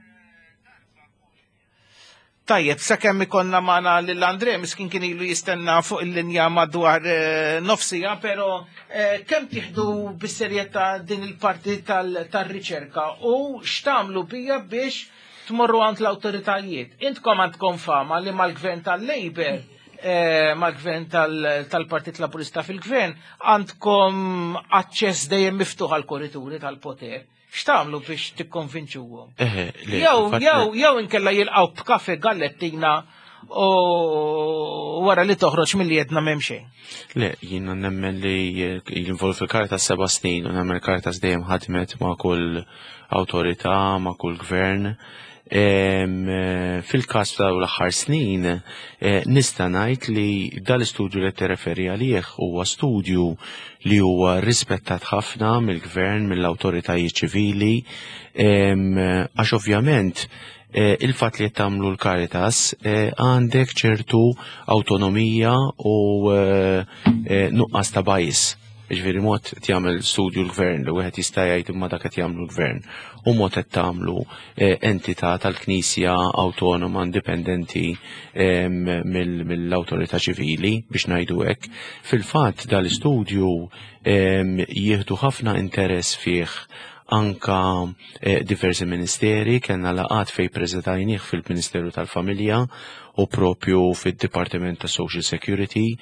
Tajjeb, sakemm ikollna magħna lil Andre, miskin kien ilu jistenna fuq il-linja madwar eh, nofsija, però eh, kemm tieħdu bis-serjetà din il-parti tal-riċerka u x'tagħmlu bija biex tmorru għand l-awtoritajiet? Intkom għandkom fama li mal-gvern tal-Labour, eh, mal-gvern tal-Partit Laburista fil-gvern, għandkom aċċess dejjem miftuħ għal korrituri tal-poter. X'tagħmlu biex tikkonvinċuhom? Jew jew jew inkella jilqgħu b'kafe gallettina u wara li toħroġ milli jedna m'hemm xejn. Le, jiena nemmen li jinvolvi fil-Caritas seba' snin u nemmen il-Caritas dejjem ħadmet ma' kull awtorità, ma' kull gvern. Fil-każ ta' l-aħħar snin nista' ngħid li dal-istudju li tirreferi għalih huwa studju li huwa rispettat ħafna mill-gvern, mill-awtoritajiet ċivili, għax ovvjament il-fatt li qed tagħmlu l-Caritas għandek ċertu awtonomija u nuqqas ta' bias. Ġifieri mod qed jagħmel studju l-gvern li wieħed jista' jgħid imma dak qed jagħmlu l-gvern u mod qed tagħmlu entità tal-Knisja awtonoma indipendenti mill-awtorità ċivili biex ngħidu hekk. Fil-fatt dal-istudju jieħdu ħafna interess fih anka diversi ministeri, kellna laqgħat fejn preżentajnih fil-Ministeru tal-Familja u propju fid-Dipartiment ta' Social Security,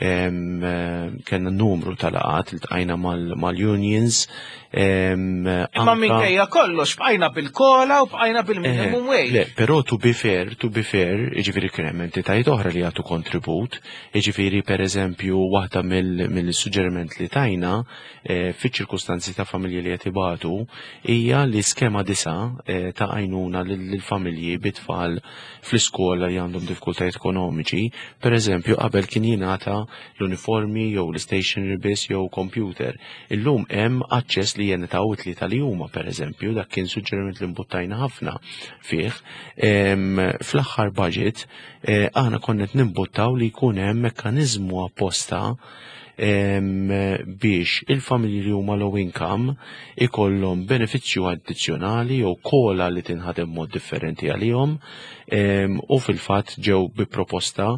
kellna numru ta' laqgħat, iltqajna mal-unions. Imma minkejja kollox bqajna bil-COLA u bqajna bil-minimum wage. Le, però to be fair, to be fair, jiġifieri kien hemm entitajiet oħra li jagħtu kontribut, jiġifieri per eżempju waħda mill-suġġeriment li tajna fiċ-ċirkustanzi ta' familji li qed ibatu hija li skema disa ta' għajnuna lill-familji bit-tfal fl-iskola li għandhom diffikultajiet ekonomiċi, per eżempju qabel kien jingħata l-uniformi jew l-stationery biss jew computer. Illum hemm aċċess li jingħataw it-tlieta li huma, per eżempju, dak kien suġġeriment li mbuttajna ħafna fih. Fl-aħħar budget aħna konna qed nimbuttaw li jkun hemm mekkaniżmu apposta biex il-familji li huma low income ikollhom benefiċċju addizzjonali jew COLA li tinħadem mod differenti għalihom, u fil-fatt ġew bi proposta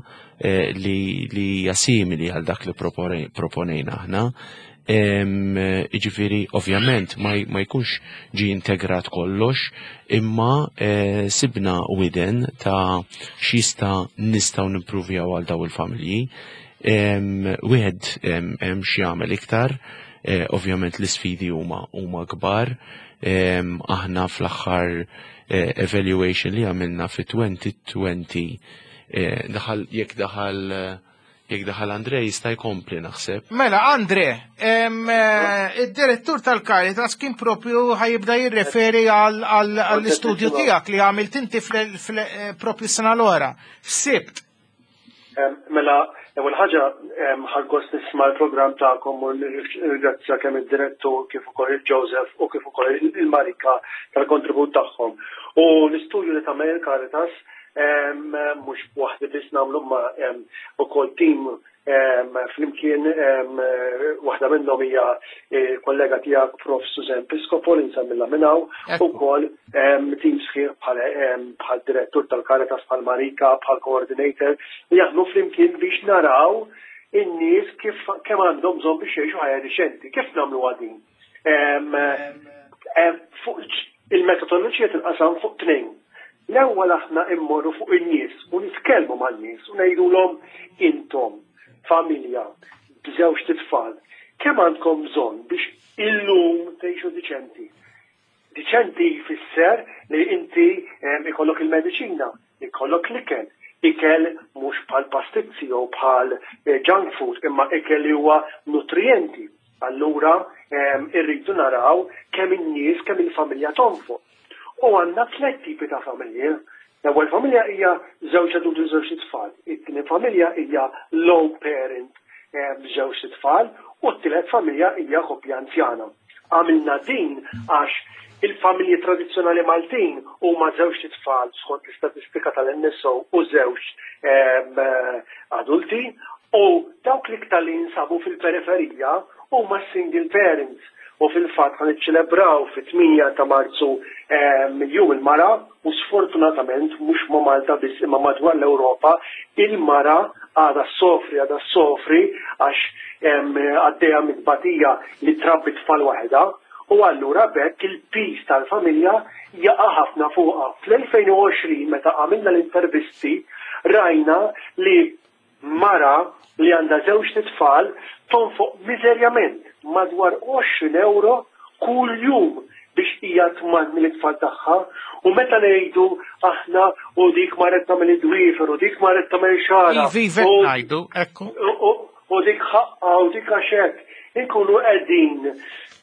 li hija simili għal dak li proponejna aħna. Jiġifieri ovvjament ma jkunx ġi integrat kollox, imma sibna widen ta' x'jista' nistgħu nimpruvjaw għal daw il-familji. Wieħed hemm x'jagħmel iktar, ovvjament l-isfidi huma huma kbar. Aħna fl-aħħar evaluation li għamilna fi twenty twenty, daħal jekk daħal jekk daħal Andre jista' jkompli naħseb. Mela Andre, id-direttur tal-Caritas kien propju ħajibda jirreferi għall-istudju tiegħek li għamilt inti propju sena l-ora. Sibt. Mela, l-ewwel ħaġa ħadt gost nisma' l-programm tagħkom u nirringrazzja kemm id-direttur kif ukoll il-Joseph u kif ukoll il-Marika tal-kontribut tagħhom. U l-istudju li tagħmel il-Caritas mhux waħdi biss nagħmlu ma ukoll tim flimkien, waħda minnhom hija kollega tiegħek Professor Susan Piscopo li nsemmilha minn hawn, ukoll tim sħiħ bħal direttur tal-Caritas, bħal Marika, bħal coordinator, li jaħdmu flimkien biex naraw in-nies kif kemm għandhom bżonn biex jgħixu ħajja diċenti. Kif nagħmlu din? Il-metodoloġija tinqasam fuq tnejn. L-ewwel aħna immorru fuq in-nies u nitkellmu man-nies u ngħidulhom intom familja b'żewġ tfal, kemm għandkom bżonn biex illum tgħixu diċenti? Diċenti jfisser li inti ikollok il-mediċina, ikollok l-ikel, ikel mhux bħal pastizzi jew bħal junk food, imma ikel li huwa nutrienti. Allura irridu naraw kemm in-nies, kemm il-familja tonfoq. U għandna tliet tipi ta' familji. L-ewwel familja hija żewġ adulti u żewġ tfal. It-tieni familja hija low parent b'żewġ tfal u t-tielet familja hija koppja anzjana. Għamilna din għax il-familji tradizzjonali Maltin huma żewġ tfal skont l-istatistika tal-N S O u żewġ adulti, u dawk l-iktar li jinsabu fil-periferija huma single parents. U fil-fatt ħa niċċelebraw fit-tmienja ta' Marzu Jum il-Mara u sfortunatament mhux ma' Malta biss imma madwar l-Ewropa il-mara għadha ssofri għadha ssofri għax għaddejja mit-tbatija li trabbi tfal waħedha u allura b'hekk il-piż tal-familja jaqa' ħafna fuqha. Fl-elfejn u għoxrin meta għamilna l-intervisti rajna li mara li għandha żewġt itfal tonfoq miżerjament madwar għoxrin ewro kull jum biex hija tmantni lit-tfal tagħha u meta ngħidu aħna u dik marret tagħmel id-dwiefer u dik marret tagħmel xagħarha Ivi, ivi qed ngħidu, ekku. u dik ħaqqha u dik għax hekk, inkunu qegħdin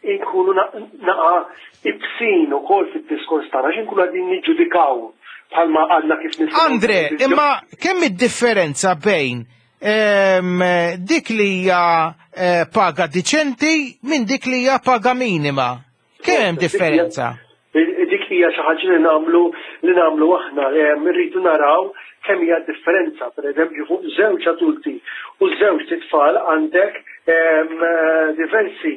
inkunu naqa' ibsin ukoll fid-diskors tagħna għax inkunu qegħdin niġġudikaw bħalma għadna kif nisimgħu. Andre, imma kemm id-differenza bejn ehm, dik li hija eh, paga diċenti minn dik li hija paga minima? Kemm hemm differenza? Dik hija xi ħaġa li nagħmlu li nagħmlu aħna, ehm, irridu naraw kemm hija differenza, per eżempju fuq żewġ adulti u żewġ tfal għandek ehm, diversi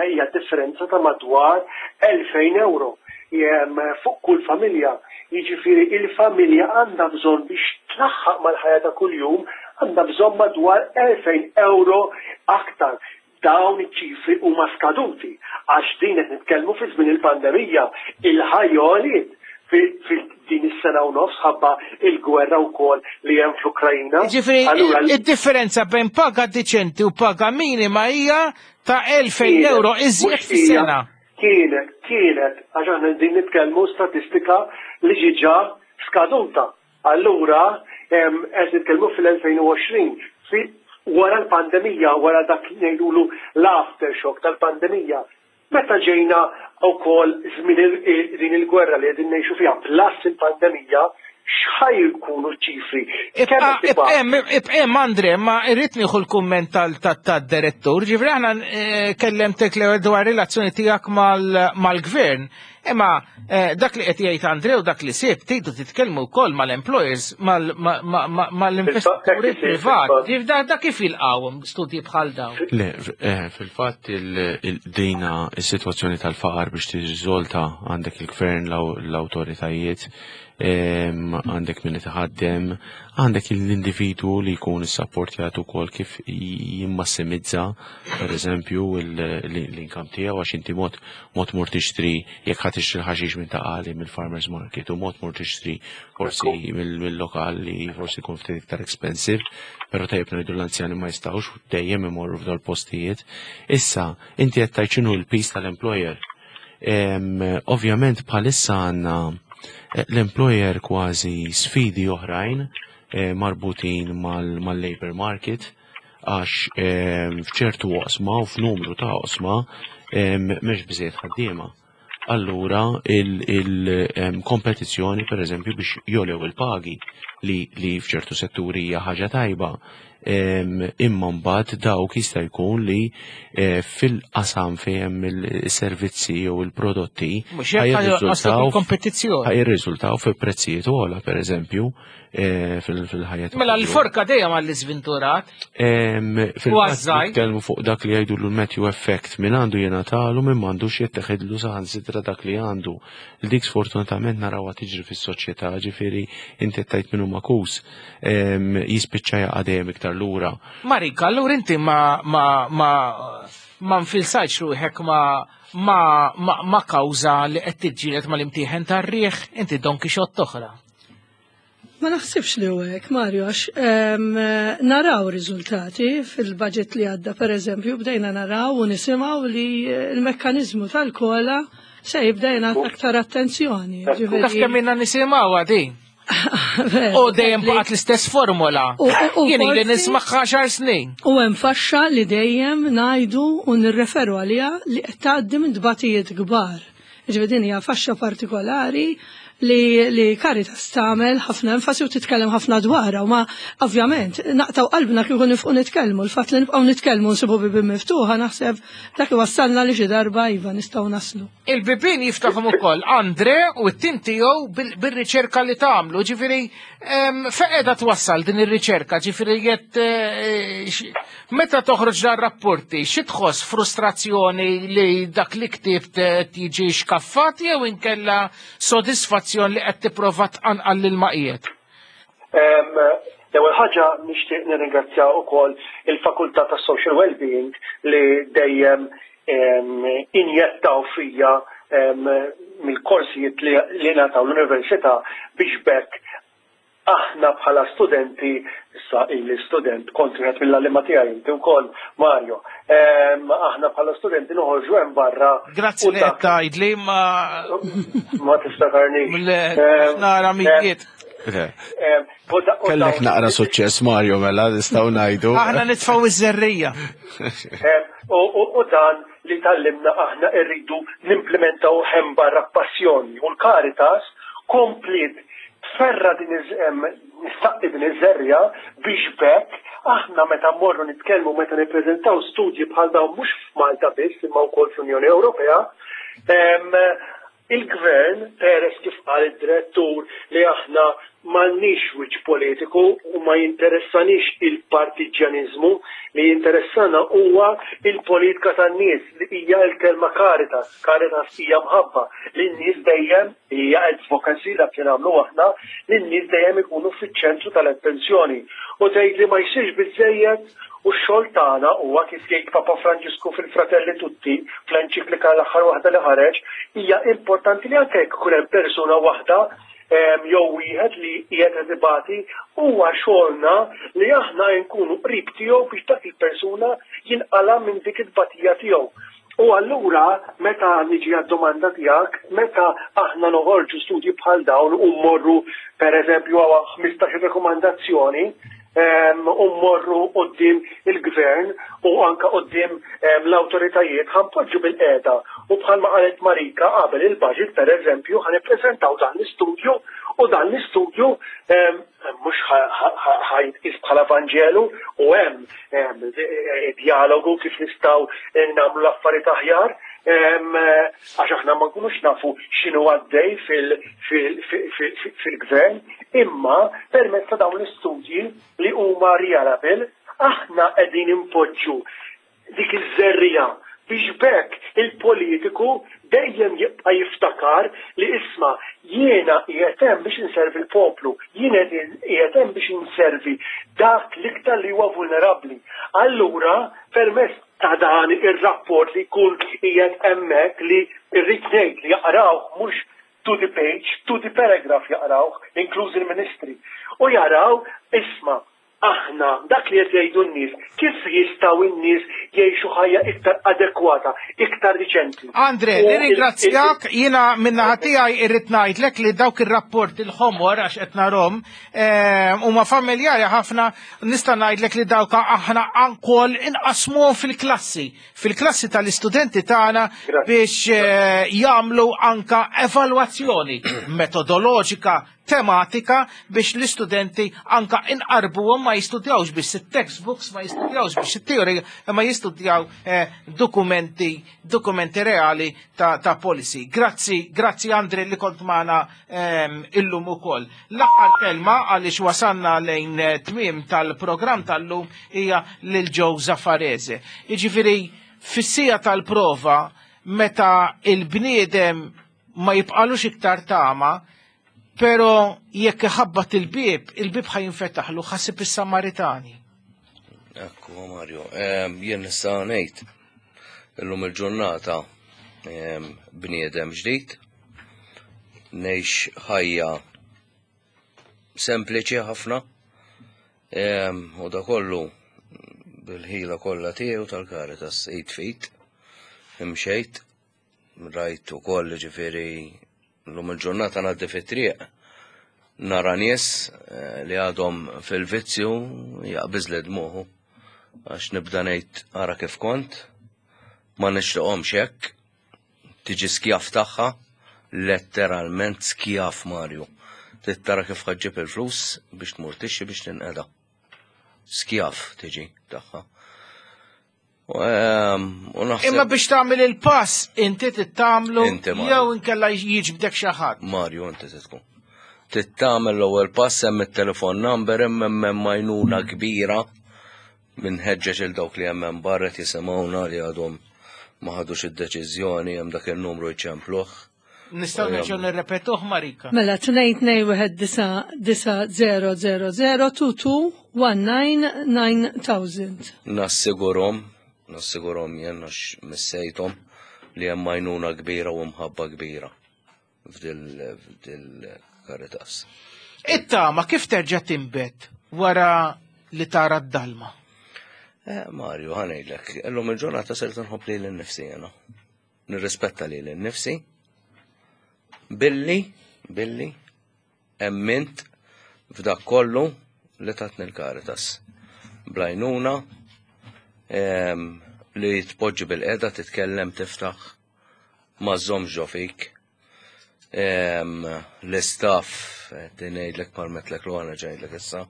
hija differenza ta' madwar elfejn euro fuq kull familja. Jiġifieri il-familja għandha bżonn biex tlaħħaq mal-ħajja ta' kuljum għandha bżonn madwar elfejn euro aktar. Dawn iċ-ċifri huma skaduti għax din qed nitkellmu fi żmien il-pandemija. Il-ħajja għoliet fil-din is-sena u nofs ħabba il-gwerra wkoll li hemm fl-Ukrajna. Jiġifieri id-differenza bejn paga diċenti u paga minima hija ta' elfejn euro iżjed fis-sena. Kienet, kienet, għax aħna qegħdin nitkellmu statistika li ġiġa skaduta. Allura qed nitkellmu fil-elfejn u għoxrin, wara l-pandemija, wara dak li ngħidulu l-aftershock tal-pandemija. Meta ġejna wkoll żmien din il-gwerra li qegħdin ngħixu fiha plus il-pandemija, x'ħaj jkunu ċifri? Ibqa' Andre, ma irrid nieħu l-kumment tad-direttur, ġifri aħna kellemtek l-ewwel dwar relazzjoni tiegħek mal-gvern. Imma dak li qed jgħid Andre u dak li sib tgħidu titkellmu wkoll mal-employers, mal-investituri privati. Dak kif jilqgħuhom studji bħal dawn? Le, fil-fatt dina is-sitwazzjoni tal-faqar biex tirriżolta għandek il-gvern, l-awtoritajiet, għandek min itaħaddem, għandek l-individu li jkun issapportjat ukoll kif jimmassimizza, per eżempju, l-income tiegħu għax inti mod mod mur tixtri jekk ħa tixtri l-ħaxix minn ta' qali mill-farmers market u mod mur tixtri forsi mill-lokal li forsi jkun ftit iktar expensive, però tajjeb ngħidu l-anzjani ma jistgħux dejjem imorru f'dol postijiet. Issa, inti qed tgħid x'inhu l-piż tal-employer. Ovvjament bħalissa għandna l-employer kważi sfidi oħrajn marbutin mal-labor market għax f'ċertu oqsma u f'numru ta' oqsma mhux biżejjed ħaddiema. Allura il-kompetizzjoni per eżempju biex jolew il-pagi li, li f'ċertu setturi hija ħaġa tajba, imma mbagħad dawk jista' jkun li fil-qasam fejn hemm il-servizzi jew il-prodotti Mhux hekk ħajrriżultaw ħajrriżultaw fi prezzijiet ogħla per eżempju fil-ħajja. Mela l-forka dejjem għall-iżventurat. Fil-fatt nitkellmu fuq dak li jgħidu l-Matthew effect, min għandu jingħatalu min m'għandux jitteħidlu saħansitra dak li għandu. Dik sfortunatament narawha tiġri fis-soċjetà, ġifieri inti qed tgħid min hu makus, jispiċċa jaqa' dejjem iktar lura. Marika, allura inti ma ma ma ma nfilsajtx ruħek ma ma ma ma kawża li qed tiġġieled mal-imtieħen tar-riħ, inti Don Quixote oħra. Ma naħsibx li hu hekk, Mario, għax naraw riżultati fil-budget li għadda, per eżempju, bdejna naraw u nisimgħu li l-mekkaniżmu tal-kola se jibda jingħata aktar attenzjoni. Taf kemm ilna nisimgħu għadi? U dejjem baqgħet l-istess formula. Jien ili nismagħha għaxar snin. U hemm faxxa li dejjem ngħidu u nirreferu għaliha li qed tgħaddi minn tbatijiet kbar. Ġifieri din hija faxxa partikolari li, li Caritas tagħmel ħafna enfasi u titkellem ħafna dwarha, u ma ovvjament naqtaw qalbna kieku nifqu nitkellmu, l-fatt li nibqgħu nitkellmu nsibu bibien miftuħa, naħseb dak iwassalna li xi darba iva nistgħu naslu. Il-bibien jiftaħhom ukoll Andre u t-tim tiegħu bil-riċerka li tagħmlu, ġifieri fejn qiegħda twassal din ir-riċerka, ġifieri jett meta toħroġ dan rapporti, xi tħoss, frustrazzjoni li dak li ktibt tiġi xkaffat jew inkella sodisfazzjon li qed tipprova tqanqal lil maqiet? L-ewwel ħaġa nixtieq nirringrazzja wkoll il-Fakultà tas-Social Wellbeing li dejjem injettaw fija mill-korsijiet li ngħataw l-università biex bekk aħna bħala studenti, issa ili student, kont wieħed mill-għalliema tiegħi inti wkoll, Mario, aħna bħala studenti noħorġu hemm barra. Grazzi li qed tgħidli ma ma tiftakarni. Nara mijiet. Kellek naqra suċċess, Mario, mela nistgħu ngħidu. Aħna nitfgħu iż-żerrija. U dan li tallimna aħna rridu nimplementaw hemm barra passjoni, u l-Caritas komplet tferra din nistaqqi din iż-żerja biex bekk aħna meta mmorru nitkellmu, meta nippreżentaw studji bħal dawn mhux f'Malta biss imma wkoll fl-Unjoni Ewropea, il-gvern, peress kif qal id-direttur li aħna m'għandniex wiċċ politiku u ma jinteressanix il-partiġjaniżmu, li jinteressana huwa il-politika tan-nies li hija l-kelma Caritas. Caritas hija mħabba li n-nies dejjem hija advocacy dak li nagħmlu aħna, li n-nies dejjem ikunu fiċ-ċentru tal-attenzjoni. U tgħid li ma jsirx biżejjed, u x-xogħol tagħna huwa kif jgħid Papa Franġisku fil-Fratelli Tutti, fl-enċiklika l-aħħar waħda li ħareġ, hija importanti li anke jekk ikun hemm persuna waħda jew wieħed li qiegħed ibati, huwa xogħolna li aħna nkunu qrib tiegħu biex dak il-persuna jinqala minn dik it-tbatija tiegħu. U allura meta niġi għad-domanda tiegħek, meta aħna noħorġu studji bħal dawn u mmorru pereżempju għaw ħmistax rekomandazzjoni u mmorru quddiem il-gvern u anka quddiem l-awtoritajiet, ħanpoġġu bil-qiegħda u bħalma qalet Marika qabel il-budget pereżempju ħa nippreżentaw dan l-istudju, u dan l-istudju mhux ħajtqis bħala Vanġelu, u hemm dialogu kif nistgħu nagħmlu l-affarijiet aħjar, għax aħna ma nkunux nafu x'inhu għaddej fil-gvern, imma permezz ta' dawn l-istudji li huma reliable aħna qegħdin impoġġu dik iż-żerrija biex bekk il-politiku dejjem jibqa' jiftakar li isma' jiena qiegħed hemm biex inservi l-poplu, jiena qiegħed hemm biex inservi dak l-iktar li huwa vulnerabbli. Allura permezz ta' dan ir-rapport li jkun qiegħed hemmhekk li rrid ngħid li jaqrawh mhux to the page, to the paragraph jaqrawh, inkluż il-ministri, u jaraw isma' aħna dak li qed jgħidu n-nies, kif jistgħu n-nies jgħixu ħajja iktar adekwata, iktar riċenti. Andre, nirringrazzjak, jiena min-naħa tiegħi irrid ngħidlek li dawk ir-rapport il-ħomor għax qed narhom huma familjari ħafna, nista' ngħidlek li dawk aħna ankoll inqasmuhom fil-klassi, fil-klassi tal-istudenti tagħna biex jagħmlu anka evalwazzjoni metodoloġika, tematika biex l-istudenti anka inqarbuhom, ma jistudjawx biss it-textbooks, ma jistudjawx biex it-teorija, ma jistudjaw dokumenti, dokumenti reali ta', ta policy. Grazzi, grazzi Andre li kont magħna illum ukoll. L-aħħar kelma għaliex wasanna lejn tmiem tal-programm tal-lum hija lil Joe Zaffarese. Jiġifieri fis-sija tal-prova meta il-bniedem ma jibqalux iktar tama, pero jekk iħabbat il-bib, il-bib ħajinfetaħlu, ħasib is-Samaritani. Ekku, Mario, jien nista' ngħid illum il-ġurnata bniedem ġdid, ngħix ħajja sempliċi ħafna, u da kollu bil-ħila kollha tiegħu tal-Caritas id fit, imxejt, rajt ukoll ġifieri l-lum il-ġurnata ngħaddi fit-triq, nara nies li għadhom fil-vizzju jaqbiż li dmuħu, għax nibda ngħid ara kif kont, ma nixtieqhomx hekk, tiġi skjaf tagħha, Letteralment skjaf, Mario. Trid tara kif ħa ġġib il-flus biex tmur tixtri biex tinqeda. Skjaf tiġi tagħha. U ehm, u naħseb Imma biex tagħmel il-pass inti tittamlu Inti, Mario. Jew inkella jiġbdek xi ħadd. Mario, inti se tkun. Trid tagħmel l-ewwel pass. Hemm it-telefon number, hemm hemm għajnuna kbira minħeġġeġ il dawk li hemm hemm barra jisimgħuna li għadhom ma ħadux id-deċiżjoni, hemm dak il-numru, jċempluh. Nistgħu nerġgħu nirrepetuh, Marika. Mela tnejn tnejn wieħed disa' disa' zero zero zero two two one nine nine thousand. Nassigurhom, nassigurhom jien għax missejthom li hemm għajnuna kbira u mħabba kbira f'dil Caritas. It-tama kif terġa' tinbet wara li tara d-dalma? Eh, Mario, ħa ngħidlek, illum il-ġurnata sirt nħobb lili nnifsi jena. Nirrispetta lili nnifsi billi, billi, emmint f'dak kollu li tatni l-Caritas. Bl-għajnuna, em, li tpoġġi bilqiegħda, titkellem, tiftaħ, ma żżommx ġo fik. Em, L-istaff, ngħidlek parmetlek l għana ġajdlek issa,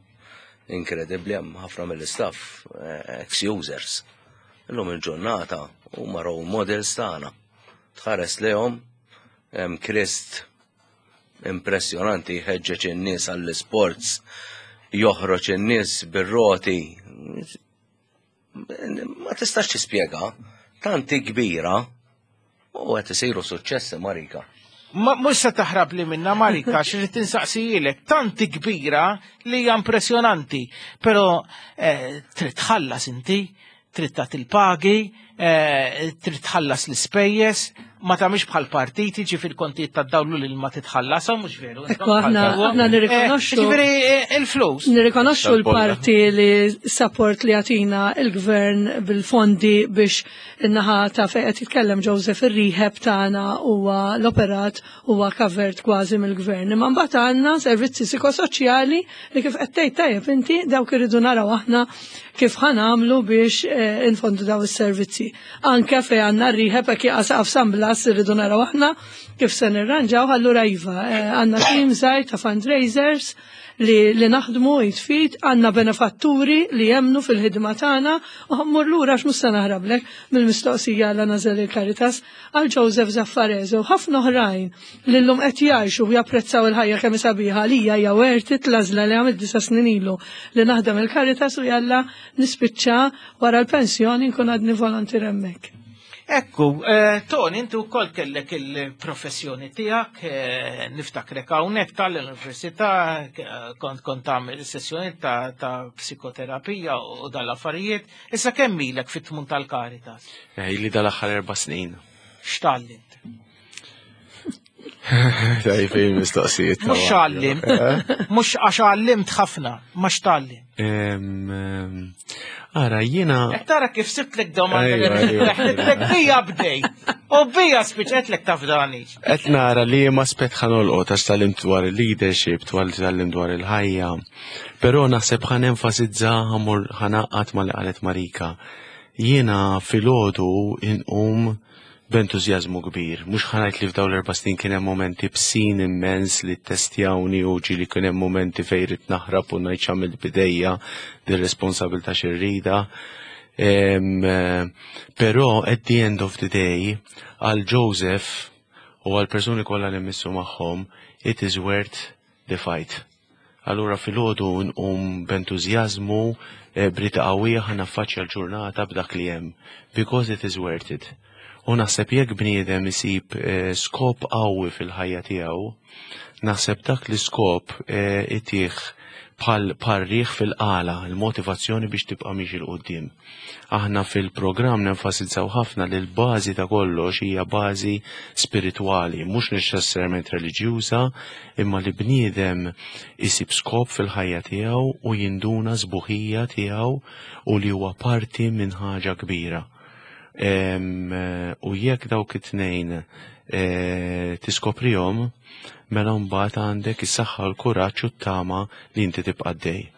inkredibli, hemm ħafna mill-istaff eh, ex-users. Illum il-ġurnata huma role models tagħna. Tħares lejhom, hemm Krist impressjonanti jħeġġeġ in-nies għall-sports, joħroġ in-nies bir-roti. Ma tistax tispjega, tanti kbira u qed isiru suċċessi, Marika. Ma mhux se taħrab li minna, Marika, xirrid insaqsijilek, tanti kbira li hija impressjonanti, però eh, trid tħallas inti, trid tagħti il-pagi, eh, trid tħallas l-ispejjeż, ma tagħmilx bħal partiti, ġifier kontijiet tad-dawlu li ma titħallashom, mhux veru? Ekku, aħna aħna nirrikonoxxu. Eh, Ġifieri eh, il-flus. Nirrikonoxxu l-parti li support li għatina il-gvern bil-fondi biex in-naħa ta' fejn qed jitkellem Joseph, ir-rehab tagħna, huwa l-operat huwa covered kważi mill-gvern. Imma mbagħad għandna servizzi psikosoċjali li, kif qed tgħid tajjeb inti, dawk irridu naraw aħna kif ħa nagħmlu biex eh, infondu daw is-servizzi. Anke fejn għandna r-rehab, hekk jaqa' San Blas, irridu naraw aħna kif se nirranġaw. Allura iva, eh, għandna team żgħir ta' fundraisers li, li naħdmu jitfit, għandna benefatturi li jemnu fil-ħidma tagħna u ħa mmur lura għax mhux se naħrablek mill-mistoqsija għal nażel il-Caritas, għal Joseph Zaffarezo, ħafna oħrajn li llum qed jgħixu u japprezzaw il-ħajja kemm sabiħa li hija hija worth it l-għażla li għamilt disa' snin ilu li naħdem il-Caritas u jalla nispiċċa wara l-pensjoni nkun għadni volontier hemmhekk. Ekku, eh, Tony, inti wkoll kellek il-professjoni tiegħek, eh, niftakrek hawnhekk tal-università, eh, kont kont tagħmel sessjoni ta', ta' psikoterapija u dal-affarijiet. Issa kemm ilek fit-tmun tal-Caritas? Eh, Ili dal-aħħar erba' snin. X'tgħallimt? Tajf il-mistoqsijiet. Mhux x'għallimt, mhux għax għallimt ħafna, ma x'tgħallimt. Em, em, Ara, jiena. Qed tara kif sibtlek domanda Ejwa, ejwa. leħlitlek bija bdej. U bija spiċetlek taf dani. Qed nara li ma spet ħa nolqot għax tgħallimt dwar il-leadership, dwar tgħallimt dwar il-ħajja. Però naħseb ħa nenfasizza, ħa mmur ħa ningħaqad ma' li qalet Marika. Jiena filgħodu inqum b'entużjażmu kbir. Mhux ħa ngħid li f'dawn l-erba' snin kien hemm momenti ibsin immens li testjawni u ġieli kien hemm momenti fejn ridt naħrab u ngħid x'għamilt bidejja dir-responsabilità x'irrida. Em, eh, Però at the end of the day, għal Joseph u għal persuni kollha li missu magħhom, it is worth the fight. Allura filgħodu nqum b'entużjażmu, eh, b'rieda qawwija ħa naffaċċja l-ġurnata b'dak li hemm. Because it is worth it. U naħseb jekk bniedem isib eh, skop qawwi fil-ħajja tiegħu, naħseb dak l-iskop eh, itih bħal parriħ fil-qala, il-motivazzjoni biex tibqa' miexi 'l quddiem. Aħna fil-programm nenfasizzaw ħafna li l-bażi ta' kollox hija bażi spiritwali, mhux neċessarjament reliġjuża, imma li bniedem isib skop fil-ħajja tiegħu u jinduna sbuħija tiegħu u li huwa parti minn ħaġa kbira. Em, eh, U jekk dawk it-tnejn eh, tiskoprihom, mela mbagħad għandek is-saħħa, l-kuraġġ u t-tama li inti tibqa' dej.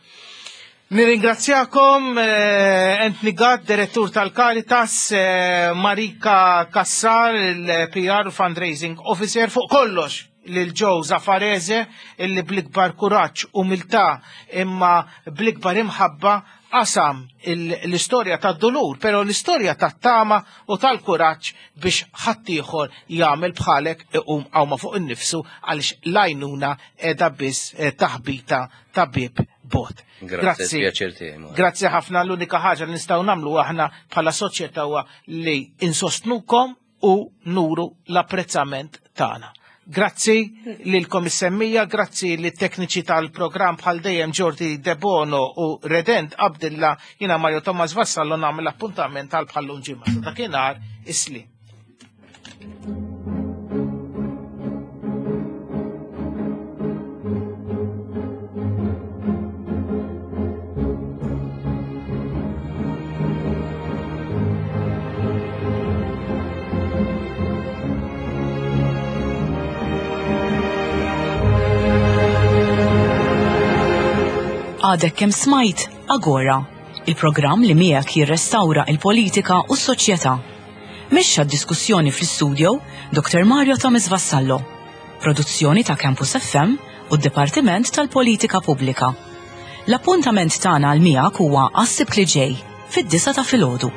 Nirringrazzjakom, eh, Anthony Gatt, direttur tal-Caritas, eh, Marika Cassar, il-P R u Fundraising Officer, fuq kollox lil Joe Zafarese, illi bl-ikbar kuraġġ, umiltà, imma bl-ikbar imħabba qasam l-istorja tad-dulur, pero l-istorja tat-tama u tal-kuraġġ biex ħaddieħor jagħmel bħalek, iqum qawma fuq innifsu, għaliex l-għajnuna qiegħda biss eh, taħbita ta' bieb bogħod. Grazzi, pjaċir tiegħi. Grazzi ħafna. L-unika ħaġa li nistgħu nagħmlu aħna bħala soċjetà huwa li insostnukom u nuru l-apprezzament tagħna. Grazzi lilkom is-semmija, grazzi lit tekniċi tal-programm bħal dejjem Jordi Debono u Redent Abdilla, jiena Mario Thomas Vassallo nagħmel appuntament għal bħal-lum ġimgħa. Sa dakinhar, is-sliem. Għadek kemm smajt Agora, il-programm li miegħek jirrestawra il-politika u s-soċjetà. Mexxa d-diskussjoni fl-istudio Doktor Mario Thomas Vassallo. Produzzjoni ta' Campus F M u d-Dipartiment tal-Politika Pubblika. L-appuntament tagħna għal miegħek huwa għas-Sibt li ġej fid-disgħa ta' filgħodu.